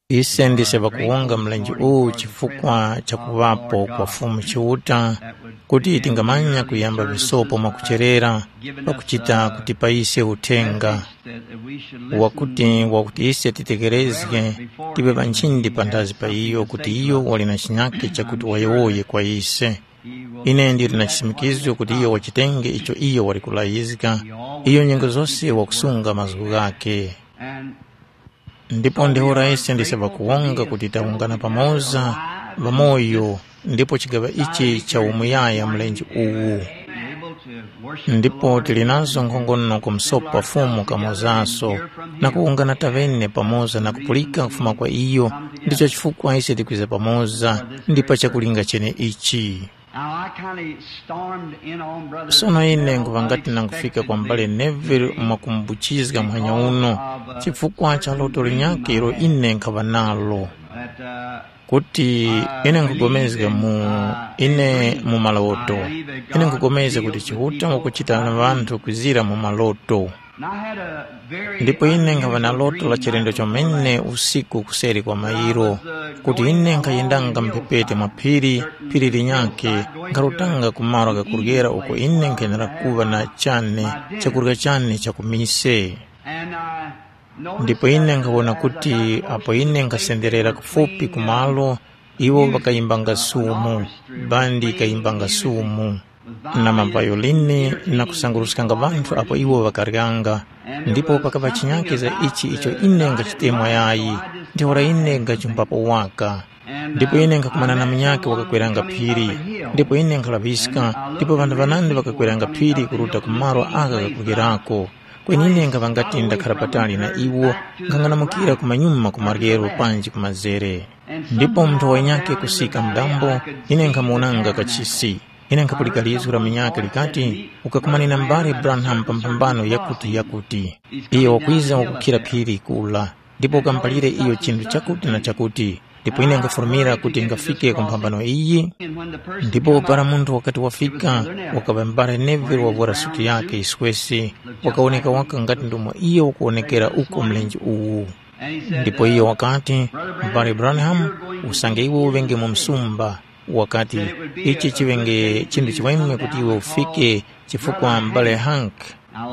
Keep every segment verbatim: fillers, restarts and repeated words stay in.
Ise ndise ŵakuwonga mlenje uwu chifukwa cha kuŵapo kwa Fumu Chiuta, kuti tingamanya kuyamba visopo mwakucherera, pakuchita kuti payise uthenga, wakuti wakuti ise titekerezge, tive ŵanchindi panthazi pa iyo, kuti iyo wali na chinyakhe chakuti wayowoye kwa ise. Ine ndili na chisimikizo kuti iyo wachitenge icho iyo wali kulayizga, iyo nyengo zose wakusunga mazgu ghakhe. Ndipo ntheura ise ndise ŵakuwonga kuti tawungana pamoza ŵamoyo, ndipo chigaŵa ichi cha umuyaya mlenje uwu. Ndipo tili nazo nkhongono ku msopa Fumu kamozaso, na kuwungana taŵene pamoza na kupulika kufuma kwa iyo, ndicho chifukwa ise tikwiza pamoza, ndi pa chakulinga chene ichi. Now I kind of stormed in on Brother Sono ine Neville nkhuŵa ngati nangufika kwa m'bale Neville mwakumbuchizga muhanya uno, chifukwa cha loto linyakhe ilo ine nkhaŵa nalo, that uh, kuti ine nkugomezga mu ine mu maloto. Ine nkugomezga kuti Chiuta wakuchita na ŵanthu kwizira mu maloto. Ndipo ine nkhaŵa na loto la chilendo chomene usiku kuseri kwa mairo, kuti ine nkhayendanga mphepete mwa phiri, phiri linyakhe, nkharutanga ku malo ghakuryera uko ine nkhenera kuŵa na chane chakurya chane cha ku mise. Ndipo ine nkhawona kuti apo ine nkhasenderera kufupi ku malo, iwo ŵakayimbanga sumu, bandi yikayimbanga sumu, na mavayolini na kusanguruskanga ŵanthu apo iwo ŵakaryanga. Ndipo pakaŵa chinyakhe za ichi icho ine ngachitemwa yayi, ntheura ine ngachumbapo waka. Ndipo ine nkhakumana na munyakhe wakakweranga phiri, ndipo ine nkhalaŵiska, ndipo ŵanthu ŵanandi ŵakakweranga phiri kuruta ku malo agha ghakuryerako. Kweni ine nkhaŵa ngati ndakhara patali na iwo, nkhang'anamukira kumanyuma ku maryero panji ku mazere. Ndipo munthu wanyakhe kusika mdambo, ine nkhamuwonanga kachisi. Ine nkhapulika lizgu la munyakhe likati, ukakumane na m'bale Branham pa mphambano yakuti yakuti. Iyo wakwiza wakukhira phiri kula, ndipo ukamupalire iyo chinthu chakuti na chakuti. Ndipo ine nkhafurumira kuti ngafike ku mphambano iyi. Ndipo para munthu wakati wafika, wakaŵa m'bale Neville wavwara suti yakhe yiswesi, wakawoneka waka ngati ndomwe iyo wakuwonekera uko mlenje uwu. Ndipo iyo wakati, m'bale Branham, usange iwe uŵenge mu msumba, wakati, ichi chiŵenge chinthu chiweme kuti iwe ufike, chifukwa m'bale Hank.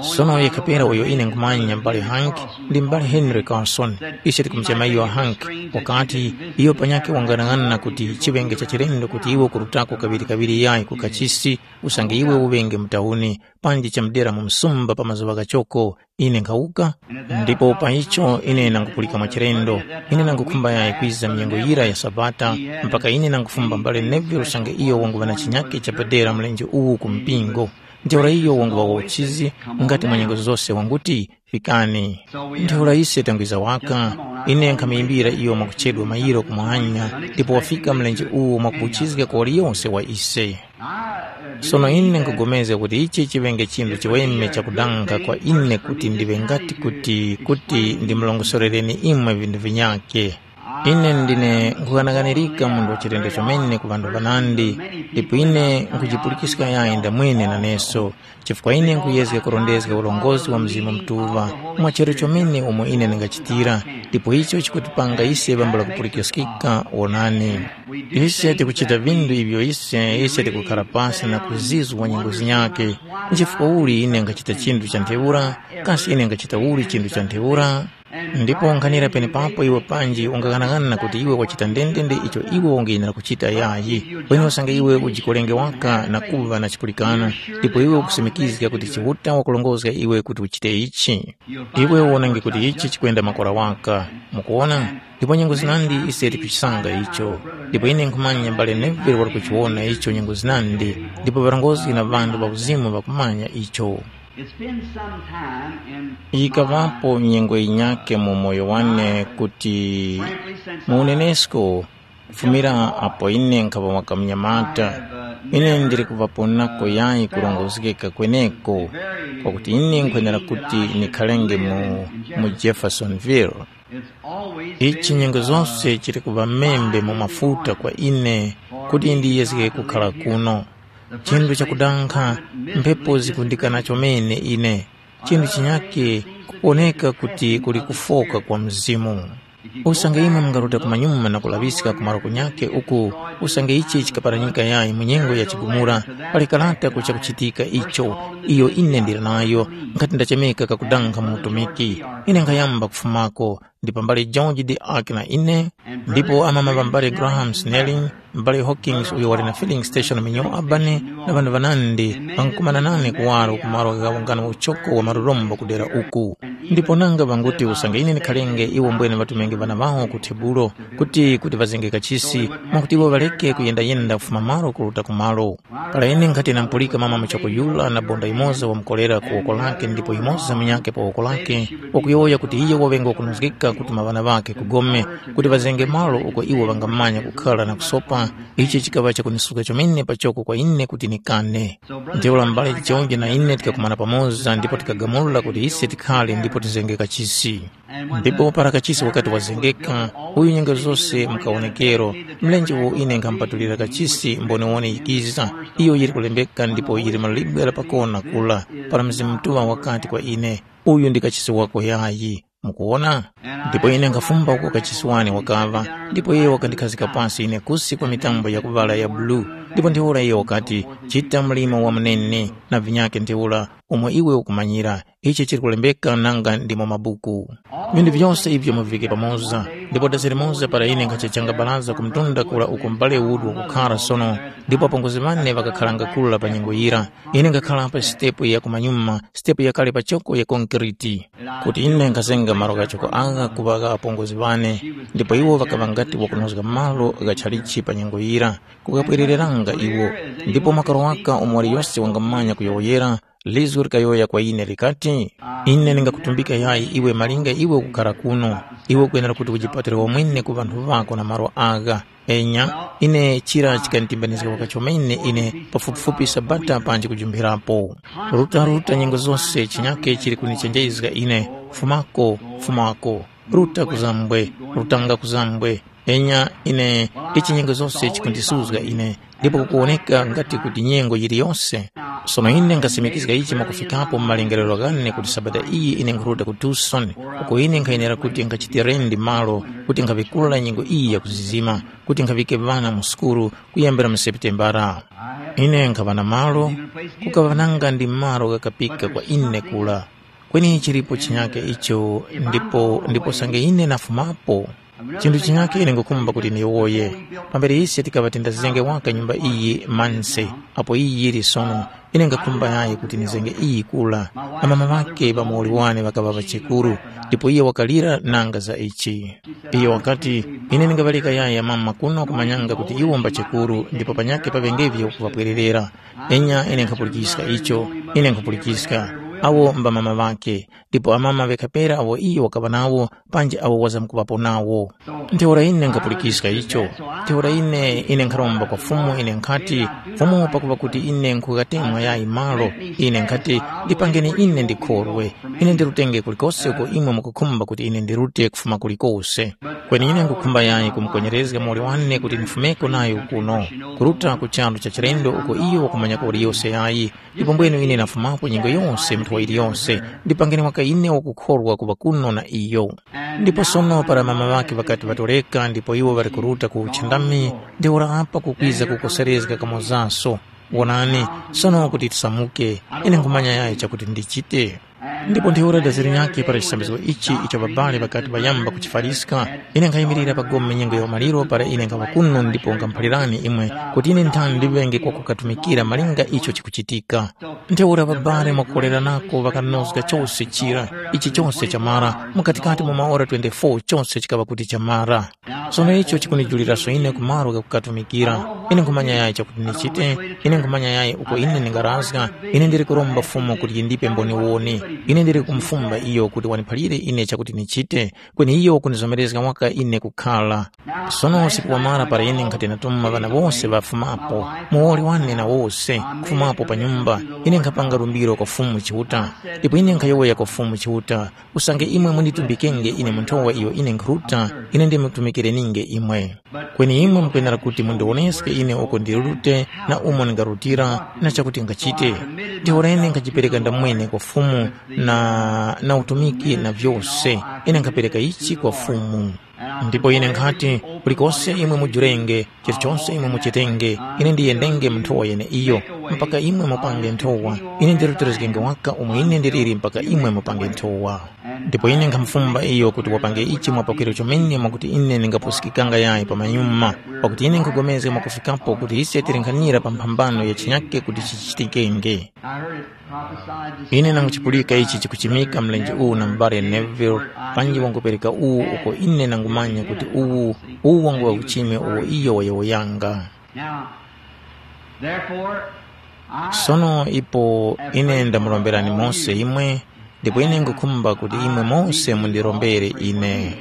Sono yekha pera uyo ine nkhumanya m'bale Hank ndi m'bale Henry Carson, ise tikumuchema iyo Hank, wakati, iyo panyakhe wang'anang'ana kuti chiŵenge cha chilendo kuti iwe kurutako kaŵirikaŵiri yayi ku kachisi, usange iwe uŵenge mu tauni, panji chamudera mu msumba pa mazuŵa ghachoko, ine nkhawuka, ndipo pa icho ine nangupulika mwachilendo, ine nangukhumba yayi kwiza mnyengo yira ya Sabata, mpaka ine nangufumba m'bale Neville usange iyo wanguŵa na chinyakhe chapadera mlenje uwu ku mpingo. Ntheura iyo wanguŵa wa uchizi ngati mwa nyengo zose wanguti, “Fikani.” Ntheura ise tangwiza waka, ine nkhamuyimbira iyo mwakuchedwa mayiro kumwanya, ndipo wafika mlenje uwo mwakubuchizga kwa waliyonse wa ise. Sono ine nkugomezga kuti ichi chiŵenge chinthu chiweme chakudanga kwa ine kuti ndiŵe ngati kuti kuti ndimulongosorereni imwe vinthu vinyakhe. Ine ndine nkughanaghanirika munthu wa chilendo chomene ku ŵanthu ŵanandi, ndipo ine nkhujipulikiska yayi ndamwene naneso, chifukwa ine nkhuyezga kurondezga ulongozi wa Mzimu Mutuŵa mwa charu chomene umo ine ndingachitira, ndipo icho chikutipanga ise ŵambula kupulikiskika. Wonani, ise tikuchita vinthu ivyo ise, ise tikukhara pasi na kuzizwa nyengo zinyakhe. Nchifukwa uli ine nkhachita chinthu cha ntheura? Kasi ine nkhachita uli chinthu cha ntheura? Ndipo nkhanira penepapo iwe panji ungaghanagana kuti iwe wachita ndendende icho iwe ungayenera kuchita yayi. Kweni usange iwe ujikolenge waka na kuŵa na chipulikano, ndipo iwe ukusumikizga kuti Chiuta wakulongozga iwe kuti uchite ichi, iwe uwonenge kuti ichi chikwenda makora waka. Mukuwona? Ndipo nyengo zinandi ise tikuchisanga icho. Ndipo ine nkhumanya mbale Neville wali kuchiwona icho nyengo zinandi, ndipo ŵarongozgi na ŵanthu ŵa uzimu ŵakumanya icho. It's been some time in Yikaŵapo nyengo yinyakhe mu moyo wane kuti mu unenesko, kufumira apo ine nkhaŵa waka munyamata, ine ndili kuŵaponako yayi kurongozgeka kweneko, kwakuti ine nkhwenera kuti nikharenge mu, mu Jeffersonville. Ichi nyengo zose chili kuŵa membe mu mafuta kwa ine kuti ndiyezge kukhala kuno. Chinthu chakudankha, mphepo zikundikana chomene ine. Chinthu chinyakhe kukuwoneka kuti kuli kufoka kwa mzimu. Usange imwe mungaruta kumanyuma na kulaŵiska ku malo kunyakhe uku, usange ichi chikaparanyika yayi mu nyengo ya chigumula, pali karata ku chakuchitika icho, iyo ine ndili nayo, nkhati ndachemeka kakudanga mu utumiki. Ine nkhayamba kufumako, ndi pambali George de Ark na ine, ndipo amama ŵa m'bale Graham Snelling, m'bale Hawkins uyo wali na filling station mu New Albany, na ŵanthu ŵanandi ŵankukumana nane kuwaro ku malo gha ungano uchoko wa malurombo kudera uku. Ndipo nanga ŵanguti usange ine ndikhalenge iwo mbwene ŵatumenge ŵana ŵawo ku tebulo, kuti kuti ŵazenge kachisi, mwakuti iwo ŵareke kuyendayenda kufuma malo kuruta ku malo. Para ine nkhati namupulika mama muchoko yura na bonda yimoza wamukorera ku woko lake ndipo yimoza munyakhe pa woko lake, wakuyowoya kuti iyo waŵenge wakunozgeka kutuma ŵana ŵakhe ku gome, kuti ŵazenge malo uko iwo ŵangamanya kukhara na kusopa, ichi chikaŵa chakunisuka chomene pachoko kwa ine kuti nikane. Ntheura m'bale George na ine tikakumana pamoza ndipo tikagamula kuti ise tikhare ndipo tizenge kachisi. Ndipo para kachisi wakati wazengeka, uyu nyengo zose mukawonekero, mlenje uwo ine nkhamupatulira kachisi mboniwone yikiza, iyo yili kulembeka ndipo yili malibwe la pakona kula, para Mzimu Mutuŵa wakati kwa ine, uyu ndi kachisi wako yayi. Mukuwona? Ndipo ine nkhafumba uko kachisi wane wakaŵa, ndipo iye wakandikhazika pasi ine kusi kwa mitambo yakuŵala ya bulu, ndipo ntheura iye wakati, chita mlimo wa munene, na vinyakhe ntheura, umo iwe ukumanyira, ichi chili kulembeka nanga ndi mu mabuku. Vinthu vyose ivyo muvike pamoza, ndipo dasi limoza para ine nkhachechanga baraza ku mtunda kura uko m'bale Wood wakukhara sono, ndipo apongozi ŵane ŵakakharanga kura pa nyengo yira. Ine nkhakhala pa sitepu ya kumanyuma, sitepu yakale pachoko ya konkriti, kuti ine nkhazenga malo ghachoko agha kuŵa gha apongozi ŵane, ndipo iwo ŵakaŵa ngati wakunozga malo gha chalichi pa nyengo yira, kukapwerereranga iwo. Ndipo makaro waka umo waliyose wangamanya kuyowoyera, lizgu likayowoya kwa ine likati, ine ndingakutumbika yayi iwe malinga iwe ukukhara kuno, iwe ukwenera kuti ujipatire wamwene ku ŵanthu ŵako na malo agha. Enya, ine chira chikanditimbanizga waka chomene ine pafupifupi sabata panji kujumphirapo. Ruta ruta nyengo zose chinyake chili kunichenjezga ine, fumako, fumako, ruta kuzambwe, rutanga kuzambwe. Enya ine, ichi nyengo zose chikundisuzga ine, ndipo kukuwoneka ngati kuti nyengo yiliyose. Sono ine nkhasimikizga ichi mwakufikapo mu malengerero ghane kuti sabata iyi ine nkhuruta ku Tucson, uko ine nkhayenera kuti nkhachitirendi malo kuti nkhaŵikula nyengo iyi yakuzizima, kuti nkhaŵike ŵana mu sukulu kuyambira mu Seputembara. Ine nkhaŵa na malo, kukaŵa nanga ndi malo ghakapika kwa ine kula. Kweni chilipo chinyake icho, ndipo ndipo sange ine nafumapo. Chinthu chinyake ine ngukhumba kuti ndiyowoye. Pambere ise tikaŵa tindazenge waka nyumba iyi manse, apo iyi yili sono, ine ngakhumba yayi kuti ndizenge iyi kula. Amama ŵakhe ŵa muwoli wane ŵakaŵa ŵachekuru, ndipo iye wakalira nanga za ichi. Iyo wakati, ine ndingaŵaleka yayi amama kuno kumanyanga kuti iwo mbachekuru ndipo panyakhe paŵengevye kuŵapwererera. Enya ine nkhapulikiska icho, ine nkhapulikiska. Awo mbamama ŵakhe, ndipo amama ŵekhapera awo iyo wakaŵa nawo, panji awo wazamkuŵapo nawo. Ntheura ine nkhapulikiska icho. Ntheura ine, ine nkharomba kwa Fumu, ine nkhati, Fumu, pakuŵa kuti ine nkughatemwa yayi malo, ine nkhati, ndipangeni ine ndikhorwe. Ine ndirutenge kulikose uko imwe mukukhumba kuti ine ndirute kufuma kulikose. Kweni ine nkhukhumba yayi kumukwenerezga muwoli wane kuti ndifumeko nayo kuno, kuruta ku charu cha chilendo uko iyo wakumanya kuwoli yose yayi, ndipo mbwenu ine nafumapo nyengo yose mu nthowa yiliyose, ndipangeni waka ine wakukhorwa kuŵa kuno na iyo. Ndipo sono para mama ŵakhe ŵakati ŵatoreka ndipo iwo ŵali kuruta ku uchindami, ntheura apa kukwiza kukoserezga kamozaso. Wonani, sono kuti tisamuke, ine nkhumanya yayi chakuti ndichite. Ndipo ntheura dazi linyakhe para chisambizgo ichi icho ŵabali ŵakati ŵayamba kuchifariska, ine nkhayimirira pa gome nyengo ya umaliro para ine nkhaŵa kuno ndipo nkhamuphalirani imwe kuti ine nthani ndiŵenge kwakukatumikira malinga icho chikuchitika. Ntheura ŵabali mwakukoleranako ŵakanozga chose chira, ichi chose chamara, mukatikati mwa maora twenty-four chose chikaŵa kuti chamara. Sono icho chikundijuliraso ine ku malo ghakukatumikira. Ine nkhumanya yayi chakuti ndichite, ine nkhumanya yayi uko ine ndingarazga, ine ndili kuromba Fumu kuti yindipe mboniwoni. Ine ndili kumufumba iyo kuti waniphalire ine chakuti ndichite, kweni iyo wakunizomerezga waka ine kukhala. Sono usiku wamara para ine nkhati natuma ŵana wose ŵafumapo, muwoli wane na wose, kufumapo pa nyumba, ine nkhapanga lumbiro kwa Fumu Chiuta. Ndipo ine nkhayowoya kwa Fumu Chiuta, usange imwe munditumbikenge ine mu nthowa iyo ine nkhuruta, ine ndimutumikireninge imwe. Kweni imwe mukwenera kuti mundiwoneske ine uko ndirute na umo ndingarutira na chakuti ngachite. Ntheura ine nkhajipereka ndamwene kwa Fumu, na, na utumiki na vyose. Ine nkhapereka ichi kwa Fumu. Ndipo ine nkhati, kulikose imwe mujurenge, chilichonse imwe muchitenge, ine ndiyendenge mu nthowa yeneiyo, mpaka imwe mupange nthowa. Ine ndirutilizgenge waka umo ine ndiliri mpaka imwe mupange nthowa. Ndipo ine nkhamufumba iyo kuti wapange ichi mwapakwiro chomene mwakuti ine ndingapusikikanga yayi pamanyuma, pakuti ine nkhupulikana mwakufikapo kuti ise tili nkhanira pa mphambano ya chinyake kuti chichitikenge. I heard it prophesied this Ine morning. Nanguchipulika ichi chikuchimika mlenje uwu na m'bale Neville, panji wangupereka uwu uko ine nangumanya kuti uwu, uwu wangu wa uchime uwo iyo wayowoyanga. Now, therefore, I Sono ipo ine ndamulomberani mose imwe, ndipo ine ngukhumba kuti imwe mose mundirombere ine.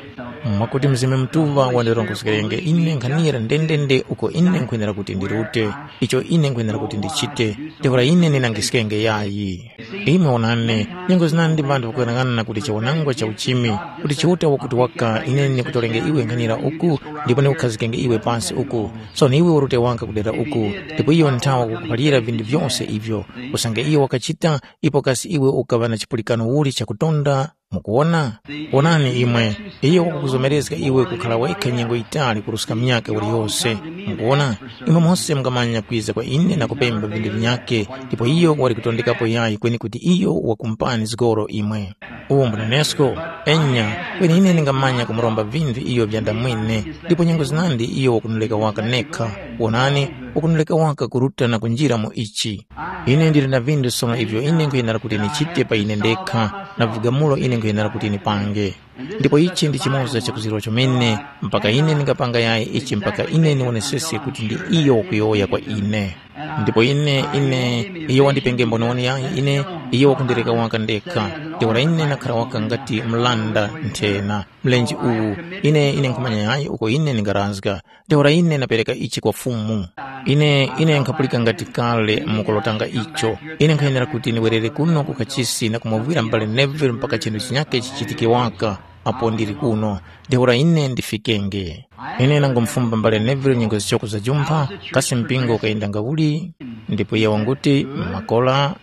Mwakuti Mzimu Mutuŵa wandirongozgerenge ine nkhanira ndendende uko ine nkhwenera kuti ndirute, icho ine nkhwenera kuti ndichite, ntheura ine ndinangiskenge yayi. Imwe onani, nyengo zinandi vanthu ŵakuyang'ana kuti chiwanangwa cha uchimi, kuti Chiuta wakuti waka ine ndikutolenge iwe nkhanira uku, ndipo ndikukhazikenge iwe pansi uku. Sono iwe urute waka kudera uku, ndipo iyo nthawa wakukuphalira vinthu vyose ivyo, usange iyo wakachita, ipo kasi iwe ukaŵa na chipulikano uli chakutonda? Mukuwona? Wonani imwe, iyo wakukuzomerezga iwe kukhala wekha nyengo yitali kuruska munyakhe uliyose. Mukuwona? Imwe mose mungamanya kwiza kwa ine na kupemba vinthu vinyakhe, ndipo iyo wali kutondekapo yayi kweni kuti iyo wakumpani zgoro imwe. Uwo mbunenesko? Enya, kweni ine ndingamanya kumuromba vinthu iyo vyandamwene, ndipo nyengo zinandi iyo wakunuleka waka nekha. Wonani, wakunuleka waka kuruta na kunjira mu ichi. Ine ndili na vinthu sono ivyo ine nkhuyenera kuti ndichite pa ine ndekha, na vigamulo ine nkhuyenera kuti ndipange. Ndipo ichi ndi chimoza cha kuzirwa chomene, mpaka ine ndingapanga yayi ichi mpaka ine ndiwonesese kuti ndi iyo wakuyowoya kwa ine. Ndipo ine, ine, iyo wandipenge mboniwoni yayi ine, iyo wakundireka waka ndekha. Ntheura ine ndakhala waka ngati mlanda nthena, mlenje uwu, ine, ine nkhumanya yayi uko ine ndingarazga. Ntheura ine ndapereka ichi kwa Fumu. Ine, ine nkhapulika ngati kale mukulotanga icho. Ine nkhayenera kuti ndiwerere kuno ku kachisi na kumuvwira m'bale Neville mpaka chinthu chinyakhe chichitike waka apo ndili kuno. Ntheura ine ndifikenge. Ine nangumufumba m'bale Neville nyengo zichoko za jumpha, kasi mpingo ukayendanga uli? Ndipo iye wanguti, makola.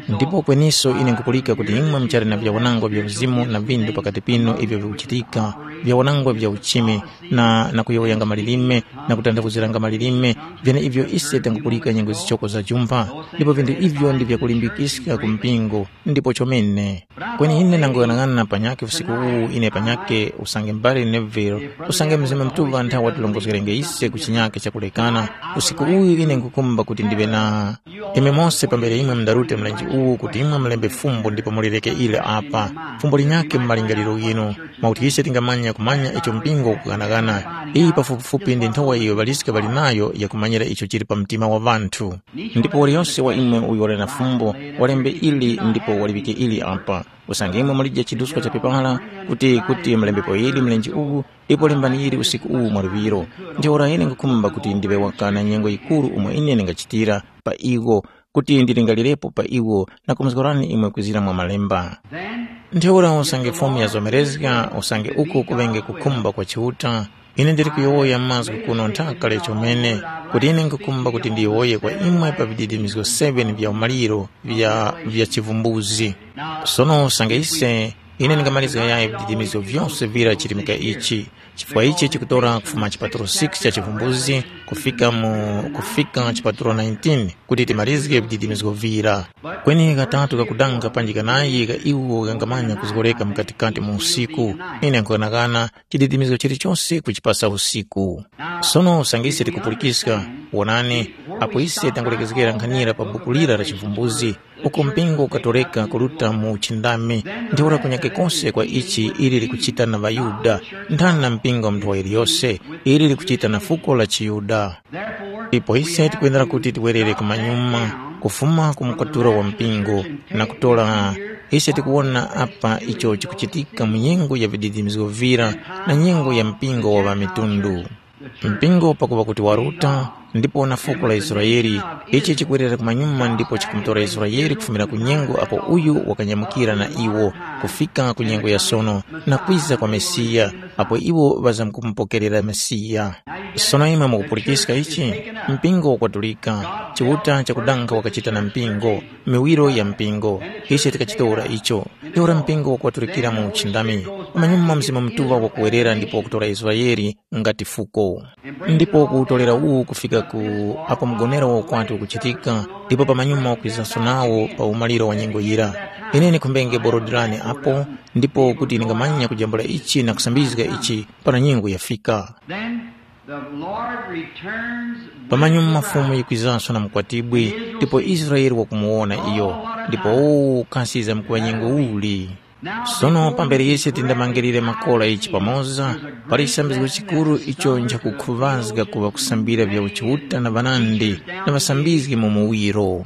Ndipo kweniso ine nkupulika kuti imwe muchali na vyawanangwa vya uzimu na vindu pakati pinu ivyo vikuchitika, vyawanangwa vya uchimi, na, na kuyowoyanga malilime, na kutanthauziranga malilime, vyeneivyo ise tangupulika nyengo zichoko za jumpha, ndipo vindu ivyo ndi vyakulimbikiska ku mpingo, ndipo chomene. Kweni ine nanguyang'ana panyakhe usiku uwu ine panyakhe usange m'bale Neville, usange Mzimu Mutuŵa nthawi watilongozgerenge ise ku chinyakhe chakulekana, usiku uwu ine nkukumba kuti ndiŵe na Imwe mose pambere imwe mundarute mlenje uwu kuti imwe mulembe fumbo ndipo mulireke ile apa. Fumbo linyakhe mu malingaliro ghinu, mwakuti ise tingamanya kumanya icho mpingo ukughanaghana. Iyi pafupifupi ndi nthowa iyo ŵaliska ŵali nayo yakumanyira icho chili pa mtima wa ŵanthu. Ndipo waliyose wa imwe uyo wali na fumbo, walembe ili ndipo waliŵike ili apa. Usange imwe mulije chiduska cha pepala kuti kuti mulembepo ili mlenje uwu, ndipo lembani ili usiku uwu mwa luŵiro. Ntheura ine nkhukhumba kuti ndiŵe waka na nyengo yikuru umo ine ndingachitira pa iwo, kuti ndilingalirepo pa iwo na kumuzgorani imwe kwizira mwa Malemba. Ntheura usange Fumu yazomerezga, usange uku kuŵenge kukhumba kwa Chiuta, ine ndili kuyowoya mazgu kuno nthaka chomene, kuti ine nkhukhumba kuti ndiyowoye kwa imwe pa vididimizgo seven vya umaliro vya, vya chivumbuzi. Sono usange ise Ine ndingamalizga yayi vididimizgo vyose vira chirimika ichi, chifukwa ichi chikutora kufuma chipatulo six cha Chivumbuzi kufika mu kufika chipatulo nineteen kuti timalizge vididimizgo vira. Kweni katatu kakudanga panji kanayi ka iwo kangamanya kuzgoreka mukatikati mu usiku. Ine nkughanagana chididimizgo chilichose kuchipasa usiku. Sono usange ise tikupulikiska, wonani, apo ise tangulekezgera nkhanira pa buku lira la Chivumbuzi, uko mpingo ukatoreka kuruta mu uchindami, ntheura kunyake kose kwa ichi ili likuchita na ŵaYuda, nthani na mpingo wa munthu wa yiliyose, ili likuchita na fuko la chiYuda. Ipo ise tikuyendera kuti tiwerere kumanyuma, kufuma ku mukaturo wa mpingo, na kutora ise tikuwona apa icho chikuchitika mu nyengo ya vididimizgo vira na nyengo ya mpingo wa ŵamitundu. Mpingo pakuŵa kuti waruta, ndipo na fuko la Israele. Ichi chikwerera kumanyuma ndipo chikumutora Israele kufumira ku nyengo apo uyu wakanyamukira na iwo, kufika ku nyengo ya sono, na kwiza kwa Mesiya, apo iwo ŵazamkumupokerera Mesiya. Sono imwe mukupulikiska ichi? Mpingo wakwaturika, Chiuta chakudanga wakachita na mpingo, miwiro ya mpingo. Ise tikachitora icho. Ntheura mpingo wakwaturikira mu uchindami. Pamanyuma Mzimu Mutuŵa wakuwerera ndipo wakutora Israele ngati fuko. Ndipo kuwutolera uwu kufika ku apo mgonero wa ukwati ukuchitika, ndipo pamanyuma wakwizanso nawo pa umaliro wa nyengo yira. Ine ndikhumbenge borodilani apo, ndipo kuti ndingamanya kujambula ichi na kusambizga ichi para nyengo yafika. Then the Lord returns with Pamanyuma the Fumu bride. Yikwizanso na mukwatibwi, ndipo Israele wakumuwona iyo, ndipo uwu kasi yizamkuŵa nyengo uli. Sono pambere yese tindamangirire makola ichi pamoza, pali chisambizgo chikuru icho nchakukhuvazga kuŵa kusambira vya uchiuta na ŵanandi na ŵasambizgi mu muwiro.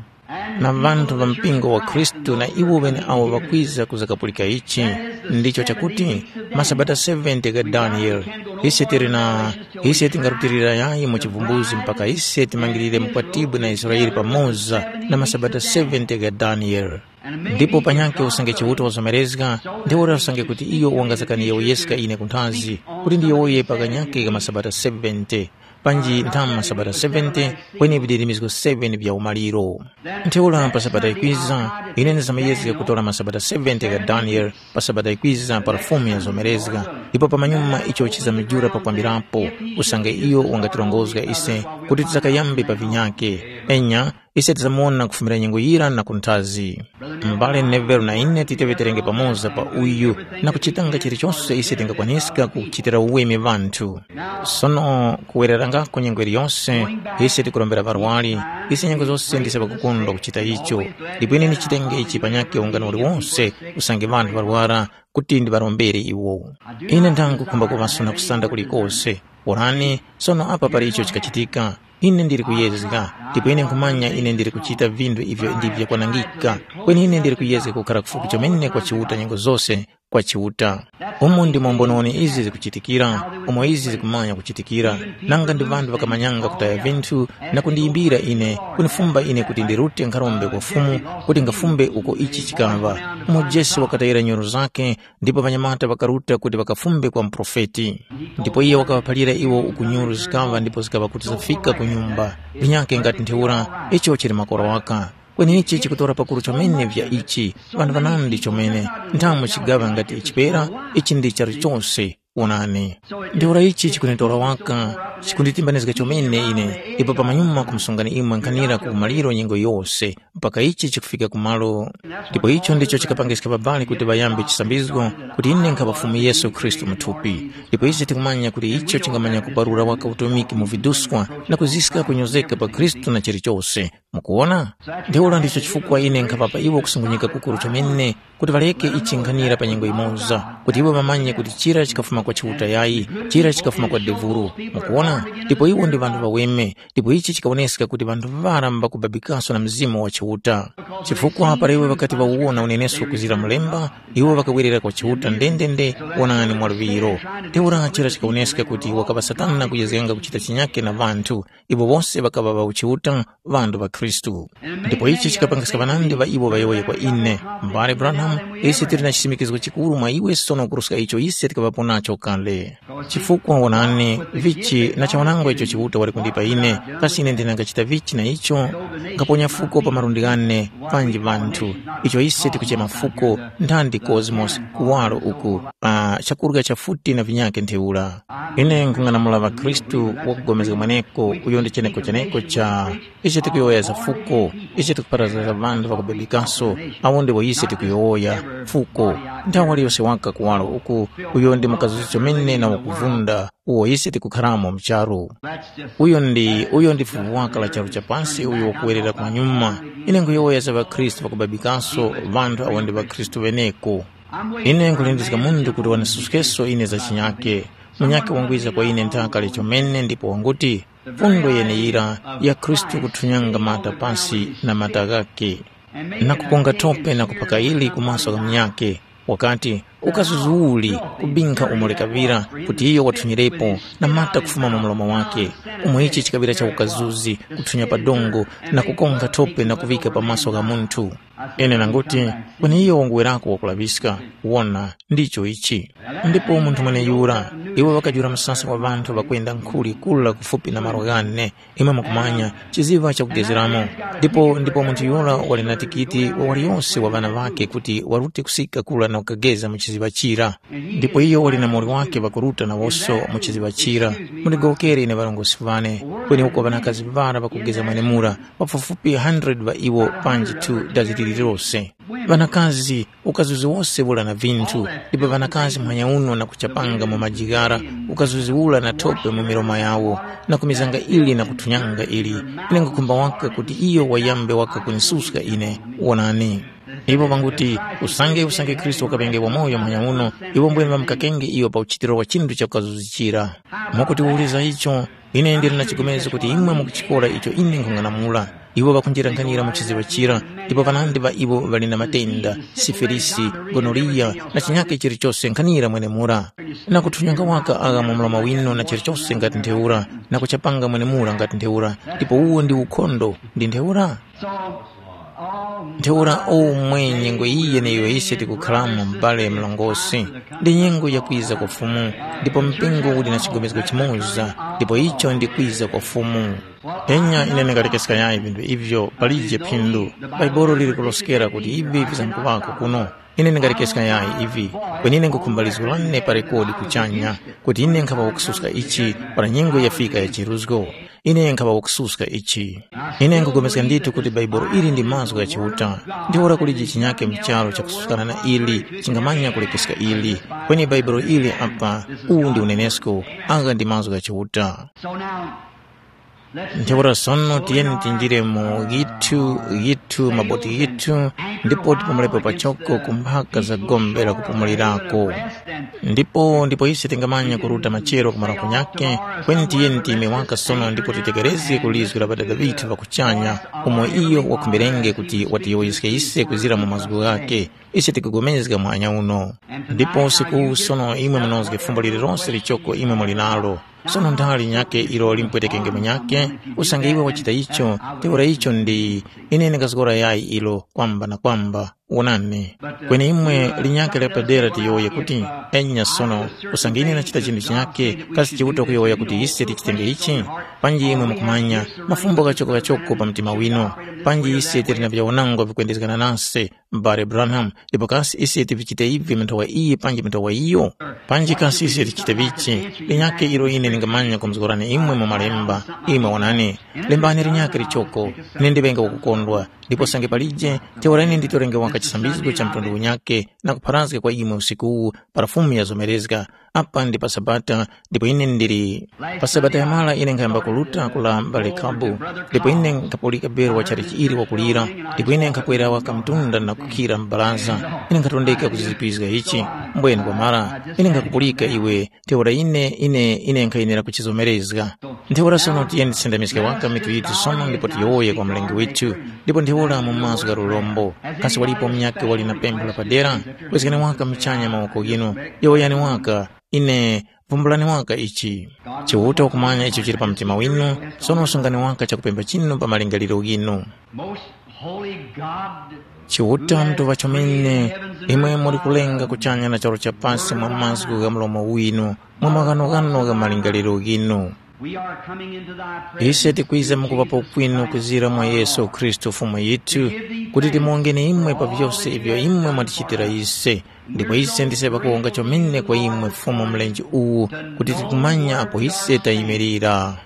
Na ŵanthu ŵa mpingo wa Khristu na iwo ŵeneawo ŵakwiza kuzakapulika ichi, ndicho chakuti masabata seventy gha Daniele, ise tili na ise tingarutilira yayi mu chivumbuzi mpaka ise timangirire mukwatibwi na Israele pamoza na masabata seventy gha Daniele. Ndipo panyakhe usange Chiuta wazomerezga, ntheura usange kuti iyo wangazakaniye uyeska ine kunthazi, kuti ndiyowoye pakanyakhe ka masabata seventy, panji nthamu masabata seventy, kweni vidirimizgo seven vya umaliro. Ntheura pa sabata ikwiza, ine ndizamuyezge kutora masabata seventy gha Daniele, pa sabata ikwiza pa Fumu yazomerezga, ndipo pamanyuma icho chizamujula pakwambirapo, usange iyo wangatirongozga ise kuti tizakayambe pa vinyakhe. Enya, ise tizamuwona kufumira nyengo yira na kunthazi. M'bale Neville na ine titeŵeterenge pamoza pa uyu na kuchitanga chilichonse ise tingakwaniska kuchitira uweme ŵanthu. Sono kuwererangako nyengo iliyonse, ise tikurombera ŵarwari, ise nyengo zose ndise ŵakukondwa kuchita icho. Ndipo ine ndichitenge ichi panyakhe ungano uliwonse usange ŵanthu ŵarwara kuti ndiŵarombere iwo. Ine ndangukhumbako ŵasuna kusanda kulikose. Onani, sono apa pali icho chikachitika. Ine ndili kuyezga, ndipo ine nkhumanya ine ndili kuchita vinthu ivyo ndi vyakwanangika, kweni ine ndili kuyezga kukhala kufupi chomene kwa Chiuta nyengo zose, kwa Chiuta. Umo ndimo mbononi izi zikuchitikira, umo izi zikumanya kuchitikira, nanga ndi ŵanthu ŵakamanyanga kutaya vinthu na kundiyimbira ine, kunifumba ine kuti ndirute nkharombe kwa Fumu kuti ngafumbe uko ichi chikaŵa. Umo Jese wakatayira nyoro zakhe, ndipo ŵanyamata ŵakaruta kuti ŵakafumbe kwa muprofeti. Ndipo iyo wakaŵaphalira iwo uku nyuru zikaŵa ndipo zikaŵa kuti zafika ku nyumba. Vinyakhe ngati ntheura, icho chili makora waka. Kweni ichi chikutora pakuru chomene vya ichi, ŵanthu ŵanandi chomene, nthamu chigaŵa ngati chipera, ichi ndi charu chose, wonani. Ntheura ichi chikunitora waka, chikunditimbanizga chomene ine, ndipo pamanyuma kumusungani imwe nkhanira ku umaliro nyengo yose, mpaka ichi chikufika kumalo. Ndipo icho ndicho chikapangiska ŵabali kuti ŵayambe chisambizgo, kuti ine nkhaŵa Fumu Yesu Khristu mu thupi. Ndipo ise tikumanya kuti icho chingamanya kuparura waka utumiki mu viduskwa na kuziska kunyozeka pa Khristu na chilichose. Mukuwona? Ntheura ndicho chifukwa ine nkhaŵapa iwo kusungunyika kukuru chomene kuti ŵareke ichi nkhanira pa nyengo yimoza, kuti iwo ŵamanye kuti chira chikafuma kwa Chiuta yayi, chira chikafuma kwa devulu. Mukuwona? Ndipo iwo ndi ŵanthu ŵaweme, ndipo ichi chikawoneska kuti ŵanthu ŵara mbakubabikaso na Mzimu wa Chiuta. Chifukwa para iwo ŵakati ŵawuwona unenesko kuzira mulemba, iwo ŵakawerera kwa Chiuta ndendende, wonani mwaluŵiro. Ntheura chira chikawoneska kuti wakaŵa Satana kuyezganga kuchita chinyake na ŵanthu, iwo wose ŵakaŵa ŵa uchiuta, ŵanthu ŵa Khristu. Ndipo ichi chikapangiska ŵanandi ŵa iwo ŵayowoye kwa ine, mbale Branham, ise tili na chisimikizgo chikuru mwa iwe sono kuruska icho ise tikaŵapo nacho kale. Chifukwa wonani, vichi na chawanangwa icho Chiuta wali kundipa ine, kasi ine ndinangachita vichi na icho? Ngaponya fuko pa malundi ghane, panji vanthu, icho ise tikuchema fuko, nthandi cosmos, kuwaro uku, pa chakurya cha futi na vinyake ntheura. Ine nkhung'anamula ŵakhristu wakupulikana mweneko uyo ndi cheneko cheneko cha icho tikuyowoya za fuko, icho tikupharazga za ŵanthu ŵakubebekaso, awo ndiwo ise tikuyowoya fuko. Nthawi waliyose waka kuwaro uku, uyo ndi mukazuzi chomene na wakuvunda uwo ise tikukharamo mu charu. Uyo ndi uyo ndi fuvu waka la charu cha pansi uyo wakuwerera kunyuma. Ine nkhuyowoya za ŵakhristu ŵakubabikaso, ŵanthu awo ndi ŵakhristu ŵeneko. Ine nkhulindizga munthu kuti wandisuskeso ine za chinyake. Munyakhe wangwiza kwa ine nthaka chomene ndipo wanguti, fundo yeneyira ya Khristu kuthunyanga mata pasi na mata ghakhe, na kuponga thope na kuphaka ili ku maso gha munyakhe. Wakati, Ukazuzi uli kubinkha umo likaŵira, kuti iyo wathunyirepo na mata kufuma mu mlomo wake, umo ichi chikaŵira cha ukazuzi, kuthunya pa dongo, na kukonkha thope na kuŵika pa maso gha munthu. Ine nanguti, kweni iyo wanguwerako wakulaŵiska, wona, ndicho ichi. Ndipo munthu mweneyura, iwo ŵakajula msasa wa ŵanthu ŵakwenda nkhuli kula kufupi na malo ghane, imwe mukumanya, chiziŵa chakugezeramo. Ndipo ndipo munthu yura wali na tikiti wa waliyose wa ŵana ŵakhe kuti warute kusika kula na kukageza mu chiziŵa chira. Ndipo iyo wali na muwoli wake ŵakuruta nawoso mu chiziŵa chira. Mundigowokere ine ŵarongozgi ŵane, kweni uko ŵanakazi ŵara ŵakugeza mwenemura, pafupifupi hundred ŵa iwo panji two dazi lililose. Ŵanakazi, ukazuzi wose ula na vinthu, ndipo ŵanakazi muhanya uno na kuchapanga mu majigara, ukazuzi ula na thope mu milomo yawo, na kumizanga ili na kuthunyanga ili. Ine nkhukhumba waka kuti iyo wayambe waka kunisuska ine. Wonani. Iwo ŵanguti, usange usange Khristu wakaŵenge wamoyo muhanya uno, iwo mbwene ŵamukakenge iyo pa uchitiro wa chinthu cha kukazuzi chira. Mwakutiwuliza icho, ine ndili na chigomezgo kuti imwe mukuchikora icho ine nkhung'anamula. Iwo ŵakunjira nkhanira mu chiziŵa chira, ndipo ŵanandi ŵa iwo ŵali na matenda, sifilisi, gonoriya, na chinyake chilichose nkhanira mwenemura. Na kuthunyanga waka agha mu mlomo winu na chilichose ngati ntheura, na kuchapanga mwenemura ngati ntheura, ndipo uwo ndi ukhondo, ndi ntheura? Ntheura omwe nyengo iyi yeneyo ise tikukhalamo m'bale mlongosi, ndi nyengo ya kwiza kwa Fumu, ndipo mpingo uli na chigomezgo chimoza, ndipo icho ndi kwiza kwa Fumu. Enya ine ndingalekeska yayi vinthu ivyo palije phindu. Bhaibuli lili kuloskera kuti ivi vizamkuŵako kuno. Ine ndingalekeska yayi ivi, kweni ine nkhukhumba lizgu lane pa rekodi kuchanya, kuti ine nkhaŵa wakususka ichi para nyengo yafika ya chiruzgo. Ine nkhaŵa wakususka ichi. Ine nkhupulikana ndithu kuti Bhaibuli ili ndi mazgu gha Chiuta. Ntheura kulije chinyake mu charu chakususkana na ili chingamanya kulekeska ili. Kweni Bhaibuli ili apa, uwu ndi unenesko, agha ndi mazgu gha Chiuta. Ntheura sono tiyeni tinjire mu ghithu, ghithu, maboti ghithu, ndipo tipulirepo pachoko ku mphaka za gombe la kupumulirako. Ndipo ndipo ise tingamanya kuruta machero ku marango nyakhe, kweni tiyeni tiyime waka sono ndipo titekerezge ku lizgu la Ŵadada ŵithu ŵa kuchanya, umo iyo wakhumberenge kuti watiyowoyeske ise kwizira mu mazgu ghakhe. Ise tikupulikana muhanya uno. Ndipo usiku uwu sono imwe munozge fumbo lililonse lichoko imwe muli nalo. Sono nthali nyakhe ilo limpwetekenge munyakhe, usange iwe wachita icho, ntheura icho ndi, ine ndingazgora yayi ilo kwamba na kwamba. Wonani, kweni imwe linyakhe la padera tiyowoye kuti, enya sono, usange ine ndachita chinthu chinyakhe, kasi Chiuta kuyowoya kuti ise tichitenge ichi? Panji imwe mukumanya, mafumbo kachoko-kachoko pa mtima winu, panji ise tili na vyaonangwa vikwendezgana nase, m'bale Branham, ndipo kasi ise tivichite ivi mu nthawa iyi panji mu nthawa iyo? Panji kasi ise tichite vichi? Linyakhe ilo ine ndingamanya kumuzgorani imwe mu malemba, imwe wonani, lembani linyakhe lichoko, ine ndiŵenge wakukondwa, ndipo sange palije, ntheura ine nditorenge waka chisambizgo cha mtundu unyakhe na kupharazga kwa imwe usiku uwu para Fumu yazomerezga. Apa ndi pa Sabata, ndipo ine ndili. Pa Sabata yamara ine nkhayamba kuruta kula m'bale Kabu, ndipo ine nkhapulika bero wa chalichi ili wakulira, ndipo ine nkhakwera waka mtunda na kukhira m'baraza. Ine nkhatondeka kuzizipizga ichi, mbwene kwamara, ine nkhakupulika iwe, ntheura ine, ine, ine nkhayenera kuchizomerezga. Ntheura sono tiyeni tisendamiske waka mitu yithu sono ndipo tiyowoye kwa Mlengi withu, ndipo ntheura mu mazgu gha lurombo. Kasi walipo munyakhe wali na pempho la padera? Kwezgani waka muchanya mawoko ghinu, yowoyani waka, ine, vumbulani waka ichi. Chiuta ukumanya icho chili pa mtima winu, sono sungani waka chakupempha chinu pa malingaliro ghinu. Most holy God, Chiuta Mtuŵa chomene, imwe muli kulenga kuchanya na charu cha pasi mwa mazgu gha mlomo winu, mwa maghanoghano gha malingaliro ghinu. We are coming into thy presence. Ise tikwiza mukuŵapo kwinu kuzira mwa Yesu Khristu Fumu yithu, kuti timuwongeni imwe pa vyose ivyo imwe mwatichitira ise. Ndipo ise ndise pakuwonga chomene kwa imwe Fumu mlenje uwu, kuti tikumanya apo ise tayimirira.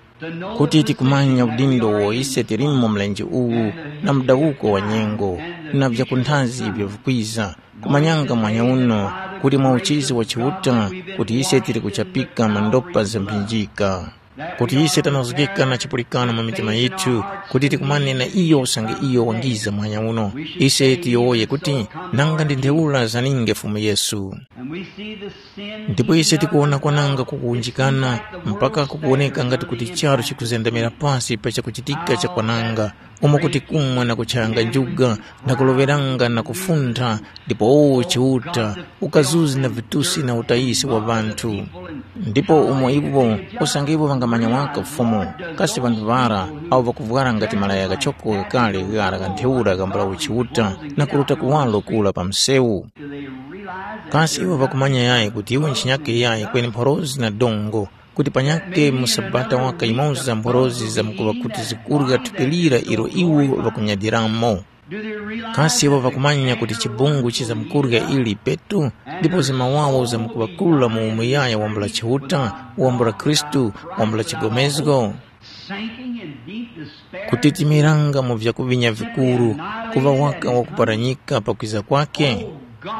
Kuti tikumanya udindo uwo ise tilimo mlenje uwu, na mudawuko wa nyengo, na vyakunthazi ivyo vikwiza, kumanyanga mwanya uno, kuti mwa uchizi wa Chiuta, kuti ise tili kuchapika mu ndopa za mphinjika. kuti ise tanozgeka na chipulikano mu mitima yithu, kuti tikumane na iyo usange iyo wangiza muhanya uno. Ise tiyowoye kuti, nanga ndi ntheura zaninge Fumu Yesu. Ndipo ise tikuwona kwananga kukuwunjikana, mpaka kukuwoneka ngati kuti charu chikuzendamira pasi pa chakuchitika cha kwananga, umo kuti kumwa na kuchayanga njuga, na kuloŵeranga na kufuntha, ndipo uwo Chiuta, ukazuzi na vitusi na utayisi wa ŵanthu. Ndipo umo iwo, usange iwo ŵangamanya waka Fumu, kasi ŵanthu ŵara, awo ŵakuvwara ngati malaya ghachoko ghakale ghara gha ntheura ghambula uchiuta, na kuruta kuwaro kura pa msewu? Kasi iwo ŵakumanya yayi kuti iwo nchinyake yayi kweni mphorozi na dongo, kuti panyakhe mu sabata waka yimoza mphorozi zamkuŵa kuti zikurya thupi lira ilo iwo ŵakunyadiramo? Kasi iwo ŵakumanya kuti chibungu chizamkurya ili petu, ndipo zimawawo zamkuŵakula mu umuyaya wambula Chiuta, wambula Khristu, wambula chigomezgo? Sinking in deep despair. Kutitimiranga mu vyakuvinya vikuru, kuŵa waka wakuparanyika pakwiza kwake?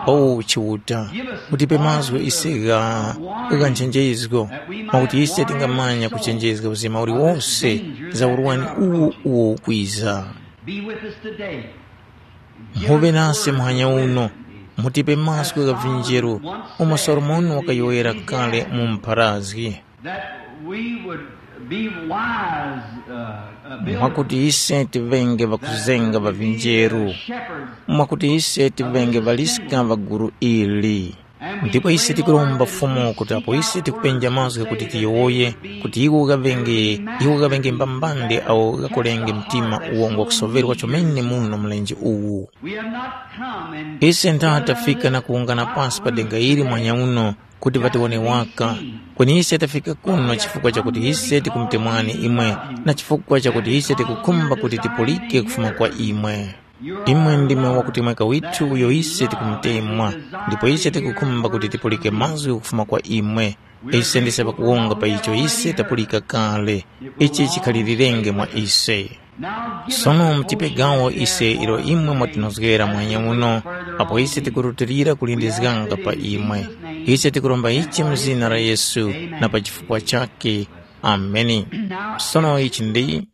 O Chiuta, mutipe mazgu ise gha gha nchenjezgo, mwakuti ise tingamanya kuchenjezga uzima uliwose za urwani uwo uwo ukwiza. Be with us today. Mhuŵe nase muhanya uno, mutipe mazgu gha vinjeru, umo Solomoni wakayowoyera kale mu mpharazgi. That we would be wise, uh, uh, builders, mwakuti ise tiŵenge ŵakuzenga ŵa vinjeru, shepherds, mwakuti ise tiŵenge ŵaliska ŵa gulu ili. Ndipo ise tikuromba Fumu kuti apo ise tikupenja mazgu kuti tiyowoye, kuti iwo ghaŵenge, iwo ghaŵenge mbambande awo ghakolenge mtima uwo ngwakusoŵerwa chomene muno mlenje uwu. We have not come and ise ntha tafika na kuwungana pasi pa denga ili mwanya uno, kuti ŵatiwone waka. Kweni ise tafika kuno chifukwa chakuti ise tikumutemwani imwe, na chifukwa chakuti ise tikukhumba kuti tipulike kufuma kwa imwe. Imwe ndimwe wakutemweka withu uyo ise tikumutemwa, ndipo ise tikukhumba kuti tipulike mazgu kufuma kwa imwe. Ise ndise ŵakuwonga pa icho ise tapulika kale. Ichi chikhalilirenge mwa ise. Sono mutipe gawo ise ilo imwe mwatinozgera mwanya uno, apo ise tikurutilira kulindizganga pa imwe. Ise tikuromba ichi mu zina la Yesu na pa chifukwa chakhe. Ameni. Sono ichi ndi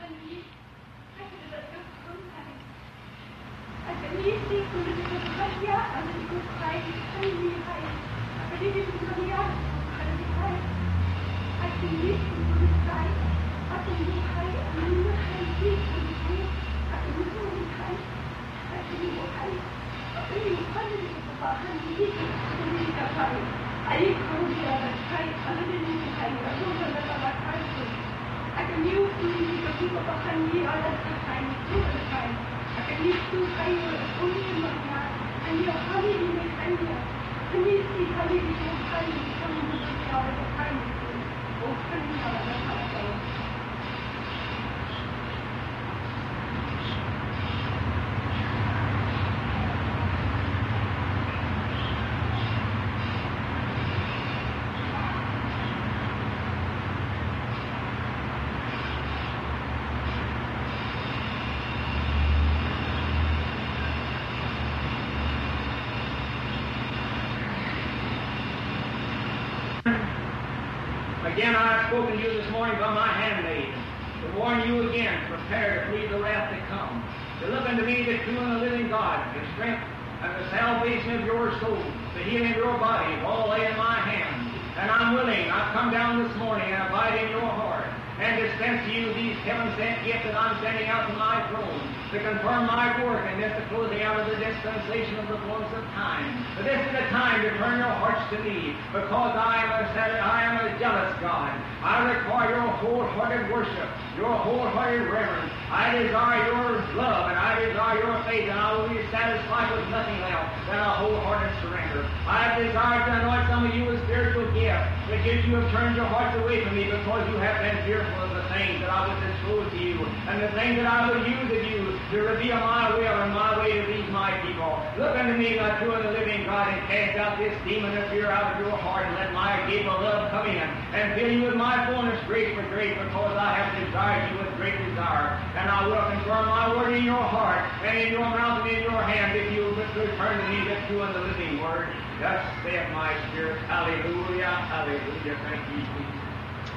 Again, I have spoken to you this morning by my handmaid, to warn you again, prepare to flee the wrath to come, to look unto me, the true and the living God, the strength and the salvation of your soul, the healing of your body, is all laid in my hands. And I'm willing, I've come down this morning and abide in your heart, and dispense to you these heaven-sent gifts that I'm sending out from my throne, to confirm my work and this the closing out of the dispensation of the fullness of time. For this is the time to turn your hearts to me, because I am a, I am a jealous God. I require your wholehearted worship, your wholehearted reverence. I desire your love, and I desire your faith, and I will be satisfied with nothing else than a wholehearted surrender. I desire to anoint some of you with spiritual gifts, but yet you have turned your hearts away from me because you have been fearful of the things that I would disclose to you, and the things that I would use of you to reveal my will and my way to these my people. Look unto me, thy true and the living God, and cast out this demon of fear out of your heart, and let my agape of love come in, and fill you with my fullness, grace for grace, because I have desired you with great desire. And I will confirm my word in your heart, and in your mouth, and in your hand, if you will but return to me the true and the living word. Thus saith my spirit. Hallelujah, hallelujah. Thank you, Jesus.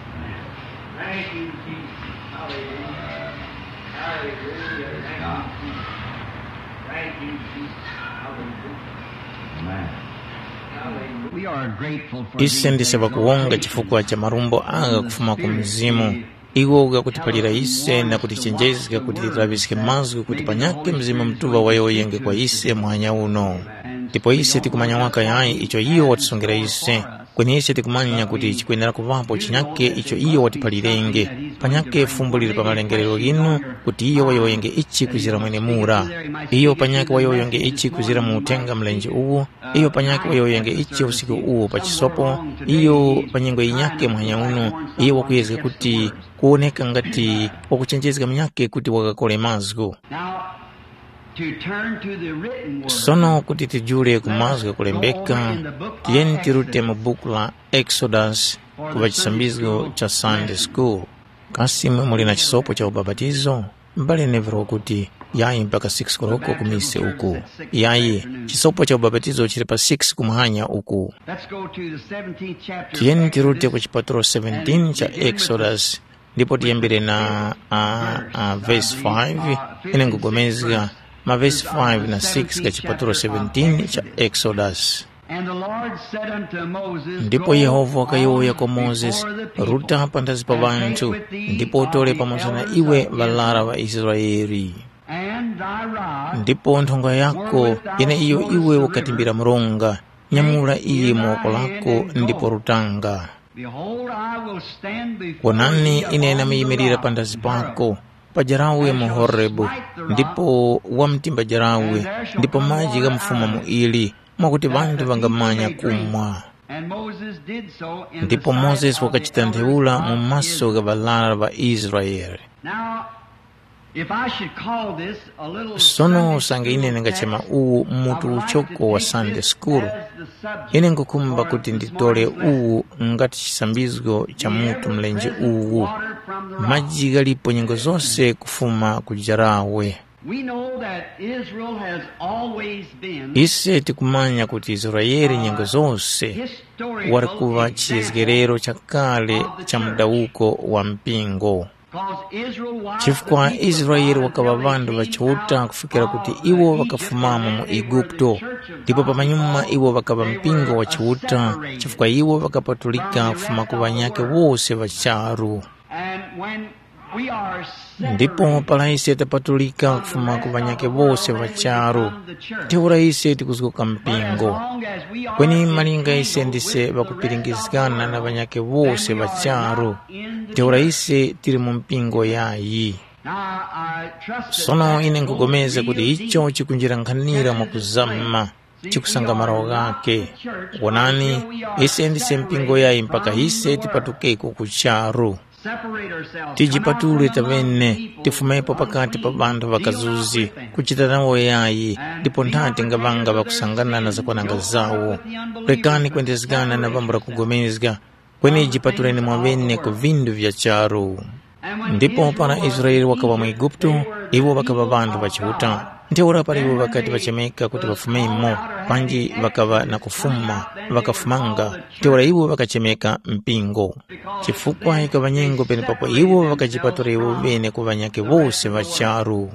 Amen. Thank you, Jesus. Hallelujah. Hallelujah. Thank you, Jesus. Thank you, Jesus. Hallelujah. Amen. Hallelujah. We are grateful for ise these ndise things, pakuwonga Lord. Chifukwa cha marumbo anga kufuma ku mzimu. Iwo ukakutiphalira ise na kutichenjezga kuti tilaŵiske mazgu kuti panyakhe Mzimu Mutuŵa wayowoyenge kwa ise muhanya uno. Ndipo ise tikumanya waka yayi icho iyo watisongera ise. Kweni ise tikumanya kuti chikwenera kuŵapo chinyake icho iyo watiphalirenge. Panyakhe fumbo lili pa malengerero ghinu kuti iyo wayowoyenge ichi kuzira mwenemura. Iyo panyakhe wayowoyenge ichi kuzira mu uthenga mlenje uwu, iyo panyakhe wayowoyenge ichi usiku uwu pa chisopo, iyo pa nyengo yinyakhe muhanya uno, iyo wakuyezga kuti kuwoneka ngati wakuchenjezga munyakhe kuti wakakole mazgu. Now, to turn to the written word, sono kuti tijule ku mazgu ghakulembeka, tiyeni tirute mu buku la Exodus kuŵa chisambizgo cha Sunday School. Kasi imwe muli na chisopo cha ubapatizo? M'bale Neville wakuti, yayi mpaka six koloko ku mise uku. Yayi, chisopo cha ubapatizo chili pa six kumuhanya uku. Let's go to the seventeenth chapter of Tiyeni tirute Exodus. Ku chipatulo seventeen cha Exodus, ndipo tiyambire na uh, uh, verse five. Ine nkugomezga mavesi five na six ga chipatulo seventeen cha Exodus. And the Lord said unto Moses, ndipo Yehova wakayowoya kwa Mozesi, ruta panthazi pa ŵanthu, ndipo utore pamoza na iwe ŵalara ŵa Israele. And thy rod, ndipo nthonga yako, yene iyo iwe ukatimbira mronga, nyamula iye mu woko lako ndipo rutanga. Behold, I will stand before wonani, thee ine upon the ndamuyimilira rock panthazi pako, pajarawe mu Horebu, ndipo wamtimba jarawe, ndipo maji ghamfuma mu ili, mwakuti ŵanthu ŵangamanya kumwa. And Moses did so in the ndipo sight Mozesi of the wakachita elders ntheura mu of maso gha Israel. Ŵalara ŵa Israele. Now, if I should call this a little sono Sunday usange ine school ndingachema text, uwu mutu I would like to uchoko wa take Sunday this school as the subject ine nkukhumba for kuti this nditole morning's lesson. Uwu ngati chisambizgo cha mutu mlenje uwu. Maji ghalipo nyengo zose kufuma ku jarawe. We know that Israel has always been ise tikumanya kuti Israeli nyengo zose wali kuŵa chiyezgerero chakale cha mudawuko wa mpingo. Chifukwa Israeli wakaŵa ŵanthu ŵa Chiuta kufikira kuti iwo ŵakafumamo mu Eguputo, ndipo pamanyuma iwo ŵakaŵa mpingo wa Chiuta, chifukwa iwo ŵakapatulika kufuma ku ŵanyakhe wose ŵa charu. Ndipo para ise tapatulika kufuma ku ŵanyakhe wose ŵa charu, ntheura ise tikuzgoka mpingo. Kweni malinga ise ndise ŵakupiringizgana na ŵanyakhe wose ŵa charu, ntheura ise tili mu mpingo yayi. Sono ine nkhugomeza kuti icho chikunjira nkhanira mwakuzama, chikusanga malo ghakhe. Wonani, ise ndise mpingo yayi mpaka ise tipatukeko ku charu. Tijipatule taŵene, tifumepo pakati pa ŵanthu ŵakazuzi, kuchita nawo yayi, ndipo nthati ngaŵanga ŵakusangana na zakwananga zawo. Rekani kwendezgana na pambula kugomezga, kweni jipatuleni mwaŵene ku vindu vya charu. Ndipo para Israele wakaŵa mu Eguputo, iwo ŵakaŵa ŵanthu ŵa Chiuta. Ntheura para iwo ŵakati ŵachemeka kuti ŵafumemo, panji ŵakaŵa na kufuma, ŵakafumanga, ntheura iwo ŵakachemeka mpingo. Chifukwa yikaŵa nyengo penepapo iwo ŵakajipatula iwo ŵene ku ŵanyakhe wose ŵa charu.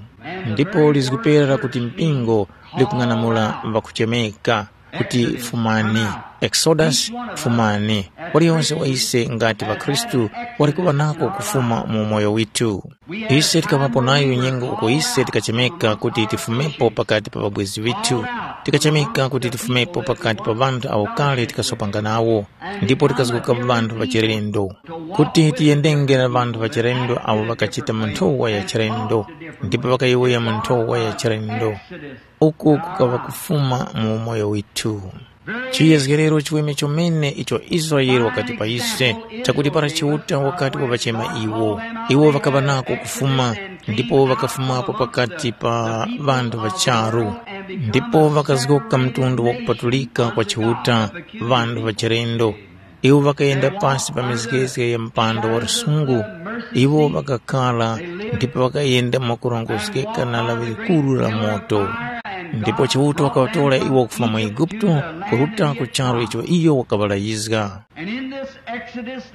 Ndipo lizgupera lakuti mpingo likung'anamula ŵakuchemeka kuti, "Fumani, Exodus, fumani." Waliyonse wa ise ngati ŵakhristu wali kuŵa nako kufuma mu umoyo withu. Ise tikaŵapo nayo nyengo uko ise tikachemeka kuti tifumepo pakati pa ŵabwezi ŵithu. Tikachemeka kuti tifumepo pakati pa ŵanthu awo kale tikasopanga nawo, ndipo tikazgoka ŵanthu ŵachilendo, kuti tiyendenge na ŵanthu ŵachilendo awo ŵakachita mu nthowa ya chilendo, ndipo ŵakayowoya mu nthowa ya chilendo. Uku kukaŵa kufuma mu umoyo withu. Chiyezgerero chiweme chomene icho Israele wakati pa ise, chakuti para Chiuta wakati wavachema iwo, iwo ŵakaŵa nako kufuma, ndipo ŵakafumapo pakati pa ŵanthu ŵa charu, ndipo ŵakazgoka mtundu wakupatulika kwa Chiuta, ŵanthu ŵa chilendo. Iwo ŵakayenda pasi pa mizgezge ya mpando wa lusungu, iwo ŵakakhala ndipo ŵakayenda mwakurongozgeka na lawi likuru la moto. Ndipo Chiuta wakaŵatora iwo kufuma mu Eguputu, kuruta ku charu icho iyo wakaŵalayizga.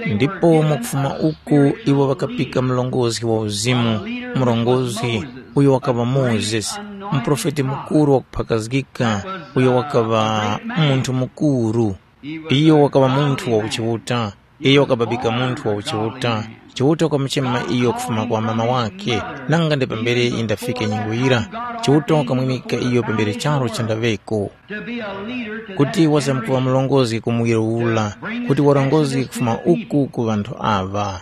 Ndipo mwakufuma uku iwo ŵakapika mlongozi wa uzimu, murongozgi, uyo wakaŵa Mozesi, muprofeti mukuru wakuphakazgika, uyo wakaŵa munthu mukuru. Iyo wakaŵa munthu wa uchiuta. Iyo wakababika munthu wa uchiuta. Chiuta wakamuchema iyo kufuma kwa mama wakhe, nanga ndi pambere yindafike nyengo yira. Chiuta wakamwimika iyo pambere charu chandaŵeko, kuti wazamkuŵa mlongozi ku muwiro ula, kuti warongozge kufuma uku ku ŵanthu aŵa.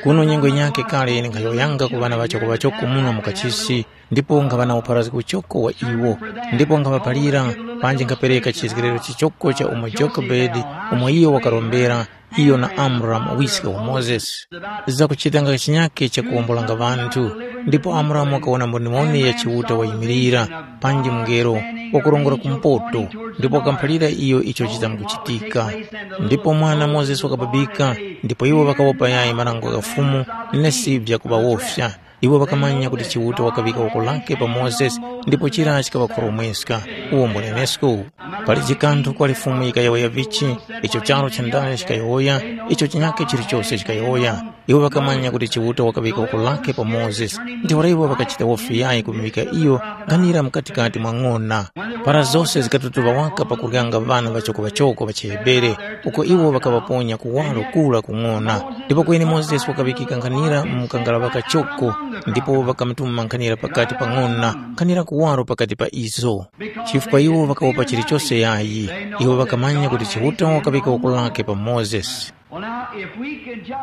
Kuno nyengo yinyakhe kale nkhayowoyanga ku ŵana ŵachoko ŵachoko muno mu kachisi, ndipo nkhaŵa na upharazgi uchoko wa iwo, ndipo nkhaŵaphalira, panji nkhapereka chizgekero chichoko cha umo Jokebedi, umo iyo wakarombera, iyo na Amramu wiske wa Mozesi, zakuchitanga chinyakhe chakuwombolanga ŵanthu. Ndipo Amramu wakawona mboniwoni ya Chiuta wayimirira, panji mungelo wakurongora kumpoto, ndipo wakamuphalira iyo icho chizamkuchitika. Ndipo mwana Mozesi wakababika, ndipo iwo ŵakawopa yayi marango gha Fumu, nesi vyakuŵawofya. Iwo ŵakamanya kuti Chiuta wakaŵika woko lake pa Mozesi, ndipo chira chikaŵakhoromweska. Uwo mbunenesko. Palije kanthu kwali Fumu yikayowoya vichi, icho charu chandale chikayowoya, icho chinyakhe chilichose chikayowoya. Iwo ŵakamanya kuti Chiuta wakaŵika woko lake pa Mozesi, ntheura iwo ŵakachita wofi yayi kumuvika iyo nkhanira mukatikati mwa ng'ona. Para zose zikatutuŵa waka pakuryanga ŵana ŵachoko-ŵachoko ŵa chiHebere, uko iwo ŵakaŵaponya kuwaro kura ku ng'ona. Ndipo kweni Mozesi wakaŵikika nkhanira mu mkangala ŵakachoko, ndipo ŵakamutuma nkhanira pakati pa ng'ona, nkhanira kuwaro pakati pa izo. Chifukwa iwo ŵakawopa chilichose yayi, iwo ŵakamanya kuti Chiuta wakaŵika woko lake pa Mozesi.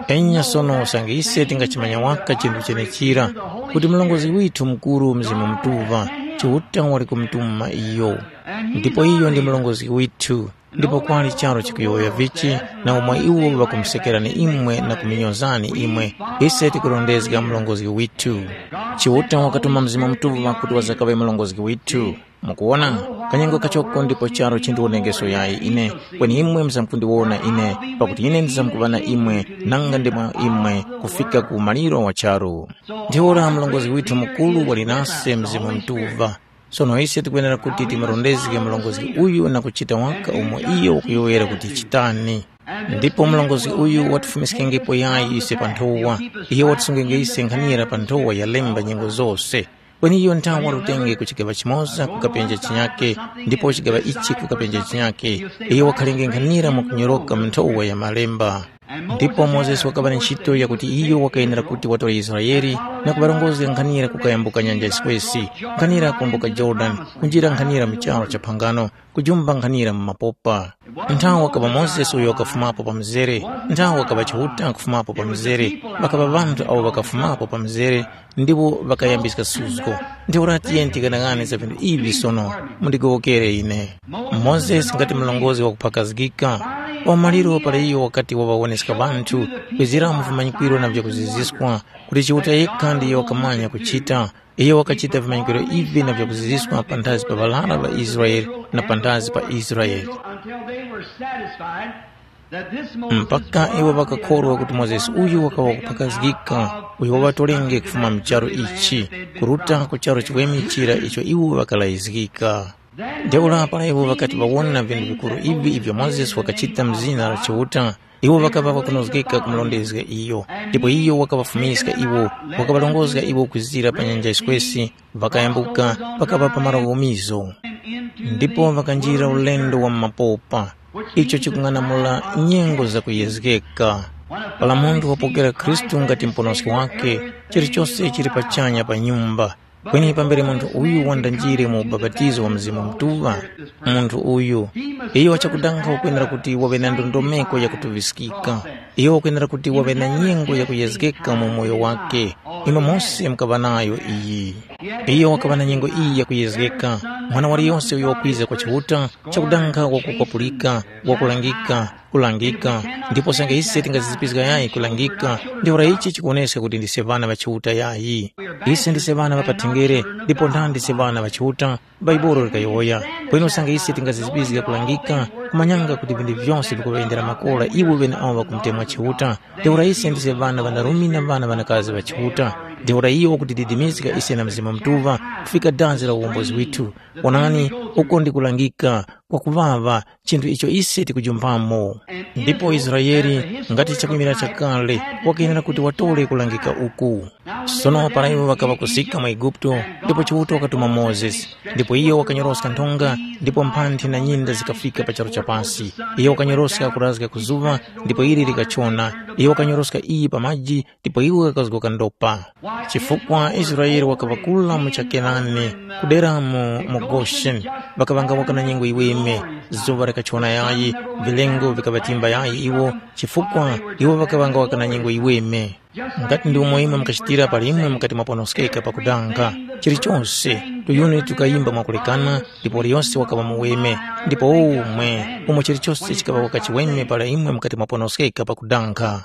Enya sono usange ise tingachimanya waka chinthu chenechira, kuti mlongozi withu mukuru Mzimu Mutuŵa, Chiuta wali kumutuma iyo. Ndipo iyo ndi mlongozi withu, ndipo kwali charu chikuyowoya vichi, na umo iwo ŵakumusekerani imwe na kuminyozani imwe, ise tikurondezga mlongozi withu. Chiuta wakatuma Mzimu Mutuŵa kuti wazakaŵe mlongozi withu. Mukuwona, kanyengo kachoko ndipo charu chindiwonekeso yayi ine, kweni imwe muzamkundiwona ine, pakuti ine ndizamkuŵa na imwe nanga ndi mwa imwe kufika ku maliro wa charu. Ntheura mlongozi withu mukuru wali nase Mzimu Mutuŵa. Sono ise tikwenera kuti timurondezge mlongozi uyu na kuchita waka umo iyo wakuyowoyera kuti chitani. Ndipo mlongozi uyu watifumiskengepo yayi ise pa nthowa, iyo watisungenge ise nkhanira pa nthowa ya lemba nyengo zose. Kweni iyo nthawa watutenge ku chigaŵa chimoza kukapenja chinyake, ndipo chigaŵa ichi kukapenja chinyake. Iyo wakhalenge nkhanira mwakunyoroka mu nthowa ya malemba. Ndipo Mozesi wakaŵa na ntchito yakuti iyo wakayenera kuti watore Israele na kuŵarongozga nkhanira kukayambuka nyanja yiswesi, nkhanira kuwumbuka Yorodani, kunjira nkhanira mu charu cha phangano, kujumba nkhanira mu mapopa. Nthawi wakaŵa Mozesi uyo wakafumapo pa mzere, nthawi wakaŵa Chiuta kufumapo pa mzere, ŵakaŵa ŵanthu awo ŵakafumapo pa mzere, ndiwo ŵakayambiska suzgo. Ntheura tiyeni tikanaghane za vinthu ivi sono, mundigowokere ine. Mozesi ngati mlongozi wakuphakazgika, pa umaliro para iyo wakati waŵawoneska ŵanthu, kwizira mu vimanyikwiro na vyakuziziskwa, kuti Chiuta yekha ndiyo wakamanya kuchita, iyo wakachita vimanyikwiro ivi na vyakuziziskwa panthazi pa ŵarara ŵa Israele na panthazi pa Israele. Mpaka iwo ŵakakhorwa kuti Mozesi uyu wakaŵa wakuphakazgika, uyo waŵatorenge kufuma mu charu ichi, kuruta ku charu chiweme chira icho iwo ŵakalayizgika. Ntheura para iwo ŵakati ŵawona vinthu vikuru ivi ivyo Mozesi wakachita mu zina la Chiuta, iwo ŵakaŵa ŵakunozgeka kumurondezga iyo, ndipo iyo wakaŵafumiska iwo, wakaŵarongozga iwo kwizira pa nyanja yiswesi, ŵakayambuka, ŵakaŵa pa malo ghomizo. Ndipo ŵakanjira ulendo wa mu mapopa, icho chikung'anamula nyengo zakuyezgeka. Para munthu wapokera Khristu ngati Muponoski wakhe, chilichose chili pachanya pa nyumba. Kweni pambere munthu uyu wandanjire mu ubapatizo wa Mzimu Mutuŵa, munthu uyu, iyo chakudanga wakwenera kuti waŵe na ndondomeko yakutuŵiskika. Iyo wakwenera kuti waŵe na nyengo yakuyezgeka mu moyo wakhe. Imwe mose mukaŵa nayo iyi. Iyo wakaŵa na nyengo iyi yakuyezgeka. Mwana waliyose uyo wakwiza kwa Chiuta, chakudanga wakukwapulika, wakulangika, Kulangika, ndipo sanga ise tingazizipizga yayi kulangika, ntheura ichi chikuwoneska kuti ndise ŵana ŵa Chiuta yayi. Ise ndise ŵana ŵa pathenjere, ndipo ntha ndise ŵana ŵa Chiuta, Bhaibuli likayowoya. Kweni sanga ise tingazizipizga kulangika, kumanyanga kuti vinthu vyose vikuŵayendera makora iwo ŵeneawo ŵakumutemwa Chiuta, ntheura ise ndise ŵana ŵanarume na ŵana ŵanakazi ŵa Chiuta, ntheura iyo wakutididimizga ise na Mzimu Mutuŵa kufika dazi la uwombozi withu. Onani, uko ndi kulangika kwakuŵaŵa, chinthu icho ise tikujumpamo. Ndipo Israele, ngati chakwimira chakale, wakenera kuti watore kulangika uku. Sono para iwo ŵakaŵa kusika mu Eguputo, ndipo Chiuta wakatuma Mozesi, ndipo iyo wakanyoroska nthonga, ndipo mphanthi na nyinda zikafika pa charu cha pasi. Iyo wakanyoroska kurazga ku zuŵa, ndipo ili likachona. Iyo wakanyoroska iyi pa maji, ndipo iwo ŵakazgoka ndopa. Chifukwa Israele wakaŵa kula mu cha Kenani, kuderamo mu Gosheni, ŵakaŵanga waka na nyengo yiweme, zuŵa likachona yayi, vilengo vikaŵatimba yayi iwo, chifukwa iwo ŵakaŵanga waka na nyengo yiweme. Ngati ndi umo imwe mukachitira pali imwe mukati mwaponoskeka pakudanga, chilichose, tuyuni tukayimba mwakulekana, ndipo liyose wakaŵa muweme, ndipo umwe, umo chilichose chikaŵa waka chiweme para imwe mukati mwaponoskeka pakudanga.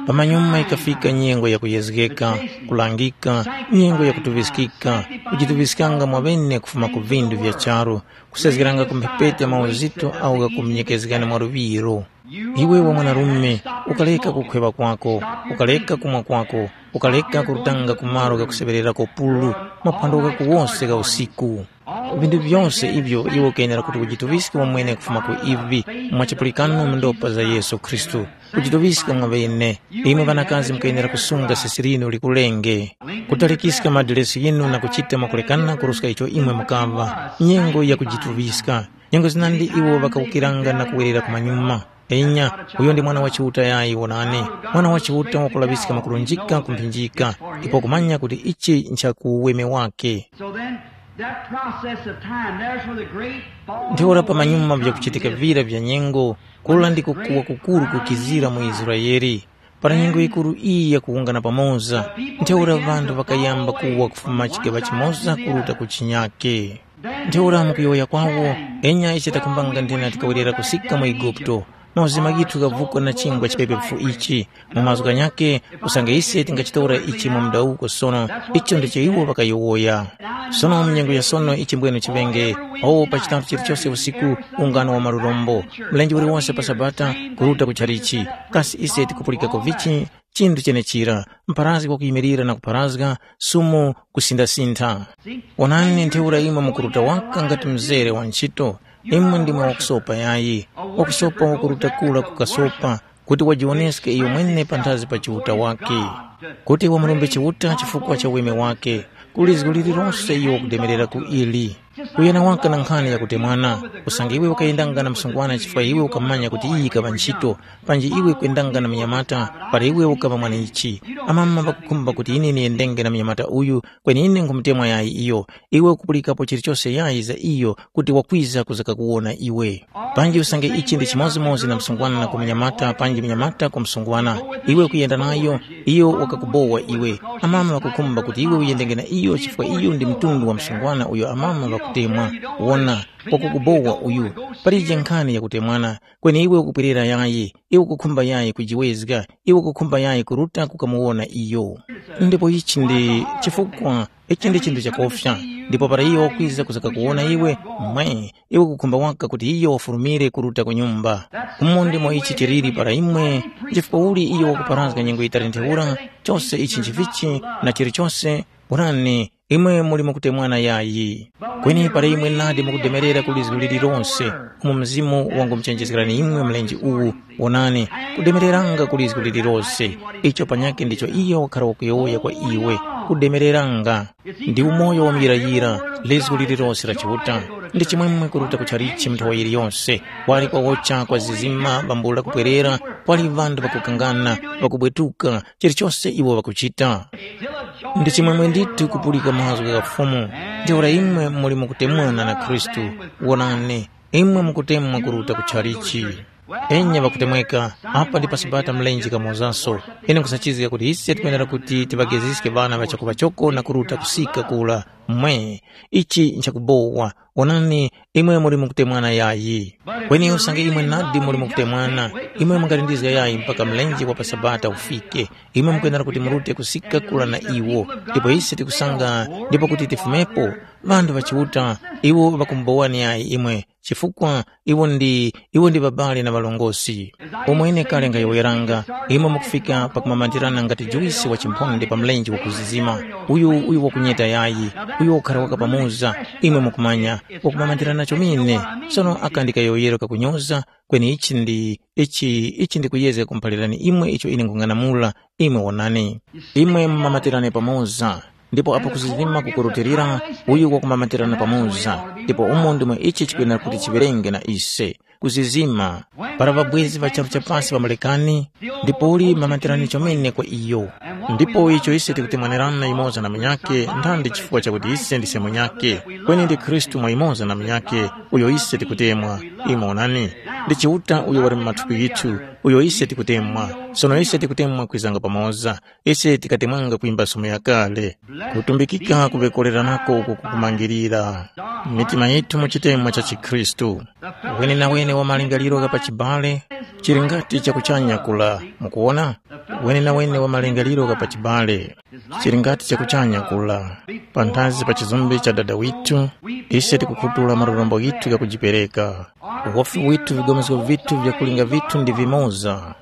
Pamanyuma yikafika nyengo ya kuyezgeka, kulangika, nyengo ya kutuŵiskika, kujituŵiskanga mwaŵene kufuma ku vindu vya charu, kusezgeranga ku mphepete mauzito agho ghakuminyikezgani mwa luŵiro. Iwe wa mwanarume, ukaleka kukhweŵa kwako, ukaleka kumwa kwako, ukaleka kurutanga ku malo ghakuseŵererako pulu, maphwando ghako wose gha usiku. Vinthu vyose ivyo iwe ukenera kuti ujituŵiske wamwene kufuma ku ivi, mwa chipulikano mu ndopa za Yesu Khristu. Kujituŵiska mwaŵene, imwe ŵanakazi mukenera kusunga sesi linu likulenge, kutalikiska madiresi ghinu na kuchita mwakulekana kuruska icho imwe mukaŵa, nyengo ya kujituŵiska. Nyengo zinandi iwo ŵakawukiranga na kuwerera kumanyuma. Enya, uyo ndi Mwana wa Chiuta yayi wonani, Mwana wa Chiuta wakulaŵiska mwakulunjika ku mphinjika, ipo kumanya kuti ichi ncha ku uweme wake. So then, that process of time, there's where the great fall Ntheura pamanyuma vyakuchitika vira vya nyengo, kula ndiko kuwa kukuru kukizira mu Israele. Para nyengo yikuru iyi yakuwungana pamoza, ntheura ŵanthu ŵakayamba kuwa kufuma chigaŵa chimoza kuruta ku chinyake. Ntheura mukuyowoya kwawo, enya ise takhumbanga nthena tikawerera kusika mu Eguputo, mauzima ghithu ghavukwa na chingwa chipepefu ichi. Mu mazgu ghanyakhe, usange ise tingachitora ichi mu mudawuko sono, icho ndicho iwo ŵakayowoya. Sono mu nyengo ya sono ichi mbwene chiŵenge, awo pa chitatu chilichose usiku, ungano wa malurombo, mlenje uliwose pa Sabata, kuruta ku chalichi. Kasi ise tikupulikako vichi? Chinthu chenechira, mpharazgi wakuyimilira na kupharazga, sumu kusindasintha. Onani ntheura imwe mukuruta waka ngati mzere wa nchito, imwe ndimwe wakusopa yayi, wakusopa wakuruta kura kukasopa, kuti wajiwoneske iyo mwene panthazi pa Chiuta wakhe, kuti wamurumbe Chiuta chifukwa cha weme wakhe, ku lizgu lililose iyo wakudemerera ku ili. Kuyana waka na nkhani yakutemwana, usange iwe ukayendanga na msungwana chifukwa iwe ukamanya kuti iyi yikaŵa nchito, panji iwe kwendanga na munyamata para iwe ukaŵa mwanechi. Amama ŵakukhumba kuti ine niyendenge na munyamata uyu, kweni ine nkhumutemwa yayi iyo. Iwe ukupulikapo chilichose yayi za iyo kuti wakwiza kuza kakuwona iwe. Panji usange ichi ndi chimodzimodzi na msungwana na kumunyamata panji munyamata ku msungwana, iwe ukuyenda nayo, iyo wakakubowa iwe. Amama ŵakukhumba kuti iwe uyendenge na iyo chifukwa iyo ndi mtundu wa msungwana uyo amama ŵakutemwa. Wona, wakukubowa uyu. Palije nkhani yakutemwana, kweni iwe ukupwerera yayi, iwe ukukhumba yayi kujiwezga, iwe ukukhumba yayi kuruta kukamuwona iyo. Ndipo ichi ndi chifukwa, ichi ndi chinthu chakofya, ndipo para iyo wakwiza kuza kakuwona iwe, mwe, iwe ukukhumba waka kuti iyo wafurumire kuruta ku nyumba. Umo ndimo ichi chiliri para imwe, chifukwa uli iyo wakuparazga nyengo yitali ntheura, chose ichi nchivichi, na chilichose, onani, imwe muli mukutemwana yayi. Kweni para imwe nadi mukudemerera ku lizgu lililonse, umo Mzimu wangumuchenjezgerani imwe mlenje uwu, wonani, kudemereranga ku lizgu lililonse, icho panyakhe ndicho iyo wakhara wakuyowoya kwa iwe, kudemereranga. Ndi umoyo wa muyirayira, lizgu lililonse la Chiuta. Ndi chimwemwe kuruta ku chalichi nthawa yiliyonse, wali kwawocha kwa zizima vambula kupwerera, kwali ŵanthu ŵakukangana, ŵakubwetuka, chilichose iwo ŵakuchita. Ndi chimwemwe ndithu kupulika mazgu gha Fumu, ntheura imwe muli mukutemwana na Khristu. Wonani, imwe mukutemwa kuruta ku chalichi. Enya ŵakutemweka, apa ndi pa Sabata mlenje kamozanso. Ine nkhusachizga kuti ise tikwenera kuti tiŵageziske ŵana ŵa chakuŵachoko na kuruta kusika kura. Mwe, ichi nchakubowa. Onani, imwe muli mukutemwana yayi. Kweni usange imwe nadi muli mukutemwana, imwe mungalindizga yayi mpaka mlenje wa pa Sabata ufike. Imwe mukwenera kuti murute kusika kura na iwo. Ndipo ise tikusanga, ndipo kuti tifumepo, ŵanthu ŵa Chiuta, iwo ŵakumubowani yayi imwe, chifukwa iwo ndi, iwo ndi ŵabale na ŵalongosi. Pomwe ine kale nkhayowoyeranga, imwe mukufika pakumamandirana ngati juwisi wa chimphonde pa mlenje wakuzizima, uyu, uyu wakunyeta yayi, uyu wakukhara waka pamoza, imwe mukumanya, wakumamandirana chomene. Sono aka ndi kayowoyero kakunyoza, kweni ichi ndi, ichi, ichi ndikuyezga kumuphalirani imwe icho ine nkhung'anamula, imwe wonani. Imwe mumamatirane pamoza, ndipo apo kuzizima kukurutilira, uyu wakumamatirana pamoza, ndipo umo ndimo ichi chikwenera kuti chiŵerenge na ise. Kuzizima, para ŵabwezi ŵa charu cha pasi ŵamulekani, ndipo uli mamatirani chomene kwa iyo. Ndipo icho ise tikutemwanerana yumoza na munyakhe, nthandi chifukwa chakuti ise ndise munyakhe, kweni ndi Khristu mwa yumoza na munyakhe, uyo ise tikutemwa. Imwe onani, ndi Chiuta uyo wali mu mathupi ghithu, uyo ise tikutemwa. Sono ise tikutemwa kwizanga pamoza. Ise tikatemwanga kwimba somo yakale. Kutumbikika kuŵekoreranako uku kukumangirira mitima yithu mu chitemwa cha chikhristu. Wenenawene wa malingaliro gha pachibale chili ngati chakuchanya kula. Mukuwona? Wenenawene wa malingaliro gha pachibale chili ngati chakuchanya kula. Panthazi pa chizumbe cha Dada withu, ise tikukhutula malurombo ghithu ghakujipereka. Uwofi withu, vigomesko vithu vya kulinga vithu ndi vimoza,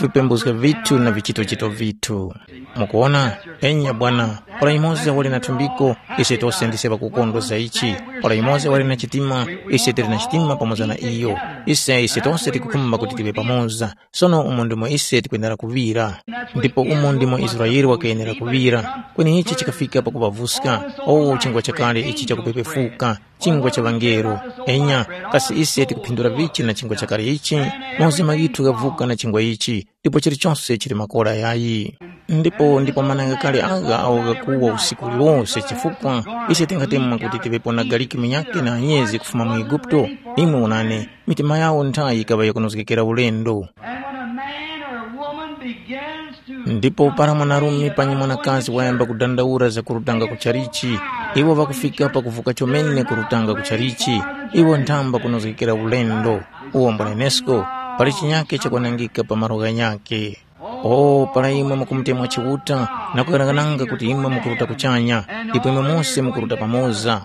vipembuzga vithu na vichitochito vithu. Mukuwona? Enya bwana, para yumoza wali na thumbiko, ise tose ndise ŵakukondwa za ichi. Para yumoza wali na chitima, ise tili na chitima pamoza na iyo. Ise, ise tose tikukhumba kuti tiŵe pamoza. Sono umo ndimo ise tikwenera kuŵira. Ndipo umo ndimo Israele wakayenera kuŵira. Kweni ichi chikafika pakuŵavuska. O, chingwa chakale ichi chakupepefuka, chingwa cha ŵangelo. Enya, kasi ise tikuphindura vichi na chingwa chakale ichi? Mauzimu ghithu ghavuka na chingwa ichi, ndipo chilichose chili makora yayi. Ndipo ndipo mananga kale agha awo ghakuwa usiku uliwose chifukwa ise tingatemwa kuti tiŵepo na galiki munyakhe na anyezi kufuma mu Eguputo. Imwe wonani, mitima yawo nthayi yikaŵa yakunozgekera ulendo. And when a man or a woman begins to Ndipo para mwanarume panyi mwanakazi wayamba kudandaula za kurutanga ku chalichi, iwo ŵakufika pakuvuka chomene kurutanga ku chalichi, iwo nthamba kunozgekera ulendo. Uwo mbwanenesko, pali chinyake chakwanangika pa malo ghanyakhe. O, para imwe mukumutemwa Chiuta na kughanaghananga kuti imwe mukuruta kuchanya, ndipo imwe mose mukuruta pamoza,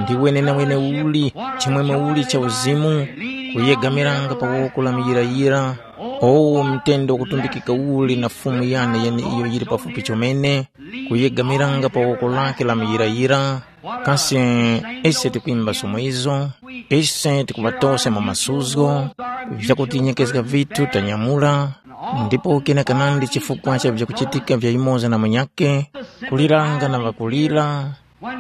ndi wenenawene uli, chimwemwe uli cha uzimu, kuyegamiranga pa woko la muyirayira, o, mtende wakutumbikika uli na Fumu yane yeneiyo yili pafupi chomene, kuyegamiranga pa woko lake la muyirayira, kasi ise tikwimba somo izo? Ise tikuŵatosa mu masuzgo, vyakutinyekezga vithu tanyamula, ndipo kena kanandi chifukwa cha vyakuchitika vya yumoza na munyakhe, kuliranga na ŵakulira,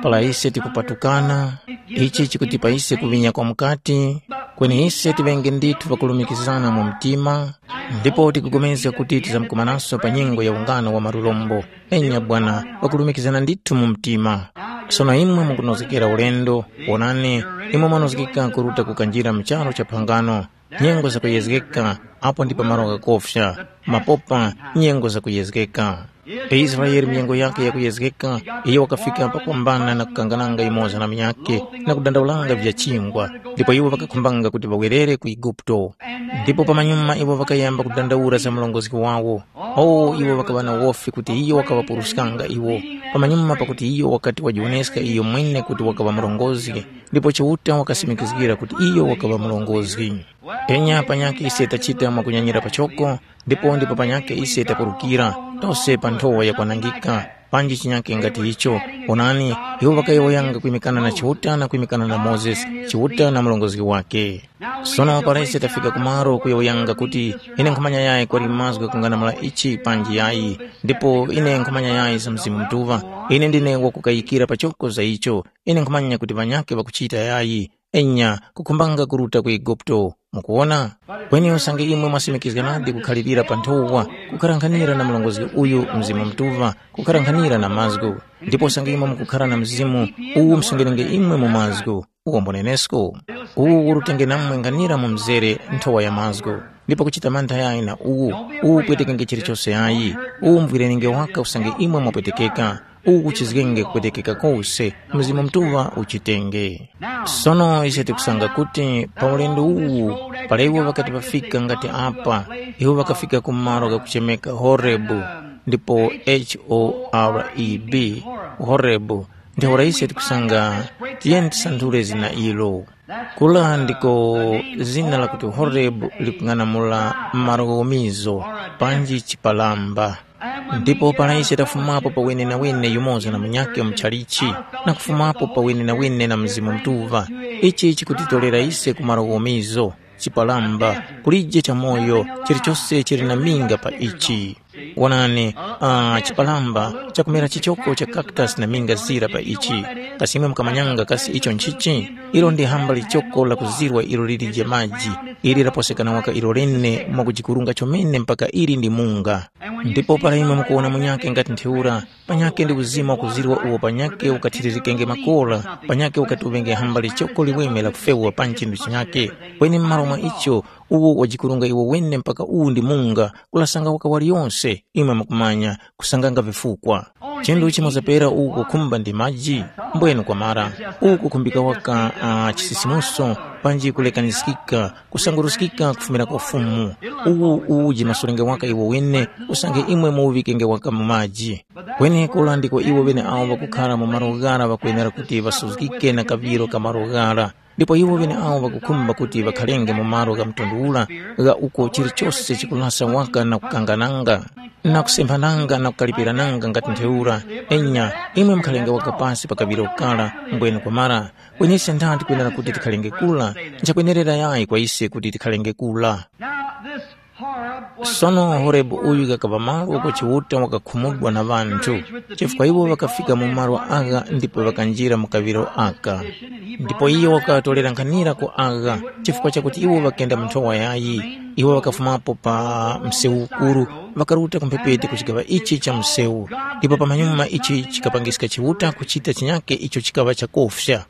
para ise tikupatukana, ichi chikutipa ise kuŵinya kwa mukati, kweni ise tiŵenge ndithu ŵakulumikizana mu mtima, ndipo tikupulikana kuti tizamkumananso pa nyengo ya ungano wa malurombo. Enya bwana, ŵakulumikizana ndithu mu mtima. Sono imwe mukunozgekera ulendo, wonani, imwe mwanozgeka kuruta kukanjira mu charu cha phangano, nyengo zakuyezgeka, apo ndi pamalo ghakofya, mapopa, nyengo zakuyezgeka. Israele, nyengo yakhe yakuyezgeka, iyo wakafika pakuwambana na kukangananga yumoza na munyakhe, na kudandaulanga vya chingwa, ndipo iwo ŵakakhumbanga kuti ŵawerere ku Eguputo. Ndipo pamanyuma iwo ŵakayamba kudandaula za murongozgi wawo. O, iwo ŵakaŵa na wofi kuti iyo wakaŵapuruskanga iwo, pamanyuma pakuti iyo wakati wajiwoneska iyo mwene kuti wakaŵa murongozgi, ndipo Chiuta wakasimikizgira kuti iyo wakaŵa murongozgi. Enya panyakhe ise tachita mwakunyanyira pachoko, ndipo ndipo panyakhe ise takurukira, tose pa nthowa yakwanangika, panji chinyakhe ngati icho. Onani, iwo ŵakayowoyanga kwimikana na Chiuta na kwimikana na Mozesi, Chiuta na murongozgi wake. Sono para ise tafika kumaro kuyowoyanga kuti, ine nkhumanya yayi kwali mazgu ghakung'anamula ichi panji yayi, ndipo ine nkhumanya yayi za Mzimu Mutuŵa, ine ndine wakukayikira pachoko za icho, ine nkhumanya kuti ŵanyakhe ŵakuchita yayi, enya, kukhumbanga kuruta ku Eguputo. Mukuwona? Kweni usange imwe mwasimikizga nadi kukhalirira pa nthowa, kukharankhanira na murongozgi uyu Mzimu Mutuŵa, kukharankhanira na mazgu, ndipo usange imwe mukukhara na Mzimu uwu msungiringe imwe mu mazgu, uwo mbunenesko, uwu urutenge namwe nkhanira mu mzere nthowa ya mazgu. Ndipo kuchita mantha yayi na uwu, uwu upwetekenge chilichose yayi, uwu mvwirenge waka usange imwe mwapwetekeka, uwu kuchizgenge kupwetekeka kose, Mzimu Mutuŵa uchitenge. Sono ise tikusanga kuti pa ulendo uwu, para iwo ŵakati ŵafika ngati apa, iwo ŵakafika ku malo ghakuchemeka Horebu, ndipo H O R E B, Horebu, ntheura ise tikusanga, tiyeni tisanthule zina ilo. Kula ndiko zina lakuti Horebu likung'anamula malo ghomizo, panji chipalamba. Ndipo para ise tafumapo pa wenenawene yumoza na munyakhe mu chalichi, na kufumapo pa wenenawene na Mzimu Mutuŵa, ichi chikutitorera ise ku malo ghomizo, chipalamba, kulije chamoyo, chilichose chili na minga pa ichi. Wonani, uh, chipalamba chakumera chichoko cha cactus na minga zira pa ichi. Kasi imwe mukamanyanga kasi icho nchichi? Ilo ndi hamba lichoko la kuzirwa ilo lilije maji, ili laposekana waka ilo lene mwakujikurunga chomene mpaka ili ndi munga. Ndipo para imwe mukuwona munyakhe ngati ntheura, panyakhe ndi uzima wakuzirwa uwo panyakhe ukathiririkenge makora, panyakhe ukati uvenge hamba lichoko liweme la kufewa pa nchindunji chinyakhe. Kweni m'malo mwa icho, uwo wajikurunga iwo wene mpaka uwu ndi munga, kulasanga waka waliyonse, imwe mukumanya, kusanganga vifukwa. Chinthu chimozapera uwu kukhumba ndi maji, mbwenu kwamara, uwu kukhumbika waka uh, chisisimuso, panji kulekaniskika, kusanguruskika kufumira kwa Fumu. Uwu uwuje masulenge waka iwo wene, usange imwe muuŵikenge waka mu maji. Kweni kula ndiko iwo ŵeneawo ŵakukhara mu malo ghara ŵakwenera kuti ŵasuzgike na kaŵiro ka malo ghara. Ndipo iwo ŵeneawo ŵakukhumba kuti ŵakharenge mu malo gha mtundu ura gha uko chilichose chikulasa waka na kukangananga, na kusemphananga na kukalipirananga ngati ntheura. Enya, imwe mukharenge waka pasi pa kaŵiro kara, mbwene kwamara. Kweni ise ndani tikwenera kuti tikharenge kula? Nchakwenerera yayi kwa ise kuti tikharenge kula. Now, this Horeb was Sono Horebu uyu ghakaŵa malo uko Chiuta wakakhumudwa na ŵanthu, chifukwa iwo ŵakafika mu malo agha ndipo ŵakanjira mu kaŵiro aka. Ndipo iyo wakaŵatolera nkhanira ku agha, chifukwa chakuti iwo ŵakenda mu nthowa yayi. Iwo ŵakafumapo pa msewu ukuru, ŵakaruta ku mphepete ku chigaŵa ichi cha msewu. Ndipo pamanyuma ichi chikapangiska Chiuta kuchita chinyake icho chikaŵa chakofya.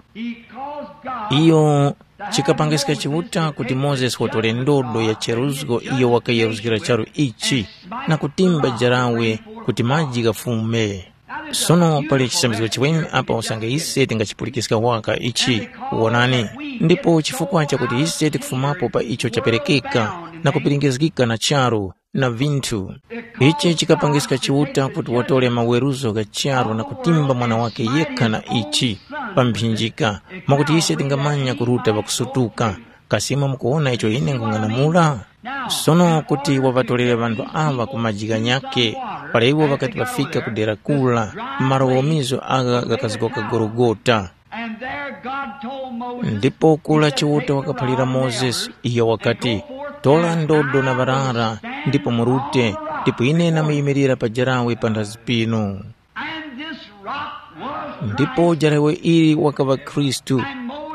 Iyo chikapangiska Chiuta kuti Mozesi watore ndodo ya cheruzgo iyo wakayeruzgira charu ichi, na kutimba jarawe kuti maji ghafume. Sono pali chisambizgo chiweme apa usange ise tingachipulikiska waka ichi, wonani, ndipo chifukwa chakuti ise tikufumapo pa icho chaperekeka na kupiringizgika na charu, na vinthu. Ichi chikapangiska Chiuta kuti watore maweruzo gha charu na kutimba mwana wake yekha na ichi, pa mphinjika, mwakuti ise tingamanya kuruta pakusutuka. Kasi imwe mukuwona icho ine nkhung'anamula? Sono kuti waŵatorere ŵanthu aŵa ku maji ghanyakhe, para iwo ŵakati ŵafika ku dera kura, malo womizo agha ghakazgoka Gologota. And there God told Moses, Ndipo kula Chiuta wakaphalira Mozesi, iyo wakati, "Tora ndodo na ŵarara, ndipo murute, ndipo ine namuyimirira pajarawe panthazi pinu." And this rock was Ndipo jarawe ili wakaŵa Khristu,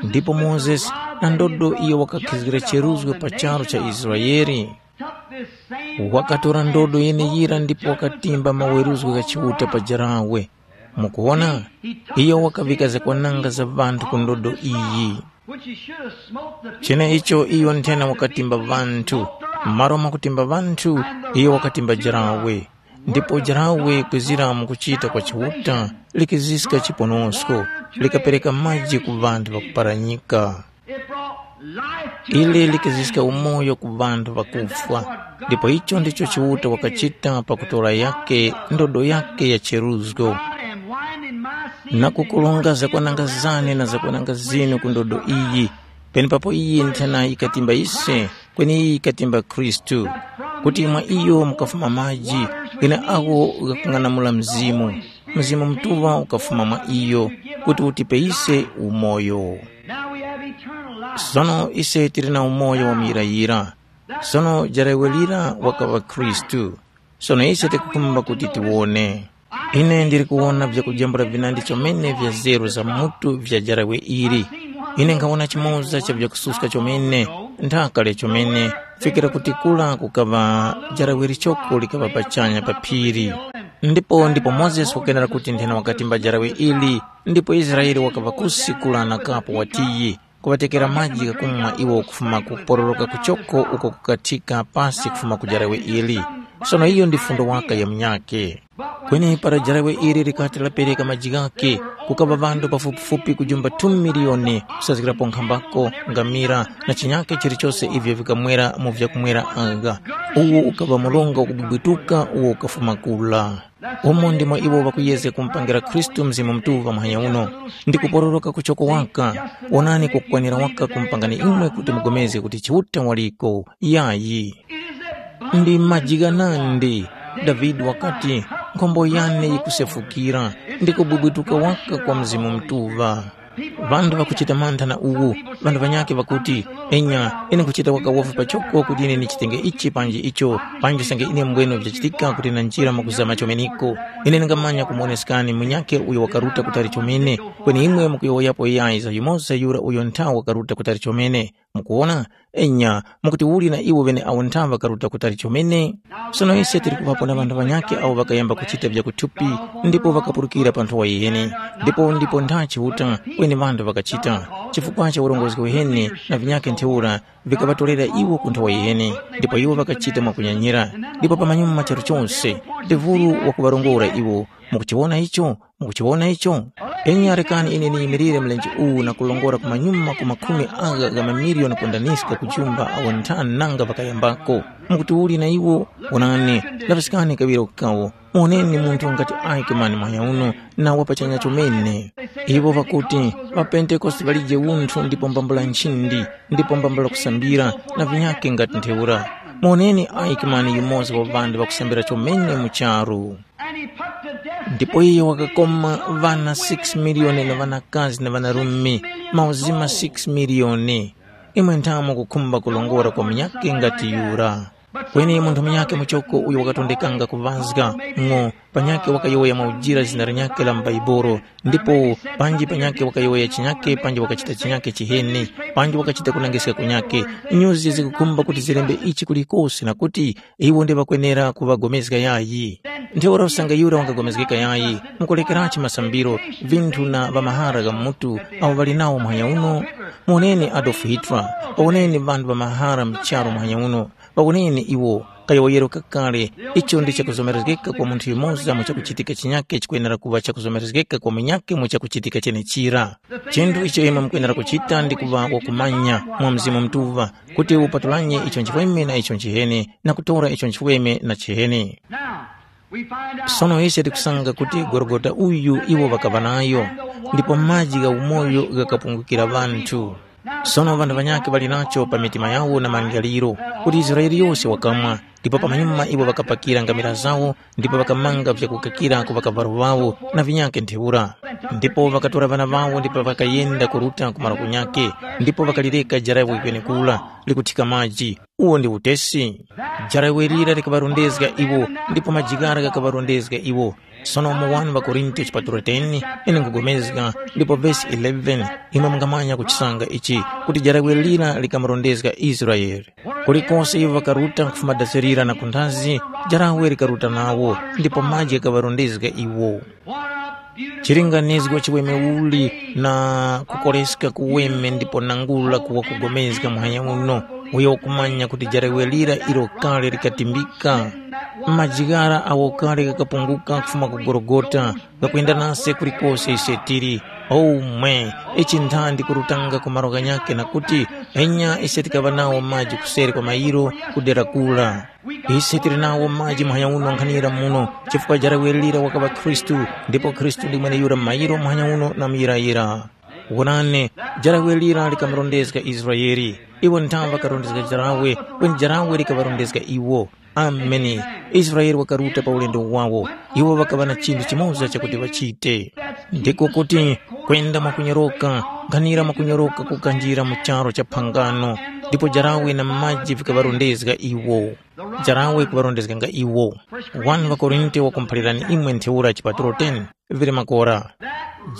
ndipo Mozesi na ndodo iyo wakakhizgira cheruzgo pa charu cha Israele. Wakatora ndodo yeneyira ndipo wakatimba maweruzgo gha Chiuta pa jarawe. Mukuwona, iyo wakavika zakwananga za ŵanthu ku ndodo iyi. Cheneicho iyo nthena wakatimba ŵanthu, m'malo mwa kutimba ŵanthu, iyo wakatimba jarawe. Ndipo jarawe kwezira mu kuchita kwa Chiuta likiziska chiponosko, likapereka maji ku ŵanthu ŵakuparanyika. Ili likiziska umoyo ku ŵanthu ŵakufwa, ndipo icho ndicho Chiuta wakachita pakutora yake ndodo yake ya cheruzgo, na kukulunga zakwananga zane na zakwananga zinu ku ndodo iyi, penepapo iyi nthena yikatimba ise, kweni iyi yikatimba Khristu, kuti mwa iyo mukafuma maji, ghene agho ghakung'anamula Mzimu, Mzimu Mutuŵa ukafuma mwa iyo, kuti utipe ise umoyo. Now we have eternal life. Sono ise tili na umoyo wa muyirayira. Sono jarawe lira wakaŵa Khristu. Sono ise tikukhumba kuti tiwone. Ine ndili kuwona vyakujambula vinandi chomene vya zeru za mutu vya jarawe ili. Ine nkhawona chimoza cha vyakususka chomene, nthaka lya chomene, fikira kuti kula kukaŵa jarawe lichoko likaŵa pachanya pa phiri. Ndipo ndipo Mozesi wakenera kuti nthena wakatimba jarawe ili, ndipo Israele wakaŵa kusi kula na kapo watiyi, kuŵatekera maji ghakumwa iwo kufuma ku kupororoka kuchoko uko kukathika pasi kufuma ku jarawe ili. Sono iyo ndi fundo waka ya munyakhe. Kweni para jarawe ili likati lapereka maji ghakhe, kukaŵa ŵanthu pafupifupi kujumba two miliyoni, kusazgirapo nkhambako, ngamira, na chinyakhe chilichose ivyo vikamwera mu vyakumwera agha. Uwu ukaŵa mronga ukubwibwituka uwo ukafuma kula. Umo ndimo iwo ŵakuyezga kumupangira Khristu Mzimu Mutuŵa muhanya uno, ndi kupororoka kuchoko waka. Wonani kwakukwanira waka kumupangani imwe kuti mugomezge kuti Chiuta waliko. Yayi. Ndi maji ghanandi. Davide wakati, nkhombo yane yikusefukira, ndi kubwibwituka waka kwa Mzimu Mutuŵa. Ŵanthu ŵakuchita mantha na uwu, ŵanthu ŵanyakhe ŵakuti, enya, ine nkhuchita waka wofi pachoko kuti ine ndichitenge ichi panji icho, panji usange ine mbwene vyachitika kuti na njira mwakuzama chomeneko. Ine ndingamanya kumuwoneskani munyakhe uyo wakaruta kutali chomene, kweni imwe mukuyowoyapo yayi za yumoza yura uyo nthawa wakaruta kutali chomene. Mukuwona? Enya, mukuti uli na iwo ŵeneawo nthawa ŵakaruta kutali chomene? Sono ise tili kuŵapo na ŵanthu ŵanyakhe awo ŵakayamba kuchita vyakuthupi ndipo ŵakapulukira pa nthowa yiheni, ndipo ndipo ntha Chiuta kweni ŵanthu ŵakachita, chifukwa cha urongozgi uheni na vinyakhe ntheura vikaŵatorera iwo ku nthowa yiheni, ndipo iwo ŵakachita mwakunyanyira. Ndipo pamanyuma charu chose, Devulu wakuŵarongora iwo. Mukuchiwona icho? Mukuchiwona icho? Enya rekani ine ndiyimirire mlenje uwu na kulongora kumanyuma ku makhumi agha gha mamiliyoni kundaniska kujumba awo nthani nanga ŵakayambako. Mukuti uli na iwo? Wonani, laŵiskani kaŵiro kawo. Muwoneni munthu ngati Aikemani mwanyauno na wapachanya chomene. Iwo ŵakuti, ŵaPentekoste ŵalije unthu ndipo mbambula nchindi, ndipo mbambula kusambira, na vinyakhe ngati ntheura. Muwoneni Aikemani yumoza wa ŵanthu ŵakusambira chomene mu charu. Ndipo iye wakakoma ŵana six miliyoni na ŵanakazi na ŵanarume, mauzima six miliyoni. Imwe nthamo kukhumba kulongora kwa munyakhe ngati yura. Kweni munthu munyakhe muchoko uyo wakatondekanga kuŵazga ng'o, panyakhe wakayowoya mwaujira zina linyakhe la m'Baibolo, ndipo panji panyakhe wakayowoya chinyakhe panji wakachita chinyakhe chiheni, panji wakachita kunangiska kunyakhe. Nyuzi zikukhumba kuti zilembe ichi kulikose na kuti iwo ndi ŵakwenera kuŵagomezga yayi. Ntheura usange yura wangagomezgeka yayi, mukulekerachi masambiro, vinthu na ŵamahara gha mutu awo ŵali nawo muhanya uno? Muwoneni Adolf Hitler, woneni ŵanthu ŵamahara mu charu muhanya uno, ŵawoneni iwo. Kayowoyero kakale, icho ndi chakuzomerezgeka kwa munthu yumoza mu chakuchitika chinyakhe chikwenera kuŵa chakuzomerezgeka kwa munyakhe mu chakuchitika chenechira. Chinthu icho imwe mukwenera kuchita ndi kuŵa wakumanya mwa Mzimu Mutuŵa, kuti upatulanye icho nchiweme na icho nchiheni, na kutora icho nchiweme na chiheni. Sono ise tikusanga kuti Gologota uyu iwo ŵakaŵa nayo, ndipo maji gha umoyo ghakapungukira ŵanthu. Sono ŵanthu ŵanyakhe ŵali nacho pa mitima yawo na malingaliro, kuti Israele yose wakamwa, ndipo pamanyuma iwo ŵakapakira ngamira zawo, ndipo ŵakamanga vyakukakira ku ŵakavalo ŵawo na vinyakhe ntheura. Ndipo ŵakatora ŵana ŵawo ndipo ŵakayenda kuruta ku malo kunyakhe, ndipo ŵakalireka jarawe kwenekura likuthika maji. Uwo ndi utesi. Jarawe lira likaŵarondezga iwo, ndipo maji ghara ghakaŵarondezga iwo. Sono mu wani ŵaKorinto chipatulo ten, ine nkhupulikana, ndipo vesi eleven, imwe mungamanya kuchisanga ichi, kuti jarawe lira likamurondezga Israele. Kulikose iwo ŵakaruta kufuma dasi lira na kunthazi, jarawe likaruta nawo, ndipo maji ghakaŵarondezga iwo. Chilinganizgo chiweme uli na kukoreska kuweme ndipo nangula kuwa kugomezga muhanya uno, uyo wakumanya kuti jarawe lira ilo kale likatimbika. Maji ghara awo kale ghakapunguka kufuma ku Gologota, ghakwenda nase kulikose ise tili. Omwe, ichi nthandi kurutanga ku malo ghanyakhe na kuti, enya ise tikaŵa nawo maji kuseri kwa mayiro ku dera kura. Ise tili nawo maji muhanya uno nkhanira muno, chifukwa jarawe lira wakaŵa Khristu, ndipo Khristu ndi mweneyura mayiro muhanya uno na muyirayira. Wonani, jarawe lira likamurondezga Israele. Iwo nthawe ŵakarondezga jarawe, kweni jarawe likaŵarondezga iwo. Ameni. Israele wakaruta pa ulendo wawo. Iwo ŵakaŵa na chinthu chimoza chakuti ŵachite. Ndiko kuti kwenda mwakunyoroka, nkhanira mwakunyoroka kukanjira mu charu cha phangano, ndipo jarawe na maji vikaŵarondezga iwo. Jarawe kuŵarondezganga iwo. Wani ŵaKorinto wakumuphalirani imwe ntheura chipatulo ten, vili makora.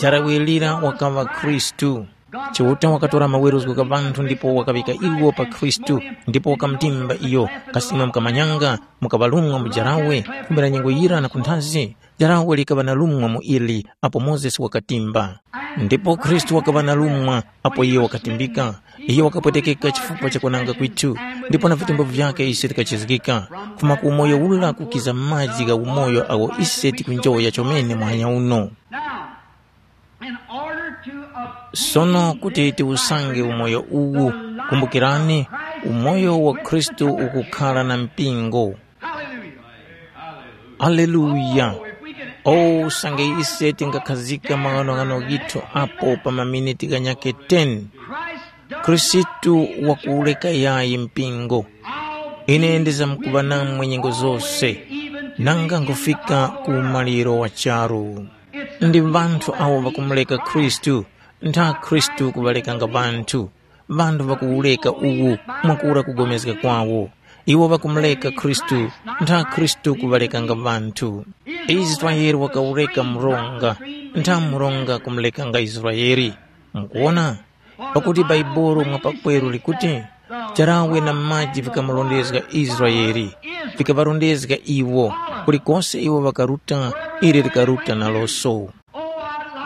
Jarawe lira wakaŵa Khristu. Chiuta wakatora maweruzgo gha ŵanthu ndipo wakaŵika iwo pa Khristu, ndipo wakamutimba iyo. Kasi imwe mukamanyanga, mukaŵalumwa mu jarawe, kumbira nyengo yira na kunthazi? Jarawe likaŵa na lumwa mu ili apo Mozesi wakatimba. Ndipo Khristu wakaŵa na lumwa apo iyo wakatimbika. Iyo wakapwetekeka chifukwa cha kwananga kwithu, ndipo na vitembo vyakhe ise tikachizgika. Kufuma ku umoyo ula kukiza maji gha umoyo agho ise tikunjoya chomene muhanya uno. Now, in order to obtain Sono kuti tiwusange umoyo uwu, kumbukirani, umoyo wa Khristu ukukhala na mpingo. Hallelujah. Aleluya! Oh, usange ise tingakhazika maghanoghano ghithu apo pa maminiti ghanyakhe ten. Khristu wakuwureka yayi mpingo. Ine ndizamkuŵa namwe nyengo zose, nanga nkufika ku umaliro wa charu. Ndi ŵanthu awo ŵakumureka Khristu, ntha Khristu kuŵarekanga ŵanthu. Ŵanthu ŵakuwureka uwu mwakura kugomezga kwawo. Iwo ŵakumureka Khristu, ntha Khristu kuŵarekanga ŵanthu. Israele wakawureka mronga, ntha mronga kumurekanga Israele. Mukuwona? Pakuti Bhaibuli mwa pakweru likuti, charawe na maji vikamurondezga Israele, vikaŵarondezga iwo, kulikose iwo ŵakaruta, ili likaruta naloso.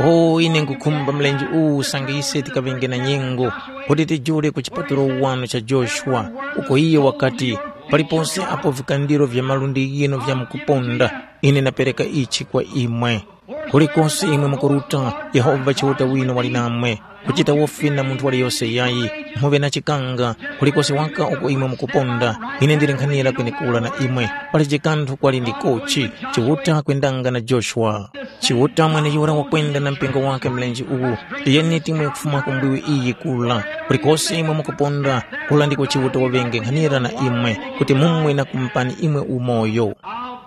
O, ine nkhukhumba mlenje uwu usange ise tikaŵenge na nyengo, kuti tijule ku chipatulo wano cha Joshua, uko iyo wakati, palipose apo vikandiro vya malundi ghinu vyamkuponda, ine ndapereka ichi kwa imwe. Kulikose imwe mukuruta, Yehova Chiuta winu wali namwe. Kuchita wofi na munthu waliyose yayi, muŵe na chikanga, kulikose waka uko imwe mukuponda, ine ndili nkhanira kwenekura na imwe. Palije kanthu kwali ndi kochi, Chiuta kwendanga na Joshua. Chiuta mweneyura wakwenda na mpingo wake mlenje uwu, tiyeni timwe kufuma ku mbiwi iyi kula. Kulikose imwe mukuponda, kula ndiko Chiuta waŵenge nkhanira na imwe, kuti mumwe na kumupani imwe umoyo.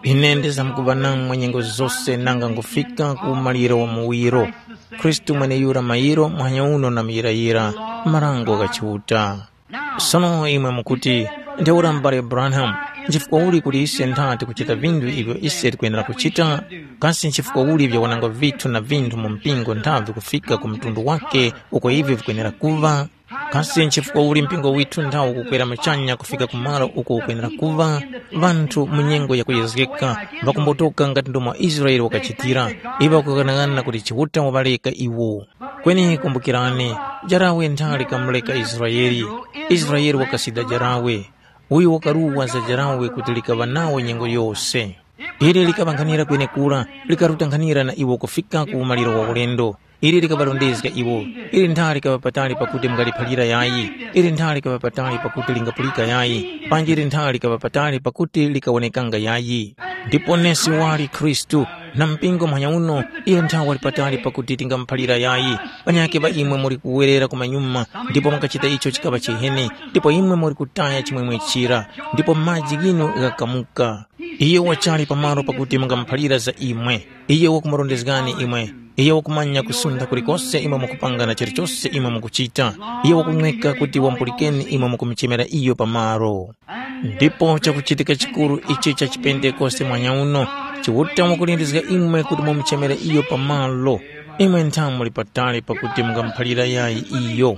Ine ndizamkuŵa namwe nyengo zose nanga ngufika ku umaliro wa muwiro. Khristu mweneyura mayiro muhanya uno na muyirayira, marango gha Chiuta. Sono imwe mukuti, ntheura m'bale Branham, nchifukwa uli kuti ise ntha tikuchita vinthu ivyo ise tikwenera kuchita? Kasi nchifukwa uli vyawananga vithu na vinthu mu mpingo nthavi kufika ku mtundu wake uko ivi vikwenera kuŵa? Kasi nchifukwa uli mpingo withu nthawo ukukwera muchanya kufika ku malo uko ukwenera kuŵa? Ŵanthu mu nyengo yakuyezgeka ŵakumbotoka ngati ndomwe Israele wakachitira, iwo ŵakughanaghananga kuti Chiuta waŵareka iwo. Kweni kumbukirani, jarawe nthali kamureka Israele. Israele wakasida jarawe. Uyu wakaruwa za jarawe kuti likaŵa nawo nyengo yose. Ili likaŵankhanira kwenekura, likaruta nkhanira na iwo kufika ku umaliro wa ulendo. Ili likaŵarondezga iwo. Ili nthali likaŵa patali pakuti mungaliphalira yayi. Ili nthali likaŵa patali pakuti lingapulika yayi. Panji ili nthali likaŵa patali pakuti likawonekanga yayi. Ndipo nesi wali Khristu, na mpingo muhanya uno, iyo nthawe wali patali pakuti tingamuphalira yayi. Panyakhe ŵa imwe muli kuwerera ku manyuma, ndipo mwakachita icho chikaŵa chiheni, ndipo imwe muli kutaya chimwemwe chira, ndipo maji ghinu ghakamuka. Iyo wachali pamalo pakuti mungamuphalira za imwe. Iyo wakumurondezgani imwe. Iyo wakumanya kusuntha kulikose imwe mukupanga na chilichose imwe mukuchita. Iyo wakunweka kuti wamupulikeni imwe mukumuchemera iyo pamalo. Ndipo chakuchitika chikuru ichi cha chipentekoste mwanya uno, Chiuta wakulindizga imwe kuti mumuchemere iyo pamalo. Imwe ntha muli patali pakuti mungamuphalira yayi iyo.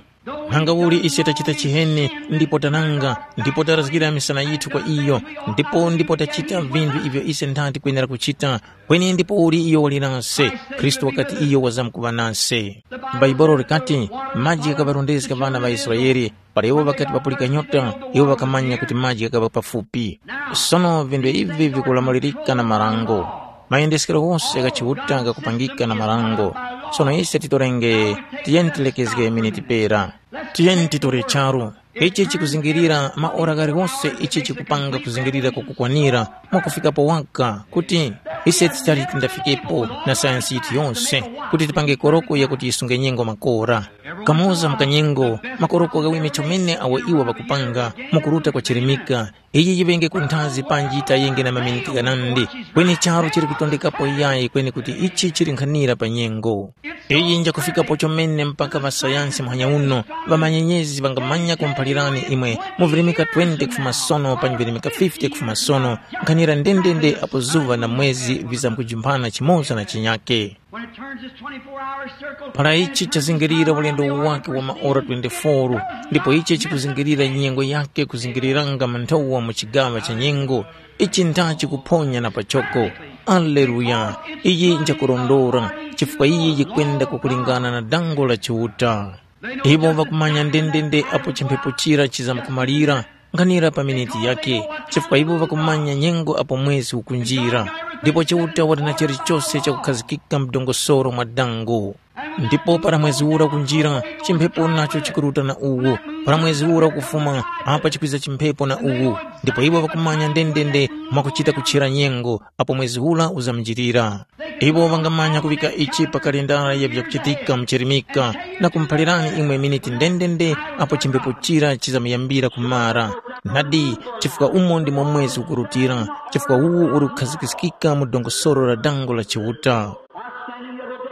Nanga uli ise tachita chiheni ndipo tananga, ndipo tarazgira misana yithu kwa iyo, ndipo ndipo tachita vinthu ivyo ise ntha tikwenera kuchita, kweni ndipo uli iyo wali nase? Khristu wakati iyo wazamkuŵa nase. Bhaibuli likati, maji ghakaŵarondezga ŵana ŵa Israele, para iwo ŵakati ŵapulika nyota, iwo ŵakamanya kuti maji ghakaŵa pafupi. Sono vinthu ivi vikulamulirika na marango. Mayendeskero ghose gha Chiuta ghakupangika na marango. Sono ise titorenge, tiyeni tilekezge miniti pera. Tiyeni titore charu. Ichi chikuzingirira maora ghaliwose ichi chikupanga kuzingirira kwakukwanira mwakufikapo waka kuti ise tichali tindafikepo na sayansi yithu yonse kuti tipange koroko yakuti yisunge nyengo makora. Kamoza mu kanyengo, makoroko ghaweme chomene awo iwo ŵakupanga mukuruta kwa chirimika, iyi yiŵenge ku nthazi panji yitayenge na maminiti ghanandi, kweni charu chili kutondekapo yayi kweni kuti ichi chili nkhanira pa nyengo. Iyi njakufikapo chomene mpaka ŵasayansi muhanya uno, ŵamanyenyezi ŵangamanya kumuphalirani imwe mu virimika twenty kufuma sono panyi virimika fifty kufuma sono, nkhanira ndendende apo zuŵa na mwezi vizamkujumphana chimoza na chinyake. When it turns its twenty-four hour circle, para ichi chazingirira ulendo wake wa maora twenty-four, ndipo ichi chikuzingirira nyengo yake kuzingiriranga manthowa mu chigaŵa cha nyengo, ichi ntha chikuphonya na pachoko. Aleluya! Iyi njakurondora, chifukwa iyi yikwenda kukulingana na dango la Chiuta. Iwo ŵakumanya ndendende apo chimphepo chira chizamkumalira, nkhanira pa miniti yake, chifukwa iwo ŵakumanya nyengo apo mwezi ukunjira. Ndipo Chiuta wali na chilichose chakukhazikika mdongosoro mwa dango. Ndipo para mwezi ura ukunjira, chimphepo nacho chikuruta na uwu, para mwezi ura ukufuma, apa chikwiza chimphepo na uwu. Ndipo iwo ŵakumanya ndendende mwakuchita kutchera nyengo, apo mwezi ura uzamjirira. Iwo ŵangamanya kuŵika ichi pa kalendara ya vyakuchitika muchirimika, na kumuphalirani imwe miniti ndendende apo chimphepo chira chizamuyambira kumara. Nadi, chifukwa umo ndimo mwezi ukurutira, chifukwa uwu uri kukhazikiskika mu dongosoro la dango la Chiuta.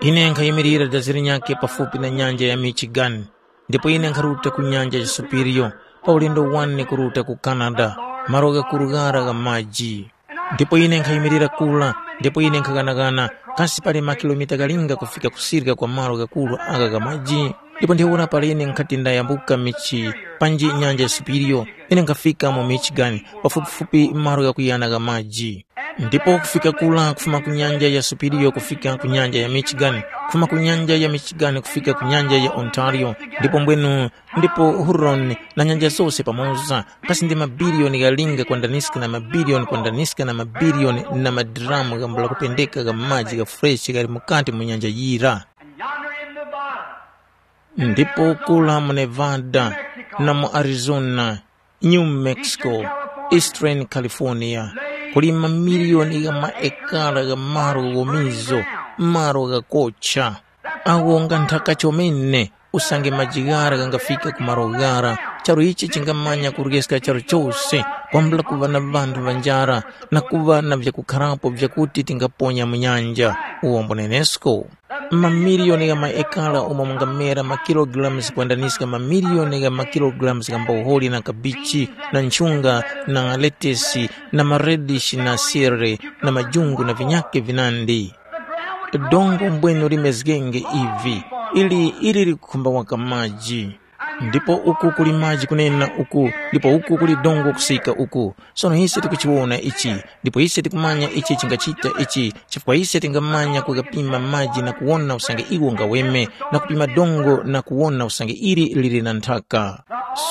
Ine nkhayimirira dazi linyakhe pafupi na nyanja ya Michigan, ndipo ine nkharuta ku nyanja ya Superior, pa ulendo wane kuruta ku Canada, malo ghakuru ghara gha maji. Ndipo ine nkhayimirira kura, ndipo ine nkhaghanaghana, kasi pali makilomita ghalinga kufika kusirika kwa malo ghakuru agha gha maji? Ndipo ntheura para ine nkhati ndayambuka michi, panji nyanja ya Superior, ine nkhafika mu Michigan, pafupifupi malo ghakuyana gha maji. Ndipo kufika kura kufuma ku nyanja ya Superior kufika ku nyanja ya Michigan, kufuma ku nyanja ya Michigan kufika ku nyanja ya Ontario, ndipo mbwenu, ndipo Huron na nyanja zose pamoza, kasi ndi mabiliyoni ghalinga kwandaniska na mabiliyoni kwandaniska na mabiliyoni na madiramu ghambula kupendeka gha maji gha freshi ghali mukati mu nyanja yira. And yonder in Nevada, Ndipo kula mu Nevada, na mu Arizona, New Mexico, Eastern California, kuli mamiliyoni gha maekara gha malo ghomizo, malo ghakocha. Awo nga nthaka chomene, usange maji ghara ghangafika ku malo ghara, charu ichi chingamanya kuryeska charu chose, kwambula kuŵa na ŵanthu ŵa njara, na kuŵa na vyakukharapo vyakuti tingaponya mu nyanja. Uwombo nenesko. Mamiliyoni gha maekala umo mungamera makilogalamu zikwandaniska mamiliyoni gha makilogalamu gha mboholi na kabichi na nchunga na letesi na maredishi na sere na majungu na vinyake vinandi. Dongo mbwenu limezgenge ivi, ili ili likukhumba waka maji. Ndipo uku kuli maji kunena uku, ndipo uku kuli dongo kusika uku. Sono ise tikuchiwona ichi, ndipo ise tikumanya ichi chingachita ichi, chifukwa ise tingamanya kugapima maji na kuwona usange iwo ngaweme, na kupima dongo na kuwona usange ili lili na nthaka.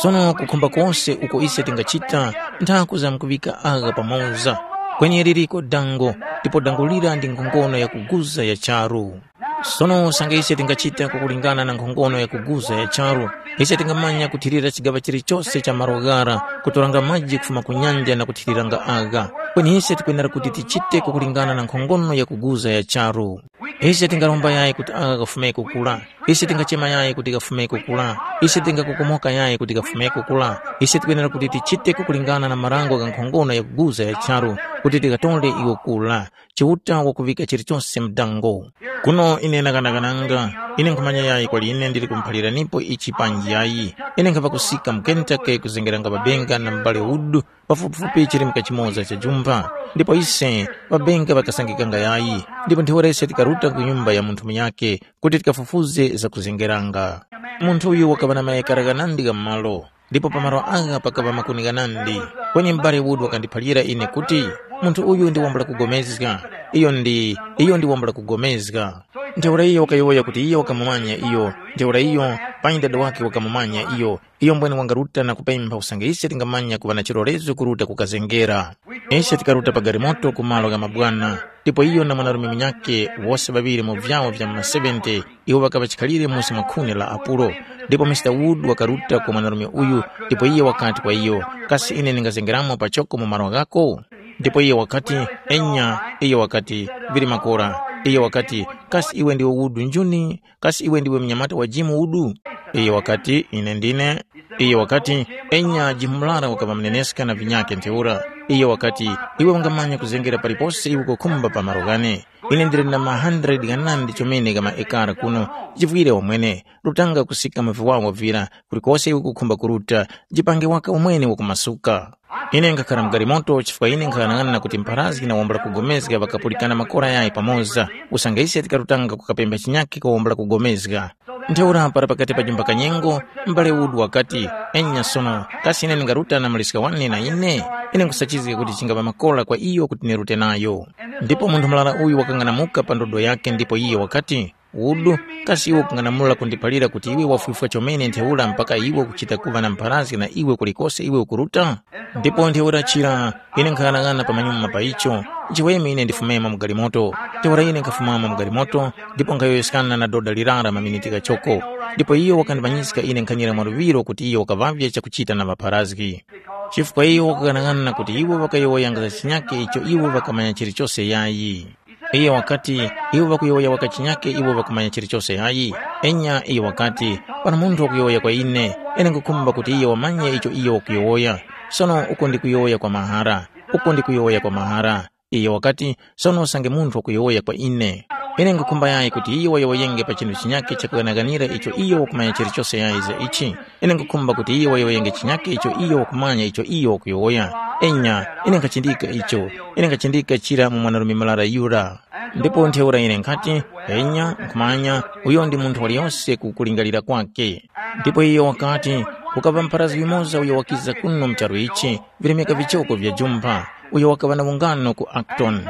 Sono kukhumba kose uko ise tingachita, nthaku zamkuŵika agha pamoza, kwenye liliko dango, ndipo dango lira ndi nkhongono yakuguza ya charu. Sono usange ise tingachita kukulingana na nkhongono yakuguza ya charu, ise tingamanya kuthirira chigaŵa chilichose cha malo ghara, kutoranga maji kufuma ku nyanja na kuthiriranga agha. Kweni ise tikwenera kuti tichite kukulingana na nkhongono yakuguza ya charu. Ise tingaromba yayi kuti agha ghafumeko kula. Ise tingachema yayi kuti ghafumeko kula. Ise tingakokomoka yayi kuti ghafumeko kula. Ise tikwenera kuti tichite kukulingana na marango gha nkhongono yakuguza ya charu, kuti tikatore iwo kula. Chiuta wakuŵika chilichose mdango. Kuno ine nakanakananga, ine nkhumanya yayi kwali ine ndili kumuphaliranipo ichi panji yayi. Ine nkhapa kusika mu Kentucky kuzengeranga ŵabenga na m'bale Wood, pafupifupi chirimika chimoza cha jumpha. Ndipo ise, ŵabenga ŵakasangikanga yayi, ndipo ntheura ise tikaruta ku nyumba ya munthu munyakhe kuti tikafufuze zakuzengeranga. Munthu uyu wakaŵa na mayekara ghanandi gha malo. Ndipo pa malo agha pakaŵa makuni ghanandi. Kweni m'bale Wood wakandiphalira ine kuti, munthu uyu ndi wambula kugomezga. Iyo ndi, iyo ndi wambula kugomezga. Ntheura iyo wakayowoya kuti iyo wakamumanya iyo. Ntheura iyo, panyi dada wake wakamumanya iyo. Iyo mbwene wangaruta na kupempha usange ise tingamanya kuŵa na chilolezo kuruta kukazengera. Ise tikaruta pa galimoto ku malo gha mabwana, ndipo iyo na mwanarume munyakhe, wose ŵaŵiri mu vyawo vya mma seventy, iwo ŵakaŵa chikhalire musi mwa khuni la Apulo. Ndipo Mr. Wood wakaruta kwa mwanarume uyu, ndipo iye wakati kwa iyo, kasi ine ndingazengeramo pachoko mu malo ghako? Ndipo iye wakati, enya. Iye wakati, vili makora. Iye wakati, kasi iwe ndiwe Wood njuni? Kasi iwe ndiwe mnyamata wa Jim Wood? Iye wakati, ine ndine. Iye wakati, enya Jim Mlara wakaŵa mneneska na vinyake ntheura. Iyo wakati, “Iwe ungamanya kuzengera palipose iwe ukukhumba pa malo ghane. Ine ndili na ma hundred ghanandi chomene gha maekara kuno, chivwire wamwene, rutanga kusika mu viwawa vira, kulikose iwe ukukhumba kuruta, jipange waka umwene wakumasuka.” Ine nkhakhara mu galimoto chifukwa ine nkhaghanag'ana kuti mpharazgi na wambula kugomezga ŵakapulikana makora yayi pamoza, usange ise tikarutanga kukapempha chinyakhe kwa wambula kugomezga. Ntheura para pakati pa jumba kanyengo, m'bale Wood wakati, “Enya sono, kasi ine ndingaruta na muliska wane na ine? Ine nkhusachizga kuti chingapa makora kwa iyo kuti nirute nayo.” Ndipo munthu murara uyu wakang'anamuka pa ndodo yakhe ndipo iye wakati, “Wood, kasi iwe ukung'anamula kundiphalira kuti iwe wafwifwa chomene ntheura mpaka iwe ukuchita kuŵa na mpharazgi na iwe kulikose iwe ukuruta?” Ndipo ntheura chira, ine nkhaghanag'ana pamanyuma pa icho, nchiweme ine ndifumemo mu galimoto. Ntheura ine nkhafumamo mu galimoto, ndipo nkhayowoyeskana na doda lirara maminiti ghachoko. Ndipo iyo wakandimanyiska ine nkhanyira mwaluŵiro kuti iyo wakaŵavye chakuchita na ŵapharazgi. Chifukwa iyo wakaghanag'ana kuti iwo ŵakayowoyanga za chinyake icho iwo ŵakamanya chilichose yayi. Iyo wakati, “Iwo ŵakuyowoya waka chinyake iwo ŵakumanya chilichose yayi.” Enya iyo wakati, “Pano munthu wakuyowoya kwa ine, ine nkhukhumba kuti iyo wamanye icho iyo wakuyowoya. Sono uko ndikuyowoya kwa mahara, uko ndikuyowoya kwa mahara.” Iyo wakati, “Sono usange munthu wakuyowoya kwa ine, ine nkhukhumba yayi kuti iyo wayowoyenge pa chinthu chinyakhe chakughanaghanira icho iyo wakumanya chilichose yayi za ichi. Ine nkhukhumba kuti iyo wayowoyenge chinyakhe icho iyo wakumanya icho iyo wakuyowoya. Enya, ine nkhachindika icho, ine nkhachindika chira mu mwanarume murara yura.” Ndipo ntheura ine nkhati, “Enya, nkhumanya, uyo ndi munthu waliyose ku kulingalira kwake.” Ndipo iyo wakati, “Kukaŵa mpharazgi yumoza uyo wakiza kuno mu charu ichi, vilemeka vichoko vya jumpha, uyo wakaŵa na ungano ku Acton.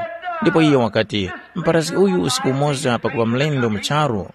Ndipo iyo wakati, ‘Mpharazgi uyu usiku umoza pakuŵa mlendo mu charu,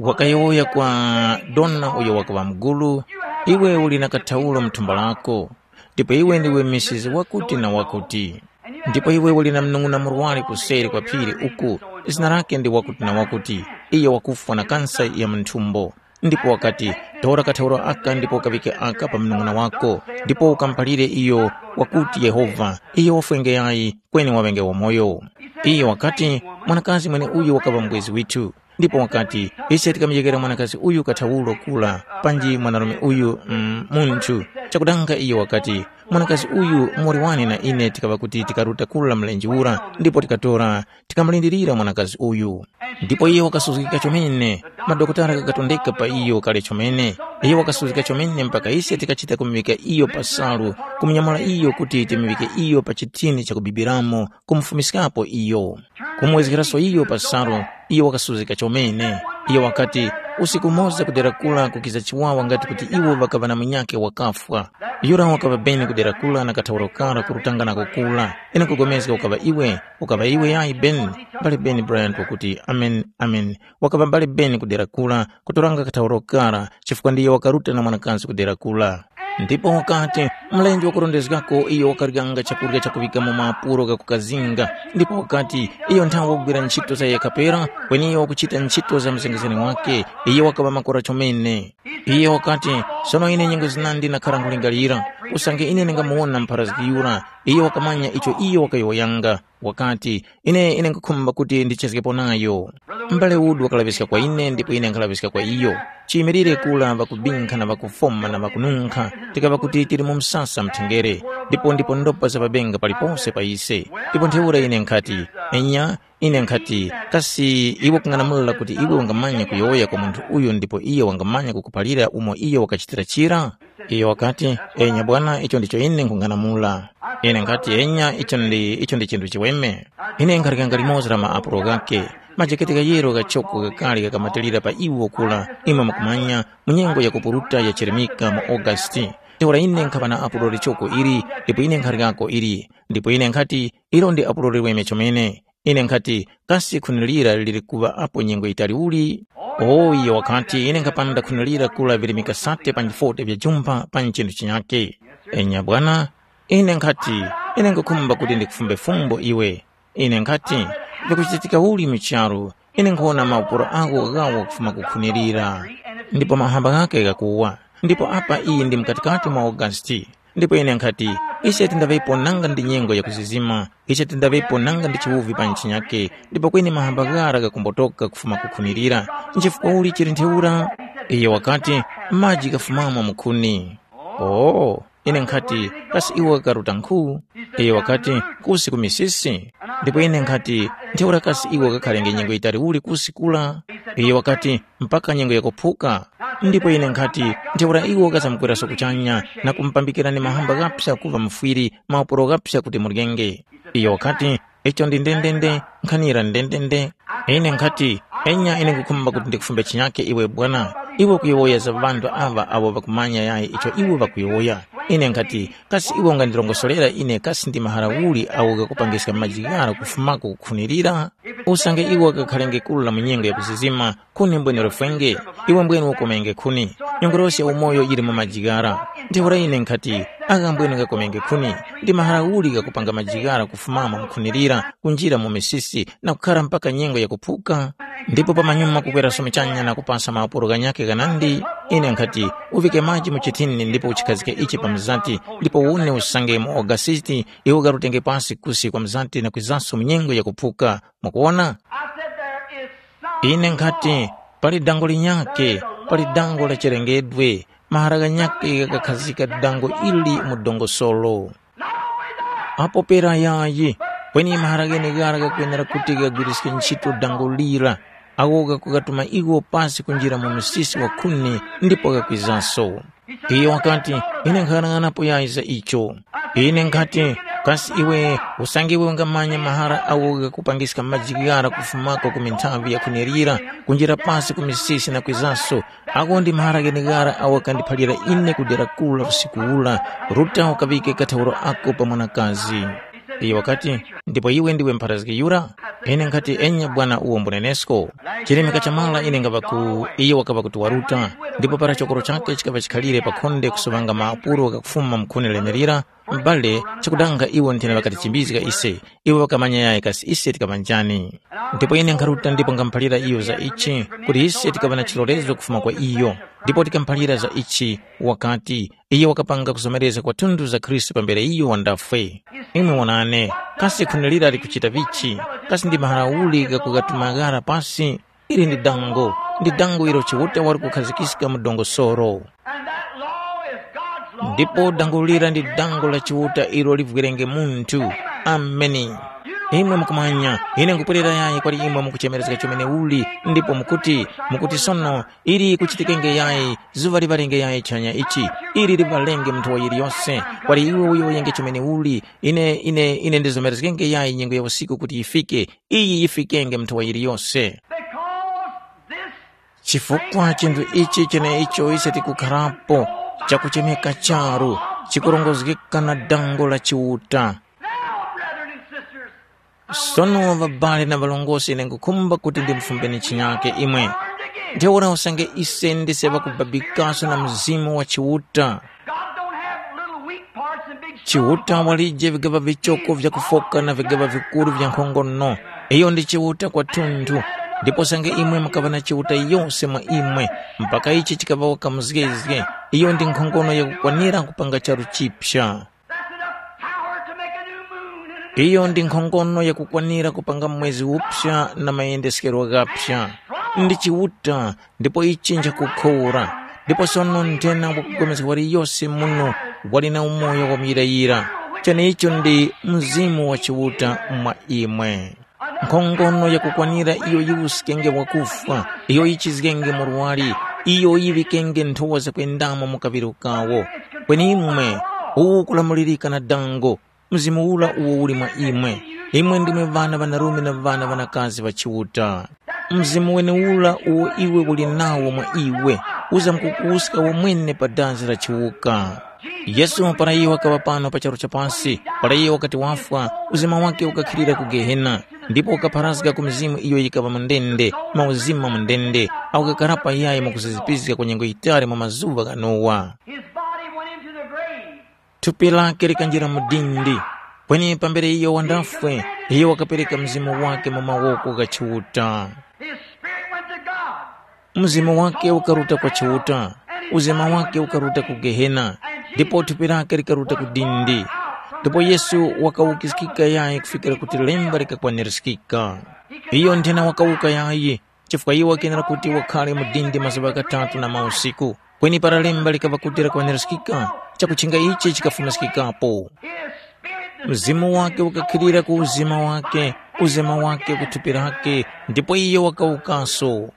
wakayowoya kwa dona uyo wakaŵa mugulu, ‘Iwe uli na kathaulo mu thumba lako, ndipo iwe ndiwe misizi wakuti na wakuti. Ndipo iwe uli na munung'una murwari kuseri kwa phiri uku, zina lake ndi wakuti na wakuti, iyo wakufwa na kansa ya mu nthumbo. Ndipo wakati, tora kathaulo aka ndipo ukaŵike aka pa munung'una wako, ndipo ukamuphalire iyo wakuti Yehova, iyo wafwenge yayi, kweni waŵenge wamoyo.’” Iyo wakati, “Mwanakazi mweneuyu wakaŵa mubwezi withu.” Ndipo wakati, “Ise tikamujekera mwanakazi uyu kathawulo kura, panji mwanarume uyu mm, munthu. Chakudanga iyo wakati, ‘Mwanakazi uyu mori wane na ine tikaŵa kuti tikaruta kura mlenje ura ndipo tikatora, tikamulindirira mwanakazi uyu.’ Ndipo iyo wakasuzgika chomene, madokotala ghakatondeka pa iyo kale chomene. Iyo wakasuzgika chomene mpaka ise tikachita kumuŵika iyo pa salu, kumunyamula iyo kuti timuŵike iyo pa chithini chakubibiramo, kumufumiskapo iyo. Kumwezgeraso iyo pa salu, iyo wakasuzgika chomene. Iyo wakati, usiku umoza kudera kura kukiza chiwawa ngati kuti iwo ŵakaŵa na munyakhe wakafwa. Yura wakaŵa beni kudera kura na kathawulo kara kurutanga nako kura. Ine nkupulikana ukaŵa iwe, ukaŵa iwe yayi beni, mbale beni Bryant wakuti, amen, amen. Wakaŵa mbale beni kudera kura, kutoranga kathawulo kara, chifukwa ndiyo wakaruta na mwanakazi kudera kura. Ndipo wakati, mlenje wakurondezgako iyo wakaryanga chakurya chakuŵika mu maapuro ghakukazinga, ndipo wakati, iyo nthawe wakugwira ntchito za yekha pera, kweni iyo wakuchita ntchito za mzengezgani wake, iyo wakaŵa makora chomene. Iyo wakati, sono ine nyengo zinandi ndakhara nkhulingalira, usange ine ndingamuwona mpharazgi yura, iyo wakamanya icho iyo wakayowoyanga. Wakati, ine ine nkhukhumba kuti ndichezgepo nayo. M'bale Wood wakalaŵiska kwa ine ndipo ine nkhalaŵiska kwa iyo. Chiyimilire kura ŵakubinkha na ŵakufoma na ŵakununkha, tikaŵa kuti tili mu msasa mthengere, ndipo ndipo ndopa za mabenga palipose pa ise. Ndipo ntheura ine nkhati, enya, ine nkhati, kasi iwe kung'anamula kuti iwe ungamanya kuyowoya kwa munthu uyo ndipo iyo wangamanya kukuphalira umo iyo wakachitira chira? Iyo wakati, enya bwana, icho ndicho ine nkhung'anamula. Ine nkhati, enya, icho ndi, icho ndi chinthu chiweme. Ine nkharikanga limodzi la maapulo ghakhe, majekete ghayero ghachoko ghakale ghakamatilira pa iwo kura, imwe mukumanya, mu nyengo ya kupuruta ya chirimika mu August. Ntheura ine nkhaŵa na apulo lichoko ili, ndipo ine nkharikako ili. Ndipo ine nkhati, ilo ndi apulo liweme chomene. Ine nkhati, kasi khuni lira lili kuŵa apo nyengo yitali uli? O iyo wakati, ine nkhapanda khuni lira kula vili mikasate panji forty vya jumpha panji chinthu chinyake. Enya bwana, ine nkhati, ine nkhukhumba kuti ndikufumbe fumbo iwe. Ine nkhati, vikuchitika uli mu charu, ine nkhuwona maupulo ako ghawo kufuma kukhunilira. Ndipo mahamba ghake ghakuwa. Ndipo apa iyi ndi mkatikati mwa Augasti. Ndipo ine nkhati, ise tindaŵepo nanga ndi nyengo yakuzizima, ise tindaŵepo nanga ndi chiwuvi pa ntchi nyakhe, ndipo kweni mahamba ghara ghakumbotoka kufuma kukhunilira. Nchifukwa uli chili ntheura? Iyo wakati, maji ghafumamo mu khuni. Oh, Ine nkhati, kasi iwo ghakaruta nkhu? Iyo wakati, kusi ku misisi. Ndipo ine nkhati, ntheura kasi iwo ghakhalenge nyengo yitali uli kusi kula? Iyo wakati, mpaka nyengo yakuphuka. Ndipo ine nkhati, ntheura iwo ghazamkweranso kuchanya na kumupambikirani mahamba ghapsa kuŵa mufwiri, maupuro ghapsa kuti muryenge. Iyo wakati, icho ndi ndendende, nkhanira ndendende. Ine nkhati, enya ine nkhukhumba kuti ndikufumbe chinyake iwe bwana, iwe kuyowoya za ŵanthu aŵa awo ŵakumanya yayi icho iwe ŵakuyowoya. Ine nkhati, kasi iwe ungandirongosorera ine kasi ndi mahara uli awo ghakupangiska maji ghara kufumako kukhunirira? Usange iwo ghakhalenge kula mu nyengo yakuzizima, khuni mbwene lifwenge, iwe mbwene ukomenge khuni. Nyongolosi ya umoyo yili mu maji ghara. Ntheura ine nkhati, agha mbwene ghakomenge khuni, ndi mahara uli ghakupanga maji ghara kufumamo mukhunirira kunjira mu misisi na kukhara mpaka nyengo yakuphuka? Ndipo pamanyuma kukweraso muchanya na kupasa maupuro ghanyakhe ghanandi, ine nkhati, uvike maji mu chithini ndipo uchikhazike ichi pa mzati, ndipo une usangemo ogasiti, iwe ugarutenge pasi kusi kwa mzati na kwizanso mu nyengo yakuphuka. Mukuwona? I said there is some Ine nkhati, pali dango linyakhe, pali dango la chilengedwe, mahara ghanyakhe ghakakhazika dango ili mu dongosolo. Not only that, Apo pera yayi, kweni mahara gheneghara ghakwenera kuti ghagwiriske ntchito dango lira, agho ghakughatuma iwo pasi kunjira mu msisi wa khuni ndipo ghakwizaso. Iyo wakati, ine nkhanang'anapo yayi za icho. Ine nkhati, kasi iwe usange iwe ungamanya mahara agho ghakupangiska maji ghara kufumako ku minthavi ya kunerira kunjira pasi ku misisi na kwizaso, ako ndi mahara gheneghara awo ghakandiphalira ine ku dera kura usiku ura, ruta ukaŵike kathauro ako pa mwanakazi. Iyo wakati, ndipo iwe ndiwe mpharazgi yura? Ine nkhati, enya bwana uwo mbunenesko. Chirimika cha mara ine ngaŵa ku iyo wakaŵa kuti waruta, ndipo para chokoro chakhe chikaŵa chikhalire pa khonde kusuŵanga maapuro ghakufuma mu khuni lenerira, m'bale, chakudanga iwo nthena ŵakatichimbizga ise, iwo ŵakamanya yayi kasi ise tikaŵa njani. Ndipo ine nkharuta ndipo ngamuphalira iyo za ichi, kuti ise tikaŵa na chilolezo kufuma kwa iyo. Ndipo tikamuphalira za ichi, wakati, iyo wakapanga kuzomerezga kwathunthu za Khristu pambere iyo wandafwe. Imwe wonani, kasi khuni lira likuchita vichi? Kasi ndi mahara uli ghakughatuma ghara pasi? Ili ndi dango, ndi dango ilo Chiuta wali kukhazikiska mu dongosolo. And that law is God's law. Ndipo dango lira ndi dango la Chiuta ilo livwerenge munthu. Ameni. Imwe mukumanya, ine nkupwerera yayi kwali imwe mukuchemerezga chomene uli, ndipo mukuti, mukuti sono, ili kuchitikenge yayi, zuŵa liŵalenge yayi chanya ichi, ili liŵalenge munthu wa yiliyose, kwali iwe uyo uyenge chomene uli, ine, ine, ine ndizomerezgenge yayi nyengo ya usiku kuti yifike, iyi yifikenge munthu wa yiliyose. Because this Chifukwa chinthu ichi cheneicho ise tikukharapo, chakuchemeka charu, chikurongozgeka na dango la Chiuta. Now, brethren and sisters, Sono ŵabale na ŵalongosi ine nkhukhumba kuti ndimfumbeni chinyake imwe. Ntheura usange ise ndise ŵakubabikaso na Mzimu wa Chiuta. God don't have little weak parts and big strong Chiuta parts. Walije vigaŵa vichoko vyakufoka na vigaŵa vikuru vya nkhongono. Iyo ndi Chiuta kwathunthu. Ndipo usange imwe mukaŵa na Chiuta yose mwa imwe, mpaka ichi chikaŵa waka muzgezge, iyo ndi nkhongono yakukwanira kupanga charu chipya. That's enough power to make a new moon and a new Iyo ndi nkhongono yakukwanira kupanga mwezi uphya na mayendeskero ghaphya. Ndi Chiuta, ndipo ichi nchakukhora. Ndipo sono nthena wakupulikana waliyose muno wali na umoyo wamuyirayira. Cheneicho ndi Mzimu wa Chiuta mwa imwe. Nkhongono yakukwanira iyo yiwuskenge wakufwa, iyo yichizgenge murwari, iyo yiŵikenge nthowa zakwendamo mu kaŵiro kawo. Kweni imwe, uwu ukulamulirika na dango, Mzimu ura uwo uli mwa imwe. Imwe ndimwe ŵana ŵanarume na ŵana ŵanakazi ŵa Chiuta. Mzimu wenewura uwo iwe uli nawo mwa iwe, uzamkukuwuska wamwene pa dazi la chiwuka. Yesu para iyo wakaŵa pano pa charu cha pasi, para iyo wakati wafwa, uzima wakhe ukakhilira ku Gehena, ndipo ukapharazga ku mizimu iyo yikaŵa mu ndende, mauzima mu ndende, awo ghakarapo yayi mukuzizipizga kwa nyengo yitali mwa mazuŵa gha Nowa. His body went into the grave. Thupi lake likanjira mu dindi, kweni pambere iyo wandafwe, iyo wakapereka mzimu wake mu mawoko gha Chiuta. His spirit went to God. Mzimu wake ukaruta kwa Chiuta, uzima wake ukaruta ku Gehena, ndipo thupi lake likaruta ku dindi. Ndipo Yesu wakawukiskika yayi kufikira kuti lemba likakwanirizgika. Iyo nthena wakawuka yayi, chifukwa iwo wakenera kuti wakhare mu dindi mazuŵa ghatatu na mausiku. Kweni para lemba likaŵa kuti lakwanirizgika, chakuchinga ichi chikafumiskikapo. Mzimu wake ukakhilira ku uzima wake, uzima wake ku thupi lake, ndipo iyo wakawukaso.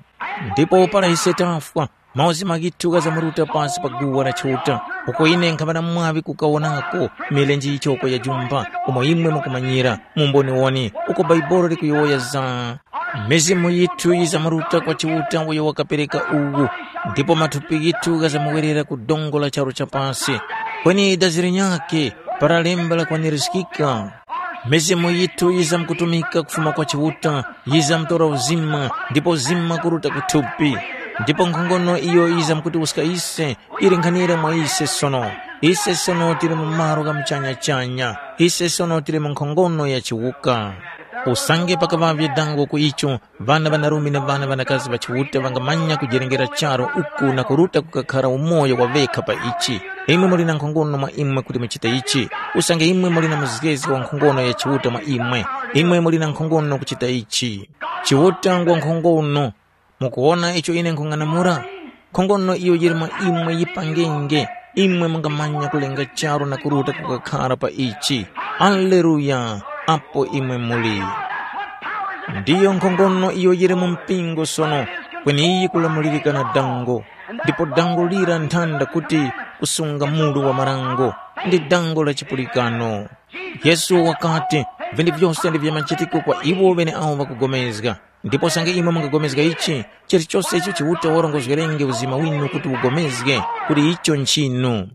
Ndipo para ise tafwa, mauzima ghithu ghazamuruta pasi pa guwa la Chiuta, uko ine nkhaŵa na mwaŵi kukawonako milenje yichoko ya jumba, umo imwe mukumanyira, mu mboniwoni, uko Baibuli likuyowoya za mizimu yithu yizamuruta kwa Chiuta uyo wakapereka uwu, ndipo mathupi ghithu ghazamuwerera ku dongo la charu cha pasi. Kweni dazi linyakhe, para lemba lakwanirizgika, mizimu yithu yizamkutumika kufuma kwa Chiuta, yizamtora uzima, ndipo uzima kuruta ku thupi. Ndipo nkhongono iyo yizamkutiwuska ise, yili nkhanira mwa ise sono. Ise sono tili mu malo gha muchanya-chanya. Ise sono tili mu nkhongono ya chiwuka. Usange pakaŵavye dango ku icho, ŵana ŵanarume na ŵana ŵanakazi ŵa Chiuta ŵangamanya kujerengera charu uku na kuruta kukakhara umoyo wa ŵekha pa ichi. Imwe muli na nkhongono mwa imwe kuti muchite ichi, usange imwe muli na muzgezi wa nkhongono ya Chiuta mwa imwe, imwe muli na nkhongono kuchita ichi. Chiuta ngwa nkhongono. Mukuwona icho ine nkhung'anamula? Nkhongono iyo yili mwa imwe yipangenge, imwe mungamanya kulenga charu na kuruta kukakhara pa ichi. Aleluya! Apo imwe muli. Ndiyo nkhongono iyo yili mu mpingo sono, kweni iyi kulamulirika na dango, ndipo dango lira nthanda kuti kusunga mulu wa marango, ndi dango la chipulikano. Yesu wakati, vinthu vyose ndi vya machitiko kwa iwo ŵeneawo ŵakugomezga. Ndipo usange imwe mungapulikana ichi, chilichose icho Chiuta warongozgerenge uzima winu kuti upulikane, kuti icho nchinu.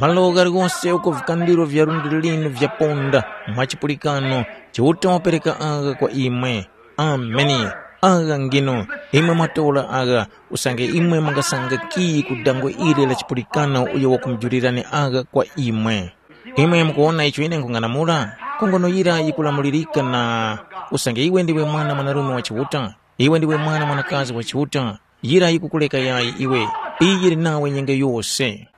Malo ghaligose uko vikandiro vya lundi linu vyaponda mwa chipulikano, Chiuta wapereka agha kwa imwe. Ameni. Agha ngino, imwe mwatora agha, usange imwe mungasanga kiyi ku dangwe ili la chipulikano uyo wakumujulirani agha kwa imwe. Imwe mukuwona icho ine nkhung'anamula? Nkhongono yira yikulamulirika na, usange iwe ndiwe mwana mwanarume wa Chiuta, iwe ndiwe mwana mwanakazi wa Chiuta, yira yikukuleka yayi iwe, iyi yili nawe nyengo yose.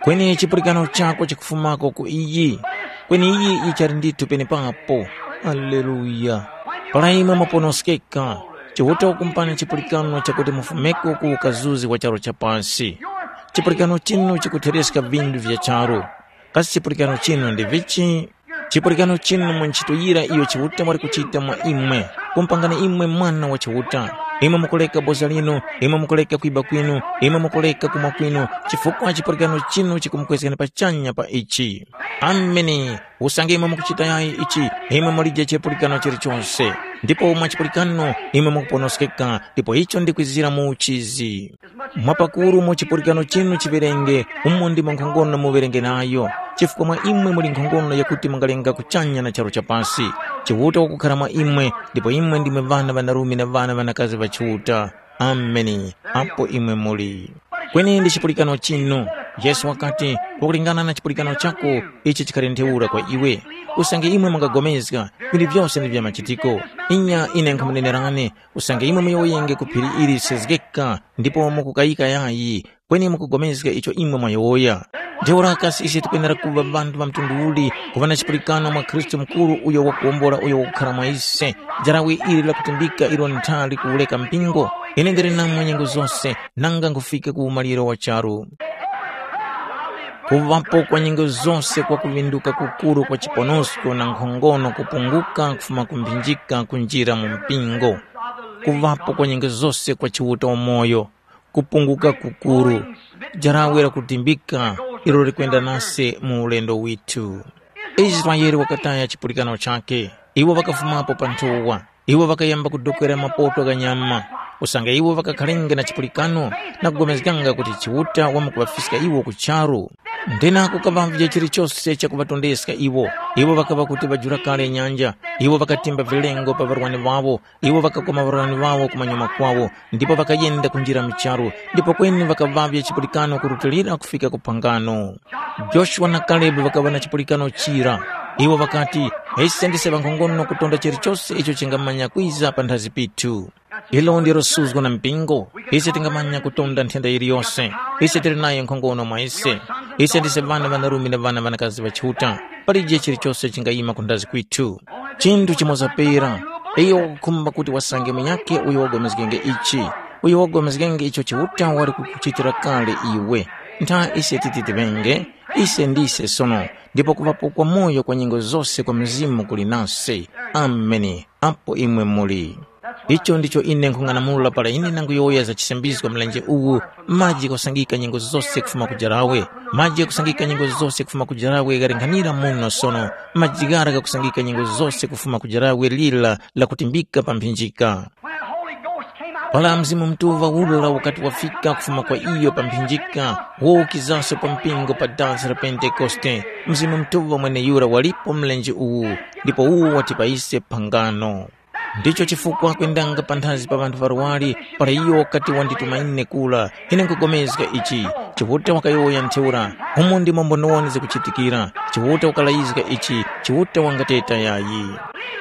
Kweni chipulikano chako chikufumako ku iyi, kweni iyi yichali ndithu penepapo. Aleluya! Para imwe mwaponoskeka, Chiuta wakumupani chipulikano chakuti mufumeko ku ukazuzi wa charu cha pasi. Chipulikano chinu chikuthereska vinthu vya charu. Kasi chipulikano chinu ndi vichi? Chipulikano chinu mu ntchito yira iyo Chiuta wali kuchita mwa imwe, kumupangani imwe mwana wa Chiuta. Imwe mukuleka boza linu, imwe mukuleka kwiba kwinu, imwe mukuleka kumwa kwinu, chifukwa chipulikano chinu chikumukwezgani pachanya pa ichi. Ameni. Usange imwe mukuchita yayi ichi, imwe mulije chipulikano chilichonse. Ndipo mwa chipulikano imwe mukuponoskeka, ndipo icho ndi kwizira mu uchizi. Mwapakuru mu chipulikano chinu chiŵerenge, umo ndimo nkhongono muŵerenge nayo, chifukwa mwa imwe muli nkhongono yakuti mungalenga kuchanya na charu cha pasi. Chiuta wakukhara mwa imwe, ndipo imwe ndimwe ŵana ŵanarume na ŵana ŵanakazi ŵa Chiuta. Ameni. Apo imwe muli. Kweni ndi chipulikano chinu. Yesu wakati, kwakulingana na chipulikano chako, ichi chikhali ntheura kwa iwe. Usange imwe mungapulikana, vinthu vyose ndi vya machitiko. Inya ine nkhamunenerani, usange imwe muyowoyenge ku phiri ili lisezgeka, ndipo mukukayika yayi, kweni mukupulikana icho imwe mwayowoya. Ntheura kasi ise tikwenera kuŵa ŵanthu ŵa mtundu uli, kuŵa na chipulikano mwa Khristu mukuru uyo wakuwombola uyo wakukhara mwa ise, jarawe ili lakutimbika ilo ntha likuwureka mpingo? Ine ndili namwe nyengo zose, nanga nkhufika ku umaliro wa charu. Kuŵapo kwa nyengo zose kwa kuŵinduka kukuru kwa chiponosko na nkhongono kupunguka kufuma ku mphinjika kunjira mu mpingo. Kuŵapo kwa nyengo zose kwa Chiuta umoyo, kupunguka kukuru, jarawe lakutimbika ilo likwenda nase mu ulendo withu. Israele wakataya chipulikano chakhe, iwo ŵakafumapo pa nthowa, iwo ŵakayamba kudokwera mapoto gha nyama, usange iwo ŵakakharenge na chipulikano na kugomezganga kuti Chiuta wamkuŵafiska iwo ku charu. Nthenaku kaŵavye chilichose chakuŵatondeska iwo, iwo ŵakaŵa kuti ŵajula kale nyanja, iwo ŵakatimba vilengo pa ŵarwani ŵawo, iwo ŵakakoma ŵarwani ŵawo kumanyuma kwawo, ndipo ŵakayenda kunjira mu charu, ndipo kweni ŵakaŵavye chipulikano kurutilira kufika ku phangano. Joshua na Kalebu ŵakaŵa na chipulikano chira. Iwo ŵakati, ise ndise ŵankhongono kutonda chilichose icho chingamanya kwiza panthazi pithu. Ilo ndilo suzgo na mpingo, ise tingamanya kutonda nthenda yiliyose. Ise tili nayo nkhongono mwa ise. Ise ndise ŵana ŵanarume na ŵana ŵanakazi ŵa Chiuta. Palije chilichose chingayima kunthazi kwithu. Chinthu chimoza pera, iyo wakukhumba kuti wasange munyakhe uyo wagomezgenge ichi, uyo wagomezgenge icho Chiuta wali kukuchitira kale iwe. Ntha ise titi tiŵenge, ise ndise sono, ndipo kuŵapo kwa moyo kwa nyengo zose kwa Mzimu kuli nase. Ameni. Apo imwe muli. Icho ndicho ine nkhung'anamula para ine nanguyowoya za chisambizgo mlenje uwu, maji ghasangika nyengo zose kufuma ku jarawe, maji ghakusangika nyengo zose kufuma ku jarawe ghalinghanira muno sono, maji ghara ghakusangika nyengo zose kufuma ku jarawe lira lakutimbika pa mphinjika. When the Holy Ghost came out of Para Mzimu Mutuŵa ula ukati wafika kufuma kwa iyo pa mphinjika, wokizaso pa mpingo pa dansi la Pentekoste, Mzimu Mutuŵa mweneyura walipo mlenje uwu, ndipo uwo wati pa ise phangano. Ndicho chifukwa kwendanga panthazi pa ŵanthu ŵarwari, para iyo wakati wandituma ine kura, ine nkupulikana ichi, Chiuta wakayowoya ntheura, umu ndimo mbonowani zikuchitikira, Chiuta wakalayizga ichi, Chiuta wangateta yayi.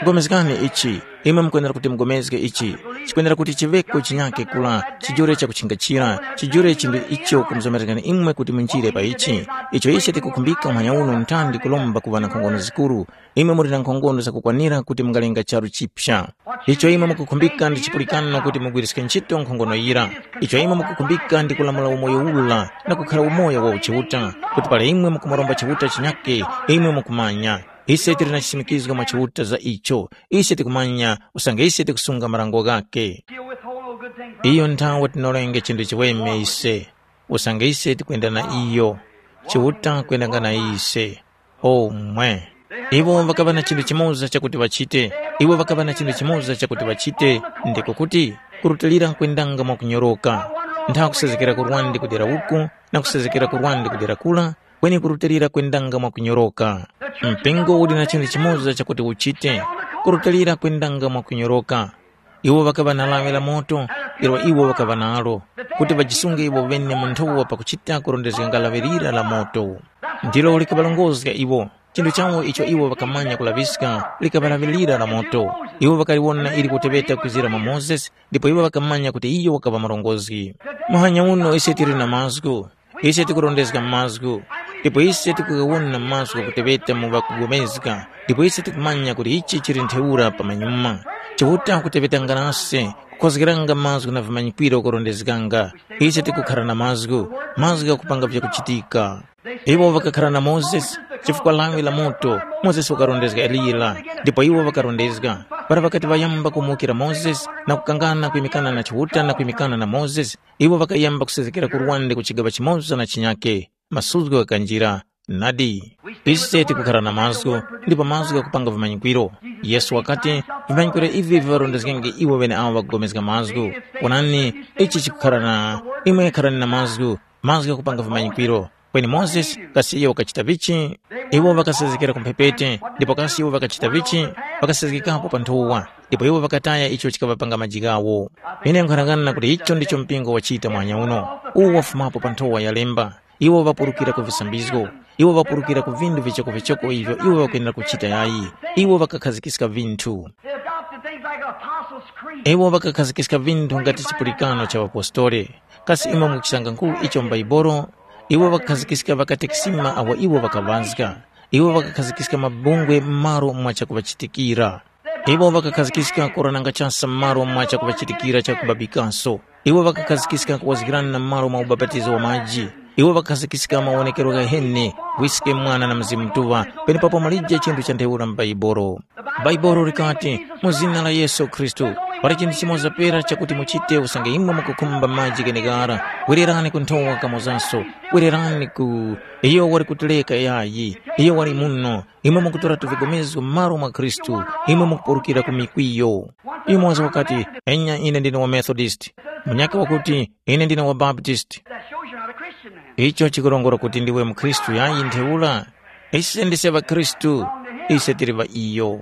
Pulikani ichi, imwe mukwenera kuti mugomezge ichi, chikwenera kuti chiŵeko chinyakhe kura, chijure chakuchingachira, chijure chinthu icho kumuzomerezgani imwe kuti munjire pa ichi. Icho ise tikukhumbika umwanya uno ntandi kulomba kuŵa na nkhongono zikuru, imwe muli na nkhongono zakukwanira kuti mungalenga charu chipya. Icho imwe mukukhumbika ndi chipulikano kuti mugwiriske ntchito nkhongono yira. Icho imwe mukukhumbika ndi kulamula umoyo ula na kukhara umoyo wa uchiuta, kuti para imwe mukumuromba Chiuta chinyakhe, imwe mukumanya. Ise tili na chisimikizgo mwa Chiuta za icho. Ise tikumanya usange ise tikusunga marango ghakhe. She'll withhold no good thing from Iyo nthawe tinorenge chinthu chiweme ise. Usange ise tikwenda na iyo. Chiuta kwendanga na ise. Omwe. Iwo ŵakaŵa na chinthu chimoza chakuti ŵachite. Iwo ŵakaŵa na chinthu chimoza chakuti ŵachite. Ndiko kuti, kurutilira nkwendanga mwakunyoroka. Ntha kusezekera kurwandi kudera uku, na kusezekera kurwandi kudera kura, kweni kurutilira kwendanga mwakunyoroka. Mpingo uli na chinthu chimoza chakuti uchite, kurutilira kwendanga mwakunyoroka. Iwo ŵakaŵa na lawi la moto, ilo iwo ŵakaŵa nalo, kuti ŵajisunge iwo ŵene mu nthowa pakuchita kurondezganga lawi lira la moto. Ndilo likaŵarongozga iwo. Chinthu chawo icho iwo ŵakamanya kulaŵiska likaŵa lawi lira la moto. Iwo ŵakaliwona ili kuteŵeta kwizira mwa Mozesi, ndipo iwo ŵakamanya kuti iyo wakaŵa murongozgi. Muhanya uno ise tili na mazgu. Ise tikurondezga mazgu, ndipo ise tikughawona mazgu kuteŵeta mu ŵakupulikana, ndipo ise tikumanya kuti ichi chili ntheura pamanyuma. Chiuta kuteŵetanga nase, kukhozgeranga mazgu na vimanyikwiro kurondezganga. Ise tikukhara na mazgu, mazgu ghakupanga vyakuchitika. Iwo ŵakakhara na Mozesi, chifukwa lawi la moto, Mozesi wakarondezga Eliya, ndipo iwo ŵakarondezga. Para ŵakati ŵayamba kumuwukira Mozesi na kukangana kwimikana na Chiuta na kwimikana na Mozesi, iwo ŵakayamba kusezekera kurwande ku chigaŵa chimoza na chinyakhe, masuzgo ghakanjira. Nadi, ise tikukhara na mazgu, ndipo mazgu ghakupanga vimanyikwiro. Yesu wakati, vimanyikwiro ivi viŵarondezgenge iwo ŵeneawo ŵakupulikana mazgu. Wonani, ichi chikukhara na imwe kharani na mazgu, mazgu ghakupanga vimanyikwiro. Kweni Mozesi, kasi iyo wakachita vichi? Iwo ŵakasezekera ku mphepete, ndipo kasi iwo ŵakachita vichi? Ŵakasezgekapo pa nthowa, ndipo iwo ŵakataya icho chikaŵapanga maji ghawo. Ine nkhanang'ana kuti icho ndicho mpingo wachita mwanya uno, uwo wafumapo pa nthowa ya lemba. Iwo ŵapurukira ku visambizgo, iwo ŵapurukira ku vinthu vichokovichoko ivyo iwo ŵakwenera kuchita yayi. Iwo ŵakakhazikiska vinthu. They adopted things like Apostles' Creed. Iwo ŵakakhazikiska vinthu ngati chipulikano cha ŵapostole. Kasi imwe mukuchisanga nkhu icho m'Baibolo? Iwo ŵakakhazikiska ŵakatekisima awo iwo ŵakaŵazga. Iwo ŵakakhazikiska mabungwe m'malo mwa chakuŵachitikira. Iwo ŵakakhazikiska korananga chasa m'malo mwa chakuŵachitikira cha kubabikaso. Iwo ŵakakhazikiska kuwazgirana m'malo mwa ubapatizo wa maji. Iwo ŵakakhazikiska mawonekero ghaheni, Wiske, Mwana na Mzimu Mutuŵa, penepapo mulije chinthu cha ntheura m'Baibolo. Baibolo likati, mu zina la Yesu Khristu, pali chinthu chimoza pera chakuti muchite usange imwe mukukhumba maji gheneghara, wererani ku nthowa kamozanso, wererani ku, iyo wali kutileka yayi, iyo wali muno, imwe mukutora tuvigomezo m'malo mwa Khristu, imwe mukupurukira ku mikwiyo. Yumoza wakati, enya ine ndine wa Methodist, munyakhe wakuti, ine ndine wa Baptist. That shows you're not a Christian then. Icho chikurongora kuti ndiwe mukhristu yayi ntheura? Ise ndise ŵakhristu, ise tili ŵa iyo.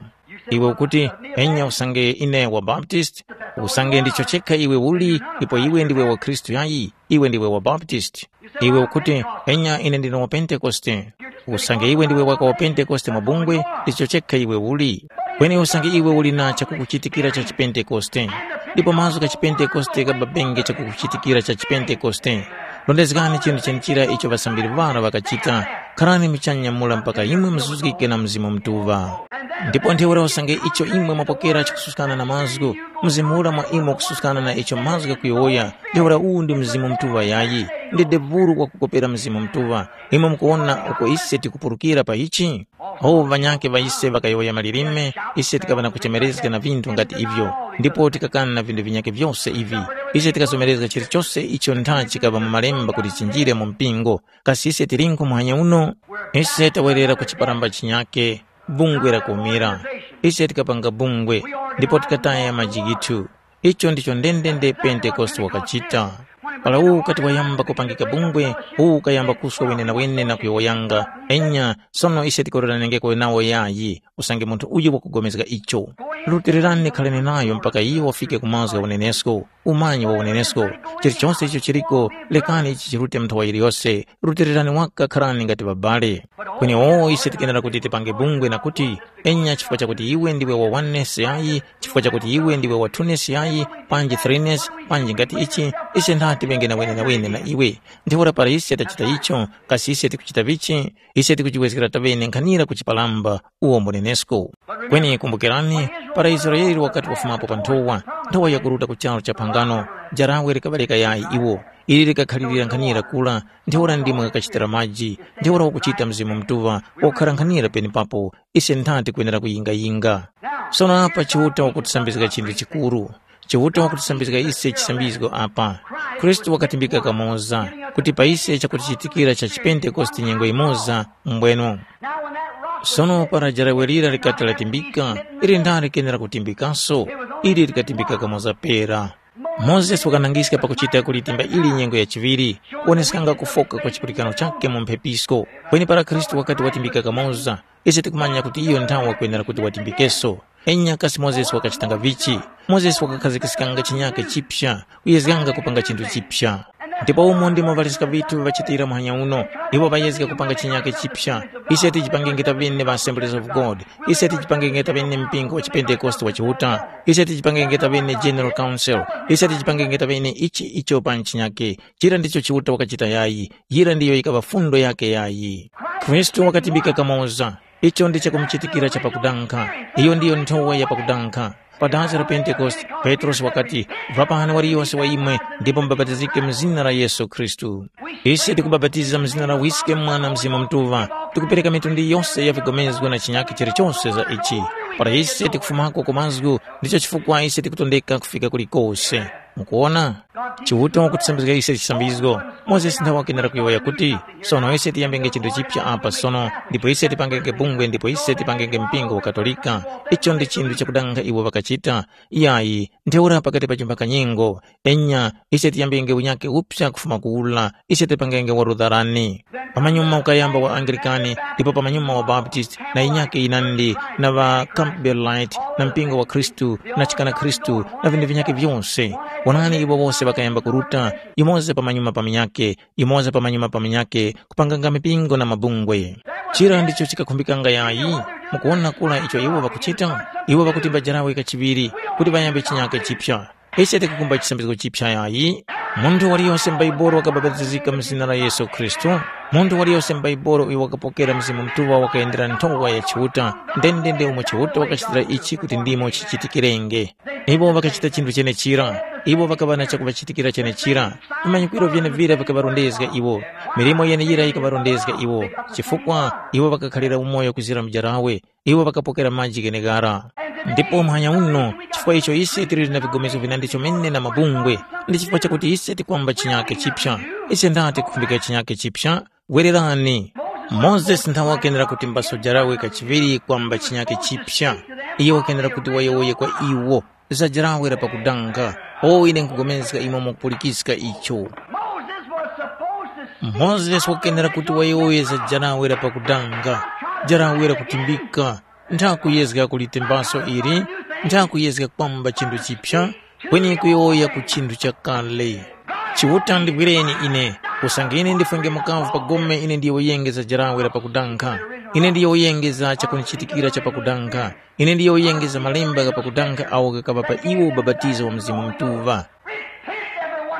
Iwe ukuti, enya usange ine wa Baptist, usange ndicho chekha iwe uli, ndipo iwe ndiwe wa Khristu yayi, iwe ndiwe wa Baptist. Iwe ukuti, enya ine ndine wa Pentekoste. Usange iwe ndiwe waka wa Pentekoste mabungwe, ndicho chekha iwe uli. Kweni usange iwe uli na chakukuchitikira cha chipentekoste, ndipo mazgu gha chipentekoste ghababenge chakukuchitikira cha chipentekoste, Rondezgani chinthu chenechira icho ŵasambiri ŵara ŵakachita. Kharani muchanya mura mpaka imwe muzuzgike na Mzimu Mutuŵa. Ndipo ntheura usange icho imwe mwapokera chikususkana na mazgu, Mzimu ura mwa imwe ukususkana na icho mazgu ghakuyowoya, ntheura uwu ndi Mzimu Mutuŵa yayi, ndi devuru wakukopera Mzimu Mutuŵa. Imwe mukuwona uko ise tikupulukira pa ichi? Awo ŵanyakhe ŵa ise ŵakayowoya malilime, ise tikaŵa na kuchemerezga na vinthu nga ti ivyo, ndipo tikakana na vinthu vinyakhe vyose ivi. Ise tikazomerezga chilichose icho ntha chikaŵa mu Malemba kuti chinjire mu mpingo. Kasi ise tilinkhu muhanya uno? Ise tawerera ku chiparamba chinyakhe, bungwe lakumira. Ise tikapanga bungwe, ndipo tikataya maji ghithu. Icho ndicho ndendende Pentekoste wakachita. Para uwu ukati wayamba kupangika bungwe, uwu ukayamba kuswa wenenawene na kuyowoyanga, enya, sono ise tikuloranengeko nawo yayi, usange munthu uyu wakugomezga icho. Rutilirani khalani nayo mpaka iyo wafike ku mazgu gha unenesko, umanyi wa unenesko. Chilichonse icho chiliko, lekani ichi chirute mu nthowa yiliyose, rutilirani waka kharani ngati ŵabale. Kweni oo ise tikenera kuti tipange bungwe na kuti, enya chifukwa chakuti iwe ndiwe wa oneness yayi, chifukwa chakuti iwe ndiwe wa twoness yayi, panji threeness, panji ngati ichi, ise ntha tiŵenge na wenenawene na iwe. Ntheura para ise tachita icho, kasi ise tikuchita vichi? Ise tikujiwezgera taŵene nkhanira ku chipalamba uwo mbunenesko. Kweni kumbukirani, para Israele wakati wafumapo pa nthowa, nthowa yakuruta ku charu cha phangano, jarawe likaŵaleka yayi iwo, ili likakhalirira nkhanira kura, ntheura ndimo ghakachitira maji, ntheura wakuchita Mzimu Mutuŵa wakukhara nkhanira penepapo, ise nthati kwenera kuyingayinga. Sono apa Chiuta wakutisambizga chinthu chikuru. Chiuta wakutisambizga ise chisambizgo apa. Khristu wakatimbika kamoza, kuti pa ise chakutichitikira cha chipentekoste nyengo yimoza, mbweno. Sono para jarawe lira likati latimbika, ili ndani kenera kutimbikaso? Ili likatimbika kamoza pera. Mozesi wakanangiska pakuchita kulitimba ili nyengo ya chiŵiri, kuwoneskanga kufoka kwa chipulikano chakhe mu mphepisko. Kweni para Khristu wakati watimbika kamoza, ise tikumanya kuti iyo nthawe wakwenera kuti watimbikenso. Enya kasi Mozesi wakachitanga vichi? Mozesi wakakhazikiskanga chinyake chipsa, kuyezganga kupanga chinthu chipsa. Ndipo umo ndimo ŵaliska ŵithu ŵachitira muhanya uno, iwo ŵayezga kupanga chinyake chipsa. Ise tijipangenge taŵene ŵa Assemblies of God, ise tijipangenge taŵene mpingo wa chipentekoste wa Chiuta, ise tijipangenge taŵene General Council, ise tijipangenge taŵene ichi icho pa chinyake. Chira ndicho Chiuta wakachita yayi, yira ndiyo yikaŵa fundo yakhe yayi. Khristu wakatimbika kamoza. Icho ndi chakumuchitikira cha pakudankha. Iyo ndiyo nthowa ya pakudankha. Pa danga la Pentekoste, Petrosi wakati, vapani waliyose wa imwe ndipo mubapatizike mu zina la Yesu Khristu. Ise tikubapatiza mu zina la Wiske, Mwana, Mzimu Mutuŵa, tikupereka mitundu yose ya vigomezgo na chinyakhe chilichose za ichi. Para ise tikufumako ku mazgu, ndicho chifukwa ise tikutondeka kufika kulikose. Mukuwona? Chiuta wakutisambizga ise chisambizgo. Mozesi nthawe wakenera kuyowoya kuti, sono ise tiyambenge chinthu chipya apa sono, ndipo ise tipangenge bungwe ndipo ise tipangenge mpingo wa Katolika. Icho ndi chinthu chakudanga iwo ŵakachita. Iyayi, ntheura pakati pa chimbakanyengo, enya, ise tiyambenge unyake upsa kufuma kuwula, ise tipangenge wa Lutherani. Pamanyuma ukayamba wa Anglikani, ndipo pamanyuma wa Baptist, na inyake yinandi, na ŵa Campbellite, na mpingo wa Khristu, na chikana Khristu, na vinthu vinyakhe vyose. Wonani iwo wose ŵakayamba kuruta, yumoza pamanyuma pa munyakhe, yumoza pamanyuma pa munyakhe, kupanganga mipingo na mabungwe. Chira ndicho chikakhumbikanga yayi, mukuwona kura icho iwo ŵakuchita? Iwo ŵakutimba jarawe kachiŵiri, kuti ŵayambe chinyakhe chipya. Ise tikukumba chisambizgo chipya yayi. Munthu waliyose m'Baibolo wakabapatizika mu zina la Yesu Khristu. Munthu waliyose m'Baibolo uyo wakapokera Mzimu Mutuŵa wakayendera nthowa ya Chiuta, ndendende umo Chiuta wakachitira ichi kuti ndimo chichitikirenge. Iwo ŵakachita chinthu chenechira. Iwo ŵakaŵa na chakuŵachitikira chenechira. Vimanyikwiro vyenevira vikaŵarondezga iwo. Milimo yeneyira yikaŵarondezga iwo, chifukwa iwo ŵakakhalira umoyo kuzira mujarawe. Iwo ŵakapokera maji gheneghara. Ndipo muhanya uno, chifukwa icho ise tili na vigomezo vinandi chomene na mabungwe, ndi chifukwa chakuti ise tikwamba chinyake chipya. Ise ndati kukhumbika chinyake chipya? Wererani. Mozesi nthawe wakenera kutimbaso jarawe kachiŵiri kwamba chinyake chipya. Iye wakenera kuti wayowoye kwa iwo, za jarawe la pakudanga. O ine nkugomezga imwe mukupulikiska icho. Moses was supposed to speak. Mozesi wakenera kuti wayowoye za jarawe la pakudanga, jarawe la kutimbika. Nthakuyezga kulitembaso ili, nthakuyezga kwamba chinthu chipya, kweni kuyowoya ku chinthu chakale. Chiuta ndibwireni ine, usange ine ndifwenge mukavu pa gome ine ndiyowoyenge za jarawe la pakudankha. Ine ndiyowoyenge za chakunichitikira cha pakudankha. Ine ndiyowoyenge za malemba gha pakudankha awo ghakaŵa pa iwo ubapatizo wa Mzimu Mutuŵa.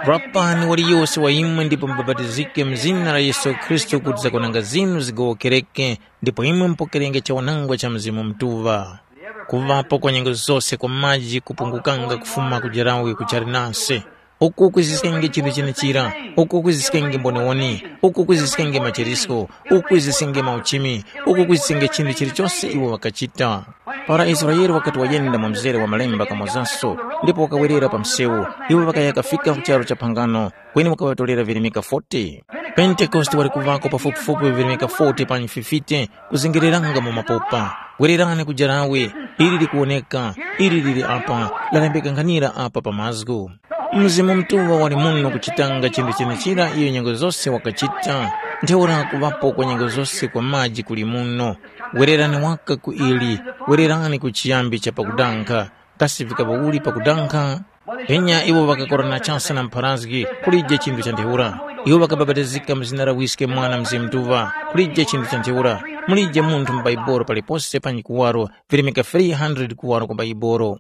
Rapani waliyose wa imwe ndipo mubapatizike mu zina la Yesu Khristu kuti zakwananga zinu zigowokereke, ndipo imwe mupokerenge chawanangwa cha Mzimu Mutuŵa. Kuŵapo kwa nyengo zose kwa maji kupungukanga kufuma ku Jarawe ku Charinase. Uku kwiziskenge chinthu chenechira, uku kwiziskenge mboniwoni, uku kwiziskenge machirisko, uku kwiziskenge mauchimi, uku kwiziskenge chinthu chilichose iwo ŵakachita. Para Israele wakati wayenda mu mzere wa malemba kamozanso, ndipo wakawerera pa msewu, iwo ŵakaya kafika ku charu cha phangano, kweni wakaŵatorera virimika forty. Pentekoste wali kuvako pafupifupi virimika forty panyi fifty, kuzengereranga mu mapopa. Wererani ku jarawe, ili likuwoneka, ili lili apa, lalembeka nkhanira apa pa mazgu. Mzimu Mutuŵa wali muno kuchitanga chinthu chenechira iyo nyengo zose wakachita, ntheura kuŵapo kwa nyengo zose kwa maji kuli muno. Wererani waka ku ili, wererani ku chiyambi cha pakudankha, kasi vikaŵa uli pakudankha? Enya iwo ŵakakorana chase na mpharazgi, kulije chinthu cha ntheura. Iwo ŵakabapatizika mu zina la Wiske Mwana Mzimu Mutuŵa, kulije chinthu cha ntheura. Mulije munthu mu Baibolo palipose panyi kuwaro, virimika three hundred kuwaro ku Baibolo.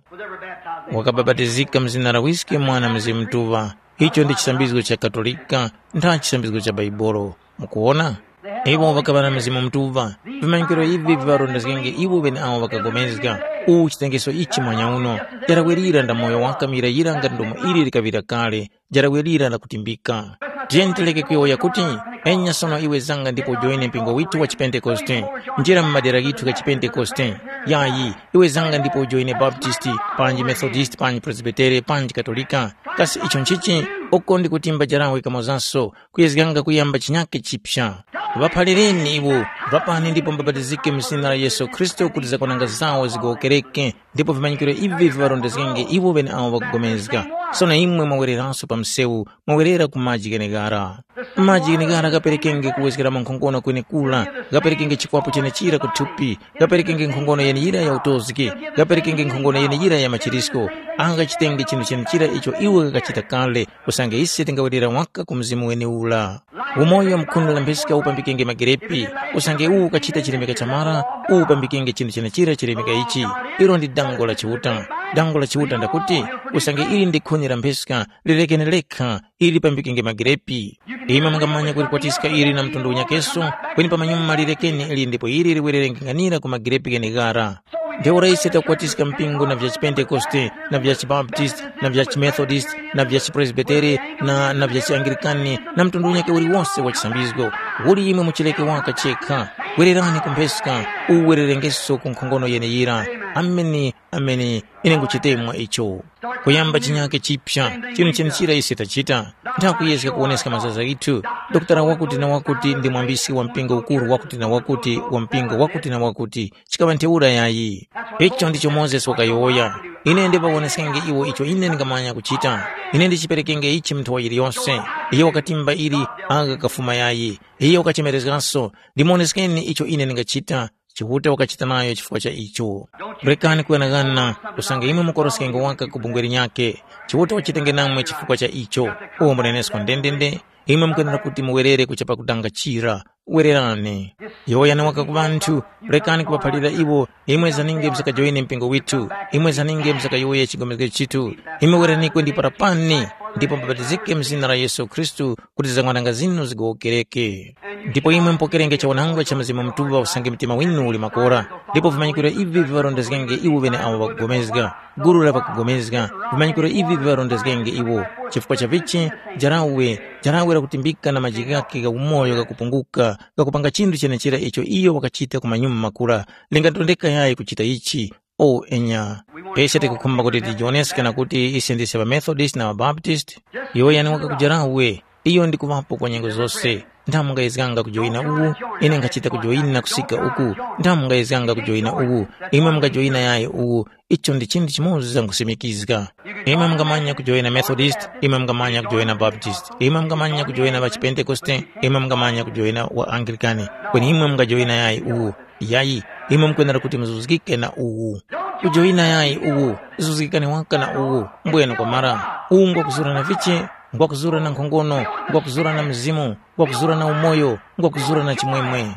Wakabapatizika mu zina la Wiske Mwana Mzimu Mutuŵa. Icho ndi chisambizgo cha Katolika, ntha chisambizgo cha Baibolo. Mukuwona? Iwo ŵakaŵa na Mzimu Mutuŵa. Vimanyikiro ivi viŵarondezgenge iwo ŵeneawo ŵakagomezga. Uwu chitengeso ichi mwanyauno, jarawerira nda moyo waka muyirayira ngati ndomo ili likaŵira kale, jarawerira la kutimbika. Tiyeni tileke kuyowoya kuti, enya sono iwe zanga ndipo ujoine mpingo withu wa chipentekoste, njira mu madera ghithu gha chipentekoste. Yayi, iwe zanga ndipo ujoine Baptisti, panji Methodisti, panji Presbitere, panji Katolika. Kasi icho nchichi? Uko ndi kutimba jarawe kamozanso, kuyezganga kuyamba chinyake chipya. Ŵaphalireni iwo, ŵapani ndipo mubapatizike mu zina la Yesu Khristu kuti zakwananga zawo zigowokereke, ndipo vimanyikiro ivi viŵarondezgenge iwo ŵeneawo ŵakugomezga. Sono imwe mwawereranso pa msewu, mwawerera ku maji gheneghara. Maji gheneghara ghaperekenge kuwezgeramo nkhongono kwenekura, ghaperekenge chikwapu chenechira ku thupi, ghaperekenge nkhongono yeneyira ya utozgi, ghaperekenge nkhongono yeneyira ya machirisko, agha ghachitenge chinthu chenechira icho iwo ghakachita kale, usange ise tingawerera waka ku Mzimu wenewura. Umoyo wa mu khuni la mpheska upambikenge magerepi, usange uwu ukachita chilemeka cha mara, uwu upambikenge chinthu chenechira chilemeka ichi. Ilo ndi dango la Chiuta. Dango la Chiuta ndakuti, usange ili ndi khuni la mpheska, lirekeni lekha, ili lipambikenge magerepi. Imwe mungamanya kulikwatiska ili na mtundu unyakeso, kweni pamanyuma lirekeni ili ndipo ili liwererenge nkhanira ku magerepi gheneghara. Ntheura ise takwatiska mpingo na vya chiPentekoste, na vya chiBaptist, na vya chiMethodist, na vya chiPresbitere, na, na vya chiAnglican, na mtundu unyakhe uliwonse wa chisambizgo. Uli imwe muchileke waka chekha. Wererani ku mpheska, uwererengeso ku nkhongono yeneyira. Ameni, ameni. Ine nguchitemwa icho. Kuyamba chinyake chipya, chinu chenechira ise tachita. Nthakuyezga kuwoneska mazaza ghithu. Dokotala wakuti na wakuti ndi mwambisi wa mpingo ukuru wakuti na wakuti wa mpingo wakuti na wakuti. Chikaŵa ntheura yayi. Icho ndicho Mozesi wakayowoya. Ine ndipawoneskenge iwo icho ine ndingamanya kuchita. Ine ndichiperekenge ichi munthu wa yiliyose. Iye wakatimba ili anga kafuma yayi. Iye wakachemerezgaso. Ndimuwoneskeni icho ine ndingachita. Chiuta wakachita nayo chifukwa cha icho. Rekani kughanaghana, usange imwe mukoroskenge waka ku bungwe linyakhe. Chiuta wachitenge namwe chifukwa cha icho. Uwo mbunenesko ndendende, imwe mukwenera kuti muwerere kuchapa kudanga chira. Wererani. Yowoyani waka ku ŵanthu, rekani kuŵaphalira iwo, imwe zaninge msakajoine mpingo withu, imwe zaninge msakayowoye chigomezge chithu, imwe weraniko ndi parapani, ndipo mubapatizike mu zina la Yesu Khristu kuti zang'wananga zinu zigowokereke. Ndipo imwe mupokerenge chawanangwa cha Mzimu Mutuŵa usange mtima winu uli makora, ndipo vimanyikiro ivi viŵarondezgenge iwo ŵeneawo ŵakugomezga, gulu la ŵakugomezga, vimanyikiro ivi viŵarondezgenge iwo. Chifukwa cha vichi, jarawe, jarawe lakutimbika na maji ghakhe gha umoyo ghakupunguka, ghakupanga chinthu chenechera icho iyo wakachita ku manyuma makora, lingatondeka yayi kuchita ichi? O enya. Ise tikukhumba kuti tijiwoneske na kuti ise ndise ŵaMethodist na ŵaBaptist. Yowoyani waka ku jarawe, iyo ndi kuŵapo kwa nyengo zose. Ntha mungayezganga kujoyina uwu, ine nkhachita kujoyina kusika uku. Ntha mungayezganga kujoyina uwu, imwe mungajoyina yayi uwu. Icho ndi chinthu chimoza nkusimikizga. Imwe mungamanya kujoyina Methodist, imwe mungamanya kujoyina Baptist, imwe mungamanya kujoyina ŵa Chipentekoste, imwe mungamanya kujoyina wa Anglikani. Kweni imwe mungajoyina yayi uwu. Yayi, imwe mukwenera kuti muzuzgike na uwu. Kujoyina yayi uwu, zuzgikani waka na uwu, mbwene kwamara. Uwu ngwakuzura na vichi, ngwakuzura na nkhongono, ngwakuzura na mzimu, ngwakuzura na umoyo, ngwakuzura na chimwemwe.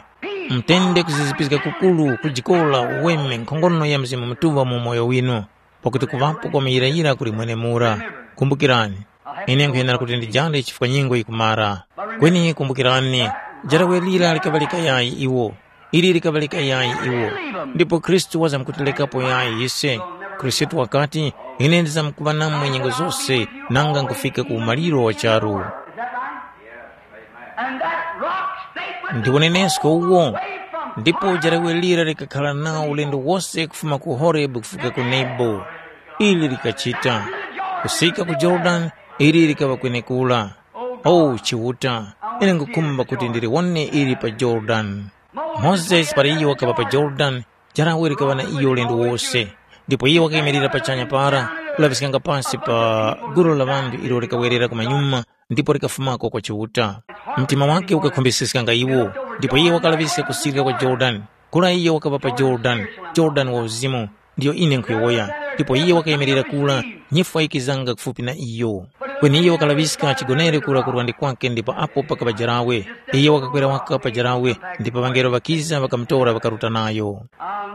Mutende kuzizipizga kukuru, kujikola, uweme, nkhongono ya Mzimu Mutuŵa mu umoyo winu, pakuti kuŵapo kwa muyirayira kuli mwenemura. Kumbukirani, Ine nkhuyenera kuti ndijande chifukwa nyengo yikumara. Kweni kumbukirani, jarawe lira likaŵa likayayi iwo. Ili likaŵa likayayi iwo. Ndipo Khristu wazamkutilekapo yayi ise. Khristu wakati, ine ndizamkuŵa namwe nyengo zose, nanga nkufika ku umaliro wa charu. And that rock stayed with Ndi unenesko uwo. Ndipo jarawe lira likakhala nawo ulendo wose kufuma ku Horebu kufika ku Nebo. Ili likachita. Kusika ku Jordan, ili likaŵa kwenekura. Oh, Chiuta, ine nkhukhumba kuti ndiliwone ili pa Jordan. Mozesi para iyo wakaŵa pa Jordan, jarawe likaŵa na iyo ulendo wose. Ndipo iyo wakayimirira pachanya para, kulaŵiskanga pasi pa gulu la ŵanthu ilo likawerera kumanyuma, ndipo likafumako kwa Chiuta. Mtima wake ukakhumbiskiskanga iwo, ndipo iye wakalaŵiska kusirika kwa Jorodani. Kura iye wakaŵa pa Jorodani, Jorodani wa uzimu, ndiyo ine nkhuyowoya. Ndipo iye wakayemerera kura, nyifwa yikizanga kufupi na iyo. Kweni iye wakalaŵiska chigonere kura ku lwande kwake ndipo apo pakaŵa jarawe. Iye wakakwera waka pa jarawe, ndipo ŵangelo ŵakiza ŵakamutora ŵakaruta nayo.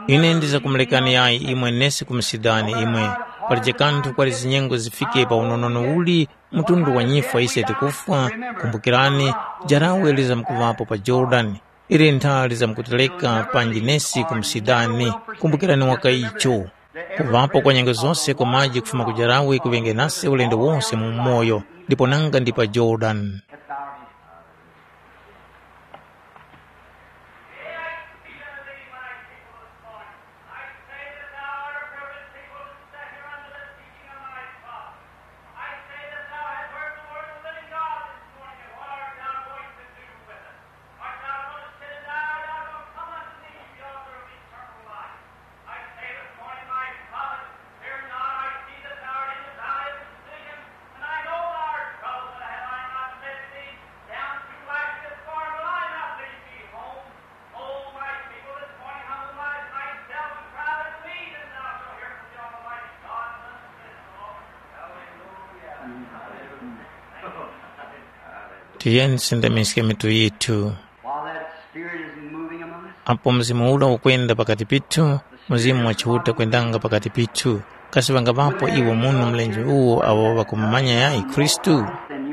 Ine ndizakumurekani yayi imwe nesi kumusidani imwe. Palije kanthu kwali zinyengo zifike pa unonono uli mtundu wa nyifwa ise tikufwa, kumbukirani, jarawe lizamkuŵapo pa Jorodani, ili ntha lizamkutereka panji nesi kumusidani, kumbukirani waka icho. Kuŵapo kwa nyengo zose kwa maji kufuma ku jarawe kuŵenge nase ulendo wose mu umoyo, ndipo nanga ndi pa Jorodani. Tiyeni tisindamiske mitu yithu. While that Spirit is moving among us, Apo Mzimu ura ukwenda pakati pithu, Mzimu wa Chiuta kwendanga pakati pithu, kasi ŵangaŵapo iwo muno mlenje uwo awo ŵakumumanya yayi Khristu?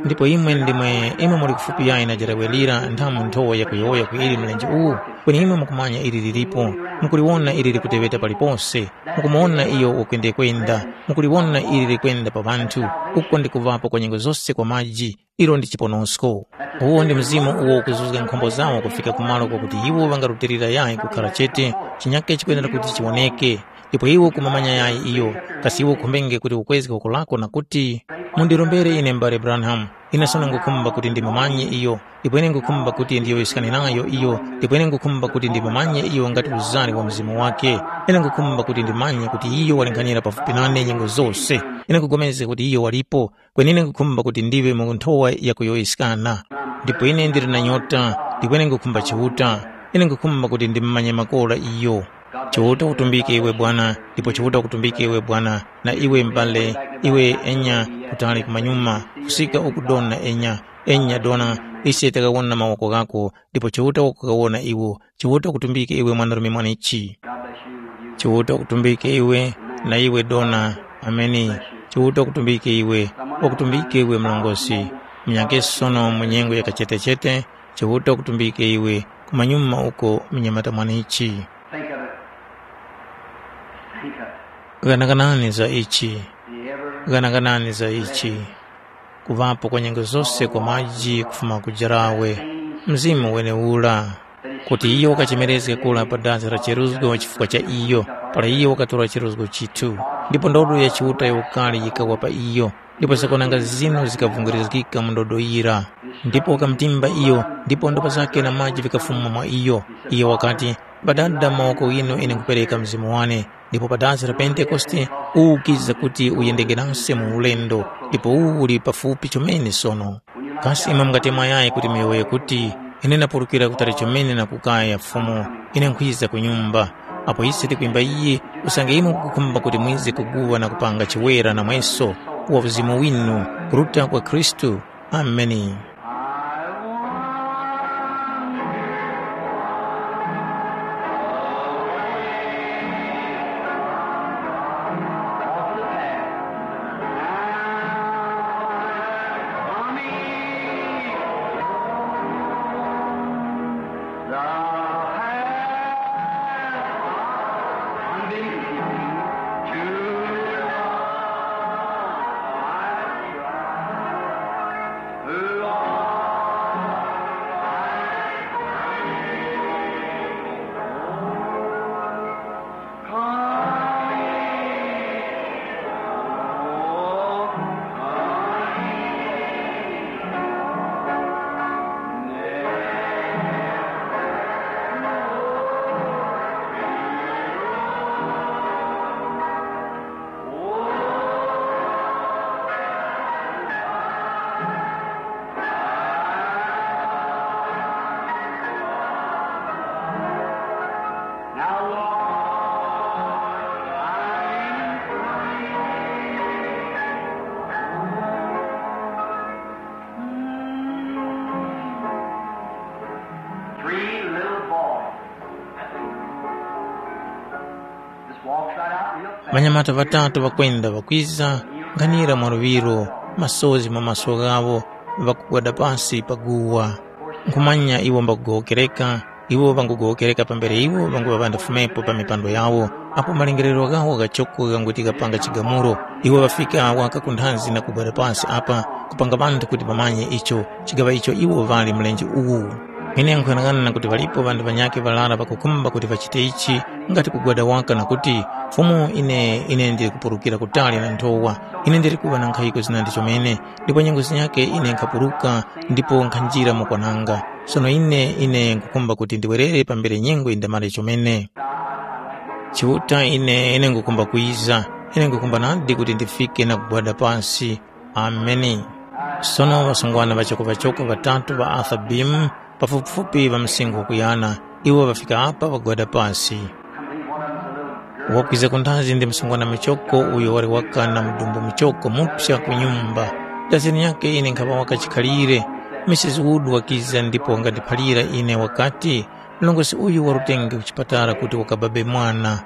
Ndipo imwe ndimwe imwe muli kufupi yayi na jarawe lira nthamu nthowa yakuyowoya ku ili mlenje uwu, kweni imwe mukumanya ili lilipo, mukuliwona ili likuteŵeta palipose, mukumuwona iyo ukwendekwenda, mukuliwona ili likwenda pa ŵanthu, uko ndi kuŵapo kwa nyengo zose kwa maji, ilo ndi chiponosko. Uwo ndi mzimu uwo ukuzuzga nkhombo zawo kufika ku malo kwakuti iwo ŵangarutilira yayi kukhala chete, chinyake chikwenera kuti chiwoneke. Ndipo iwe ukumamanya yayi iyo, kasi iwe ukhumbenge kuti ukwezge woko lako na kuti, mundirombere ine m'bale Branham, ine sono ngukhumba kuti ndimumanye iyo, ndipo ine ngukhumba kuti ndiyowoyeskane nayo iyo, ndipo ine ngukhumba kuti ndimumanye iyo ngati uzari wa mzimu wake. Ine ngukhumba kuti ndimanye kuti iyo walinkhanira pafupi nane nyengo zose. Ine ngupulikana kuti iyo walipo, kweni ine nkhukhumba kuti ndiŵe mu nthowa yakuyowoyeskana. Ndipo ine ndili na nyota, ndipo ine nkhukhumba Chiuta. Ine nkhukhumba kuti ndimumanye makora iyo. Chiuta ukutumbike iwe Bwana, ndipo Chiuta ukutumbike iwe Bwana, na iwe m'bale, iwe enya kutali kumanyuma, kusika uku dona enya, enya dona, ise takawona mawoko ghako, ndipo Chiuta wakukawona iwo. Chiuta ukutumbike iwe mwanarume mwanichi. Chiuta ukutumbike iwe, na iwe dona. Ameni. Chiuta ukutumbike iwe, wakutumbike iwe mlongosi. Munyake sono mu nyengo ya kachetechete, Chiuta ukutumbike iwe, kumanyuma uko munyamata mwanichi. Think of it. Think of it. Ghanaganani za ichi. The ever Ghanaganani za ichi. Kuŵapo kwa nyengo zose kwa maji kufuma ku jarawe, mzimu weneura, kuti iyo wakachemerezge kura pa dazi la cheruzgo chifukwa cha iyo, para iyo wakatora cheruzgo chithu. Ndipo ndodo ya Chiuta ya ukali yikawa pa iyo, ndipo zakonanga zinu zikavungirizgika mu ndodo yira. Ndipo wakamutimba iyo, ndipo ndopa zake na maji vikafuma mwa iyo. Iyo wakati, Padada mawoko ghinu ine nkhupereka mzimu wane. Ndipo pa dazi la Pentekoste, uwu ukiza kuti uyendenge nase mu ulendo, ndipo uwu uli pafupi chomene sono. Kasi imwe mungatemwa yayi kuti muyowoye kuti, ine ndapulukira kutali chomene na kukaya Fumu, ine nkhwiza ku nyumba. Apo ise tikwimba iyi, usange imwe mukukhumba kuti mwize kuguwa na kupanga chiwera namweso wa uzimu winu kuruta kwa Khristu, Ameni. Ŵanyamata ŵatatu ŵakwenda ŵakwiza, nkhanira mwa luŵiro, masozi mwa maso ghawo, ŵakugwada pasi pa guwa. Nkhumanya iwo mbakugowokereka, iwo ŵangugowokereka pambere iwo ŵanguŵa ŵandafumepo pa mipando yawo, apo malingiririro ghawo ghachoko ghanguti ghapanga chigamulo, iwo ŵafika waka ku nthanzi na kugwada pasi apa, kupanga ŵanthu kuti ŵamanye icho, chigaŵa icho iwo ŵali mlenje uwu. Ine nkhuyang'ana na kuti ŵalipo ŵanthu ŵanyakhe ŵarara ŵakukhumba kuti ŵachite ichi, ngati kugwada waka na kuti, “Fumu ine, ine ndili kupurukira kutali na nthowa, ine ndili kuŵa na nkhayiko zinandi chomene, ndipo nyengo zinyakhe ine nkhapuruka ndipo nkhanjira mu kwananga. Sono ine, ine nkhukhumba kuti ndiwerere pambere nyengo yindamare chomene. Chiuta ine, ine nkhukhumba kwiza, ine nkhukhumba nadi kuti ndifike na kugwada pasi.” Ameni. Sono ŵasungwana ŵachoko-ŵachoko ŵatatu ŵa Arthur Beam, pafupifupi ŵa msinkhu wakuyana, iwo ŵafika apa ŵagwada pasi. Wakwiza ku nthazi ndi msungwana muchoko uyo wali waka na mudumbu muchoko mupsa ku nyumba. Dazeni yakhe ine nkhaŵa waka chikhalire. Misisi Wood wakiza ndipo wangandiphalira ine wakati, “Mlongosi uyu warutenge ku chipatala kuti wakababe mwana.”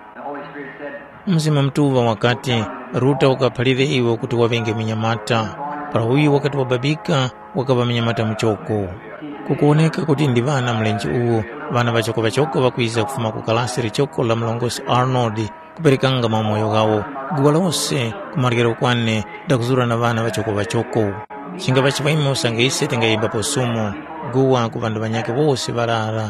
Mzimu Mutuŵa wakati, “Ruta ukaphalire iwe kuti waŵenge munyamata.” Para uyu wakati wababika, wakaŵa munyamata muchoko. Kukuwoneka kuti ndi ŵana mlenje uwu, ŵana ŵachoko-ŵachoko ŵakwiza kufuma ku kalasi lichoko la mlongosi Arnold, kuperekanga maumoyo ghawo, guwa lose ku maryero kwane ndakuzura na ŵana ŵachoko-ŵachoko. Chingapa chimwemwe usange ise tingayimbapo sumo, guwa ku ŵanthu ŵanyakhe wose ŵarara.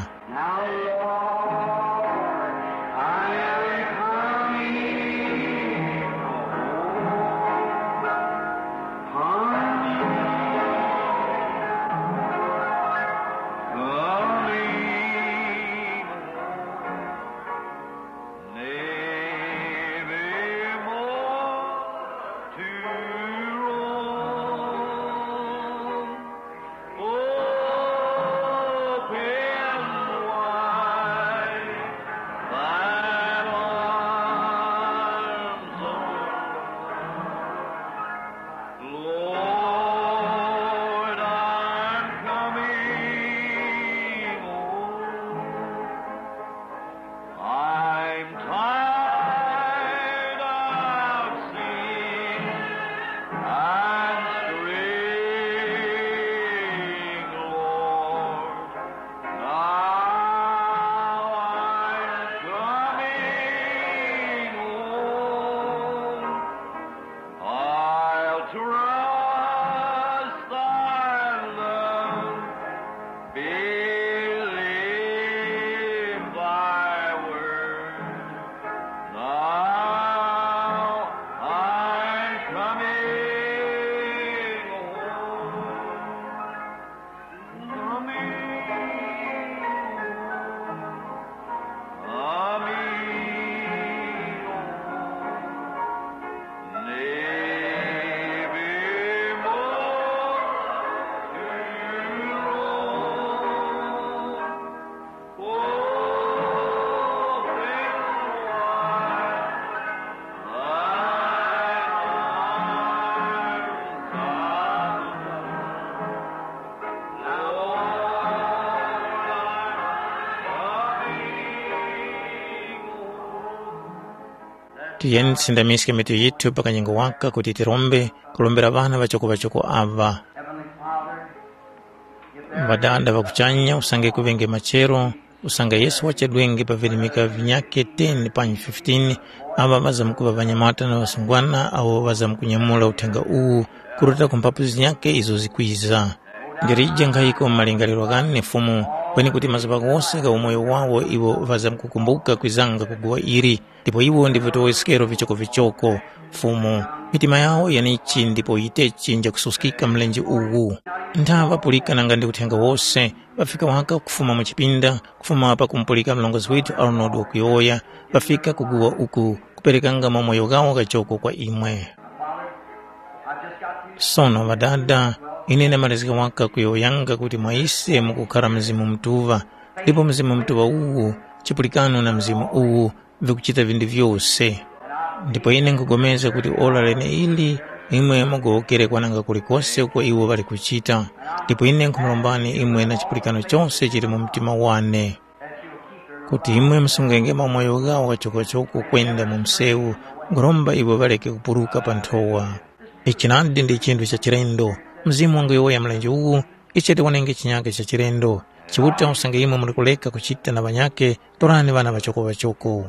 Lord, I'm coming home. I'm tired of sin and straying, Lord. Now I'm coming home. I'll trust thy love, believe thy word. Now I'm coming home. Tiyeni tisindamiske mitu yithu pa kanyengo waka kuti tirombe kurombera ŵana ŵachoko-ŵachoko aŵa. Ŵadada ŵa kuchanya, usange kuŵenge machero, usange Yesu wachedwenge pa virimika vinyakhe ten panyi fifteen, aŵa ŵazamkuŵa ŵanyamata na ŵasungwana awo ŵazamkunyamula uthenga uwu kuruta ku mphapu zinyakhe izo zikwiza. Ndilije nkhayiko mu malingaliro ghane Fumu, kweni kuti mazuŵa ghose gha umoyo wawo iwo ŵazamkukumbuka kwizanga ku guwa ili, ndipo iwo ndi vitowoskero vichokovichoko. Fumu, mitima yawo yenichi ndipo yitechi njakususkika mlenje uwu. Ntha ŵapulika nanga ndi uthenga wose, ŵafika waka kufuma mu chipinda, kufuma pakumupulika mlongozi withu Arnold wakuyowoya, ŵafika kuguwa uku kuperekanga maumoyo ghawo ghachoko kwa imwe. Sono ŵadada, ine ndamalizika waka kuyowoyanga kuti mwa ise mukukhara Mzimu Mutuŵa, ndipo Mzimu Mutuŵa uwu, chipulikano na Mzimu uwu, vikuchita vinthu vyose. Ndipo ine nkhupulikana kuti ora leneili imwe mugowokere kwananga kulikose uko iwo ŵali kuchita. Ndipo ine nkhumurombani imwe na chipulikano chose chili mu mtima wane, kuti imwe musungenge mamoyo ghawo ghachokachoko kwenda mu msewu Nkhuromba iwo ŵareke kupuruka pa nthowa. Ichi nadi ndi chinthu cha chilendo. Mzimu wanguyowoya mlenje uwu, ise tiwonenge chinyaka cha chilendo. Chiuta usange imwe muli kuleka kuchita na ŵanyakhe, torani ŵana ŵachoko-ŵachoko.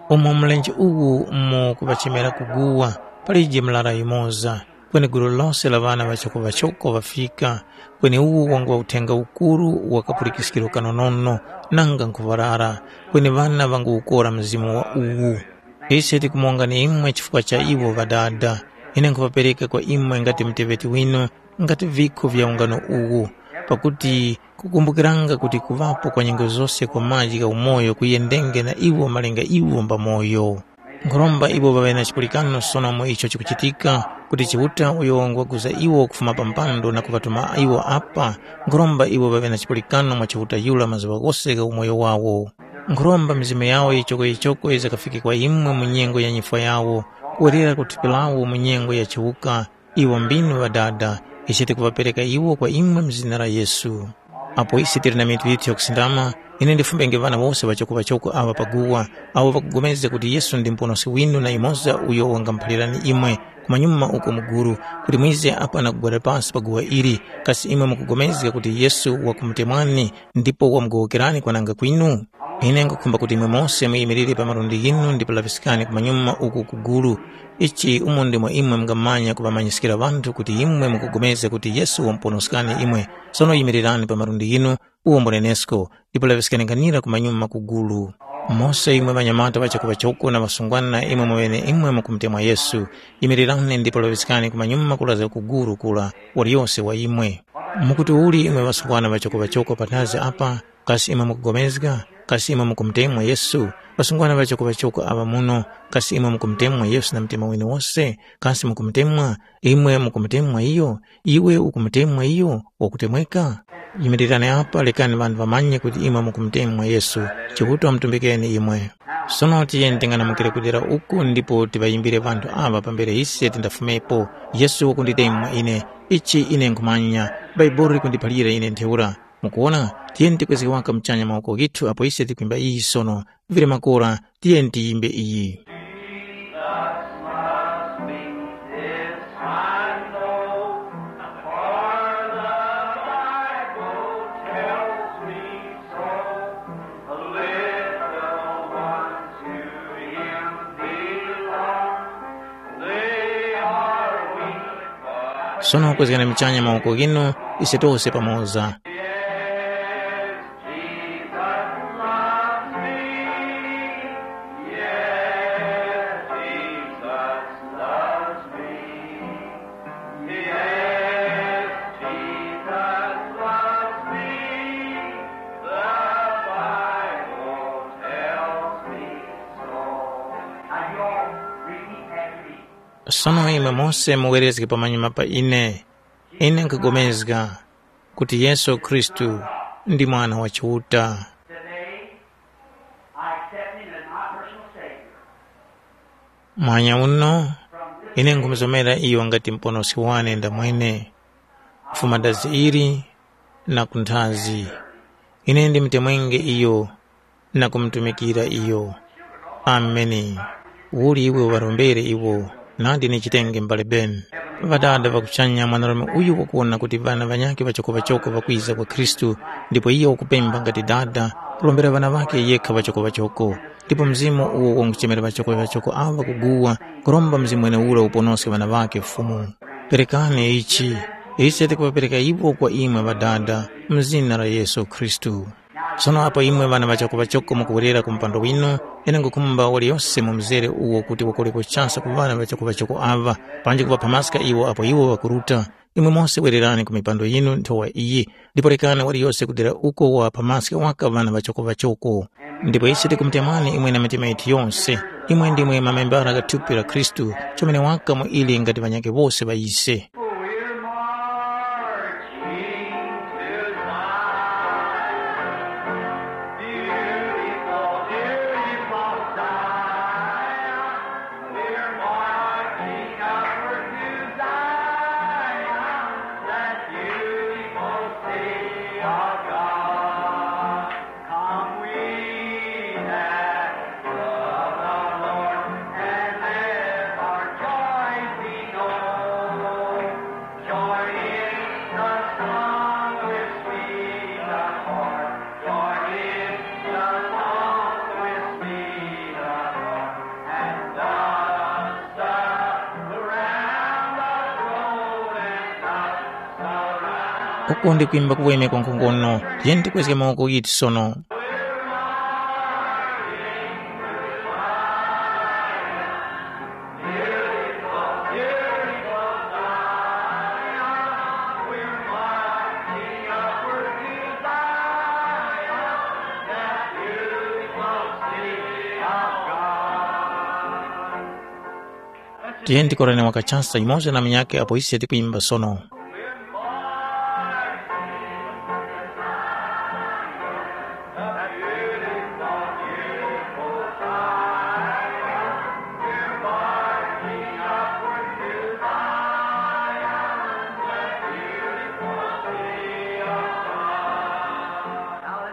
Umo mlenje uwu mukuŵachemera kuguwa, palije mlara yumoza, kweni gulu lose la ŵana ŵachoko-ŵachoko ŵafika, kweni uwu wanguŵa uthenga ukuru wa kapulikiskiro kanonono, nanga nkhuŵarara, kweni ŵana ŵanguwukora mzimu wa uwu. Ise tikumongani imwe chifukwa cha iwo Ŵadada. Ine nkhuŵapereka kwa imwe ngati muteŵeti winu, ngati vikho vya ungano uwu, pakuti kukumbukiranga kuti kuŵapo kwa nyengo zose kwa maji gha umoyo kuyendenge na iwo malinga iwo mbamoyo. Nkhuromba iwo ŵaŵe na chipulikano sono mu icho chikuchitika, kuti Chiuta uyo ngwaguza iwo kufuma pa mpando na kuŵatuma iwo apa, nkhuromba iwo ŵaŵe na chipulikano mwa Chiuta yura mazuŵa ghose gha umoyo wawo. Nkhuromba mizimu yawo yichokoyichoko yizakafike kwa imwe mu nyengo ya nyifwa yawo, kuwerera ku thupi lawo mu nyengo ya chiwuka. Iwo mbinu Ŵadada, ise tikuŵapereka iwo kwa imwe mu zina la Yesu. Apo ise tili na mitu yithu yakusindama, ine ndifumbenge ŵana wose ŵachoko-ŵachoko aŵa paguwa, awo ŵakupulikana kuti Yesu ndi Muponoski winu na yumoza uyo wangamuphalirani imwe, kumanyuma uko mu gulu, kuti mwize apa na kugwada pasi pa guwa ili, kasi imwe mukupulikana kuti Yesu wakumutemwani ndipo wamugowokerani kwananga kwinu? Ine nkhukhumba kuti imwe mose muyimirire pa malundi ghinu ndipo laŵiskani kumanyuma uku ku gulu. Ichi umo ndimo imwe mungamanya kuŵamanyiskira ŵanthu kuti imwe mukupulikana kuti Yesu wamuponoskani imwe. Sono yimirirani pa malundi ghinu, uwo mbunenesko, ndipo laŵiskani nkhanira kumanyuma ku gulu. Mose imwe ŵanyamata ŵachoko-ŵachoko na ŵasungwana imwe mweneimwe mukumutemwa Yesu, yimirirani ndipo laŵiskani kumanyuma kulazga ku gulu kura waliyose wa imwe. Mukuti uli imwe ŵasungwana ŵachoko-ŵachoko panthazi apa, kasi imwe mukupulikana? Kasi imwe mukumutemwa Yesu? Ŵasungwana ŵachoko-ŵachoko aŵa muno, kasi imwe mukumutemwa Yesu na mtima winu wose? Kasi mukumutemwa? Imwe mukumutemwa iyo? Iwe ukumutemwa iyo wakutemweka? Yimirirani apa, rekani ŵanthu ŵamanye kuti imwe mukumutemwa Yesu, Chiuta wamutumbikeni imwe. Sono tiyeni ting'anamukire kudera uku ndipo tiŵayimbire ŵanthu aŵa pambere ise tindafumepo. Yesu wakunditemwa ine, ichi ine nkhumanya, Bhaibuli likundiphalira ine ntheura. Mukuwona, tiyeni tikwezge waka muchanya mawoko ghithu apo ise tikwimba iyi sono. Vili makora, tiyeni tiyimbe iyi. Sono kwezgani muchanya mawoko ghinu, ise tose pamoza. Sono imwe mose muwerezge pamanyuma pa ine. Ine nkhupulikana kuti Yesu Khristu ndi Mwana wa Chiuta. Today, I accept him as my personal Savior. Mwanya uno, ine nkhumuzomera iyo ngati Muponoski wane ndamwene, kufuma dazi ili na kunthazi. Ine ndimutemwenge iyo na kumutumikira iyo. Ameni. Uli iwe uŵarombere iwo, nadi nichitenge m'bale Ben. Ŵadada ŵa kuchanya, mwanarume uyu wakuwona kuti ŵana ŵanyakhe ŵachoko-ŵachoko ŵakwiza kwa Khristu, ndipo iyo wakupemba ngati dada, kurombera ŵana ŵakhe yekha ŵachoko-ŵachoko. Ndipo Mzimu uwo wanguchemera ŵachoko-ŵachoko aŵa kuguwa, kuromba Mzimu mweneura uponoske ŵana ŵakhe Fumu. Perekani ichi, ise tikuŵapereka iwo kwa imwe ŵadada, mu zina la Yesu Khristu. Sono apo imwe ŵana ŵachoko-ŵachoko mukuwerera ku mpando winu, ine nkhukhumba waliyose mu mzere uwo kuti wakoleko chasa ku ŵana ŵachoko-ŵachoko aŵa, panji kuŵaphamaska iwo apo iwo ŵakuruta. Imwe mose wererani ku mipando yinu nthowa iyi, ndipo rekani waliyose kudera uko waphamaske waka ŵana ŵachoko-ŵachoko. Ndipo ise tikumutemani imwe na mitima yithu yonse. Imwe ndimwe mamembara gha thupi la Khristu, chomene waka mu ili ngati ŵanyakhe wose ŵa ise. We're marching to Zion, beautiful, beautiful Zion. We're marching upward to Zion, that beautiful city of God. Come we that love the Lord and live Uku ndi kwimba kuweme kwa nkhongono. Tiyeni tikwezge mawoko ghithu sono. Tiyeni tikorane wakachasa yumoza na munyakhe apo ise tikwimba sono.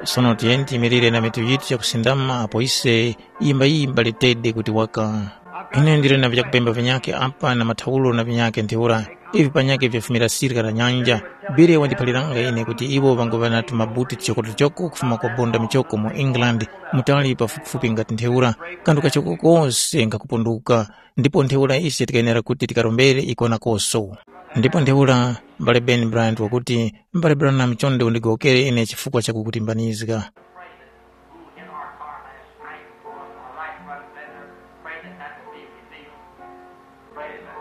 Sono tiyeni tiyimirire na mitu yithu yakusindama apo ise yimbayimba litede kuti waka. Ine ndili na vyakupemba vinyakhe apa na mathawulo na vinyakhe ntheura. Ivi panyakhe vyafumira sirika la nyanja. Bire wandiphaliranga ine kuti iwo ŵanguŵa na tumabuti tuchokotuchoko kufuma kwa bonda michoko mu England, mutali pafupifupi ngati ntheura, kanthu kachoko kose nkhakupunduka. Ndipo ntheura ise tikayenera kuti tikarombere iko nakoso. Ndipo ntheura, m'bale Ben Bryant wakuti, m'bale Branham chonde undigowokere ine chifukwa chakukutimbanizga. Pray that who hit our car last night or our light run better, pray that that will be revealed. Pray that.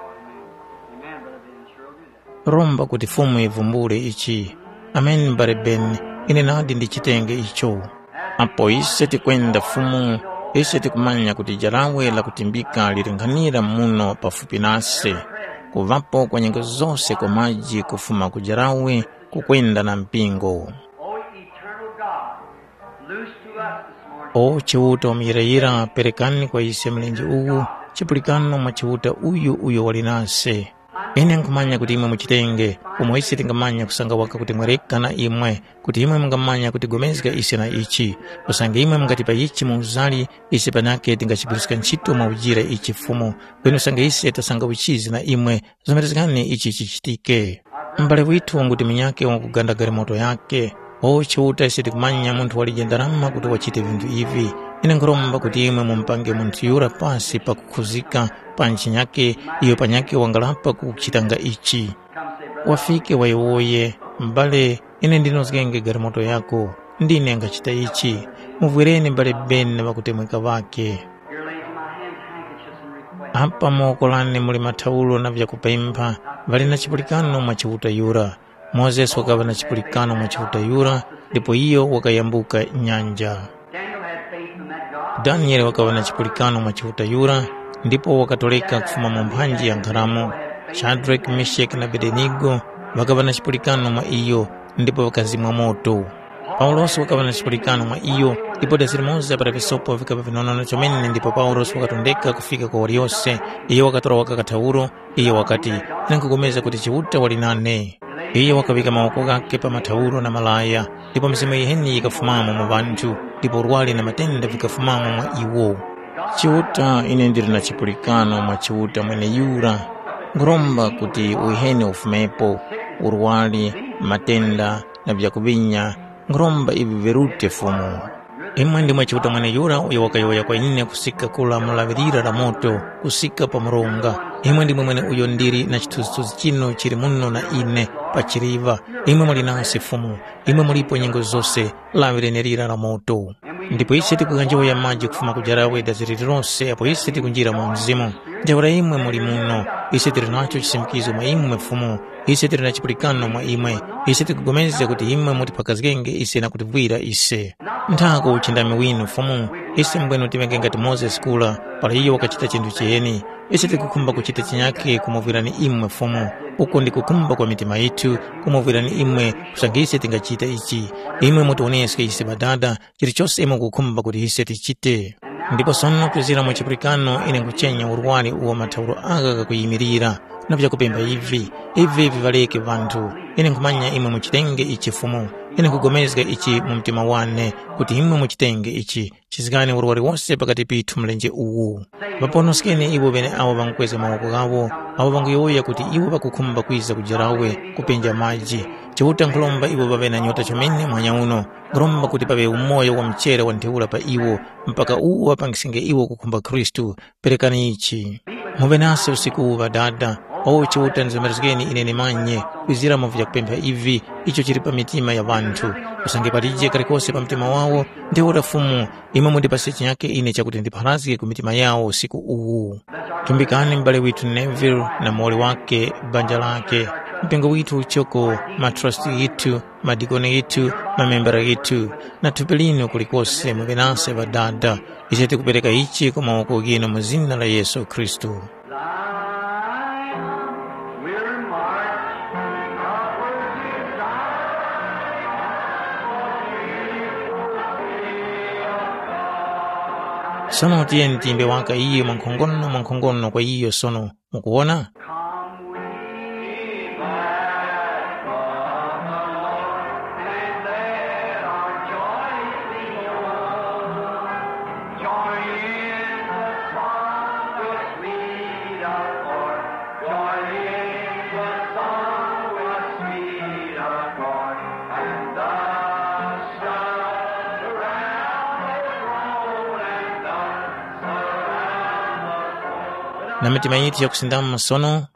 Amen, Brother Ben, sure will do that. Romba kuti Fumu ivumbule ichi. Ameni, m'bale Ben, ine nadi ndichitenge icho. Apo ise tikwenda Fumu, ise tikumanya kuti jarawe lakutimbika lilinghanira muno pafupi nase. Kuŵapo kwa nyengo zose kwa maji kufuma ku jarawe kukwenda na mpingo. O eternal God, loose to us this morning. O Chiuta wamuyirayira, perekani kwa ise mlenje uwu chipulikano mwa Chiuta uyu uyo wali nase. Ine nkhumanya kuti imwe muchitenge, umo ise tingamanya kusanga waka kuti mwereka na imwe, kuti imwe mungamanya kutigomezga ise na ichi. Usange imwe mungatipa ichi mu uzali, ise panake tingachigwiriska ntchito mwa ujira ichi Fumu, kweni usange ise tasanga uchizi na imwe, zomerezgani ichi chichitike. M'bale withu wanguti munyakhe wanguganda galimoto yakhe. O Chiuta, ise tikumanya munthu walije ndarama kuti wachite vinthu ivi. Ine nkhuromba kuti imwe mumupange munthu yura pasi pakukhuzika pa ntchinyakhe iyo panyakhe wangalapa kuchitanga ichi. Wafike wayowoye, m'bale, ine ndinozgenge galimoto yako. Ndine nkhachita ichi. Muvwereni m'bale Ben na ŵakutemweka ŵakhe. Here lays in my hands handkerchiefs and requests. Apa mowoko lane muli mathawulo na vyakupempha, ŵali na chipulikano mwa Chiuta yura. Mozesi wakaŵa na chipulikano mwa Chiuta yura, ndipo iyo wakayambuka nyanja. Daniel had faith in that God. Daniele wakaŵa na chipulikano mwa Chiuta yura, ndipo wakatoreka kufuma mu mphanji ya nkharamo. Shadrake, Meshaki na Abedenigo ŵakaŵa na chipulikano mwa iyo, ndipo ŵakazimwa moto. Paulosi wakaŵa na chipulikano mwa iyo, ndipo dazi limoza para visopo vikapa vinonono chomene ndipo Paulosi wakatondeka kufika kwa waliyose. Iyo wakatora waka kathawuro, iyo wakati, “Ine nkhupulikana kuti Chiuta wali nane.” Iyo wakaŵika mawoko ghakhe pa mathawuro na malaya, ndipo mizimu yiheni yikafumamo mu ŵanthu, ndipo urwari na matenda vikafumamo mwa iwo. Chiuta, ine ndili na chipulikano mwa Chiuta mweneyura. Nkhuromba kuti uheni ufumepo, urwari, matenda, na vyakuŵinya, nkhuromba ivi virute Fumu. Imwe ndimwe Chiuta mweneyura uyo wakayowoya kwa ine kusika kura mu laŵi lira la moto, kusika pa mronga. Imwe ndimwe mweneuyo ndili na chithunzithunzi chinu chili muno na ine pa chiliva. Imwe muli nase Fumu, imwe mulipo nyengo zose, laŵi lenelira la moto. Ndipo ise tikuganjowoya maji kufuma ku jarawe dazi lililose apo ise tikunjira mu Mzimu. Ntheura imwe muli muno, ise tili nacho chisimikizo mwa imwe Fumu, ise tili na chipulikano mwa imwe, ise tikupulikana kuti imwe mutiphakazgenge ise na kutivwira ise. Nthako uchindami winu Fumu, ise mbwenu tivenge ngati Mozesi kura, para iyo wakachita chinthu chiheni. Ise tikukhumba kuchita chinyakhe kumuvwirani imwe Fumu, uko ndi kukhumba kwa mitima yithu, kumuvwirani imwe, kusanga ise tingachita ichi. Imwe mutiwoneske ise Ŵadada, chilichose imwe mukukhumba kuti ise tichite. Ndipo sono kwizira mu chipulikano ine nkuchenya urwari uwo mathauro agha ghakuyimirira, na vyakupemba ivi, ivi viŵareke ŵanthu. Ine nkhumanya imwe muchitenge ichi Fumu, ine nkhupulikana ichi mu mtima wane, kuti imwe muchitenge ichi. Chizgani urwari wose pakati pithu mlenje uwu. Ŵaponoskeni iwo ŵeneawo ŵangukwezga mawoko ghawo, awo ŵanguyowoya kuti iwo ŵakukhumba kwiza ku jarawe kupenja maji. Chiuta nkhuromba iwo ŵaŵe na nyota chomene muhanya uno. Nkhuromba kuti paŵe umoyo wa mchera wa ntheura pa iwo, mpaka uwo ŵapangiskenge iwo kukhumba Khristu. Perekani ichi. Muŵe nase usiku uwu Ŵadada. O Chiuta, ndizomerezgeni ine ndimanye kwizira mu vyakupempha ivi, icho chili pa mitima ya ŵanthu. Usange palije kalikose pa mtima wawo, ntheura Fumu, imwe mundipase chinyake ine chakuti ndipharazge ku mitima yawo usiku uwu. Tumbikani m'bale withu Neville na muwoli wake, banja lake, mpingo withu uchoko, matrasti ghithu, madikoni ghithu, mamembera ghithu, na thupi linu kulikose muŵe nase Ŵadada. Ise tikupereka ichi ku mawoko ghinu mu zina la Yesu Khristu. Thine we're marked, upward to thine, O beautiful city of God. Sono tiyeni tiyimbe waka iyo mwankhongono mwankhongono kwa iyo sono. Mukuwona? Come we back of the Lord, and let our joy be full. Join in the song with sweet accord. Join in the song with sweet accord. And thus shall the realm be grown, and thus the realm of Na mitima yithu yakusindama sono.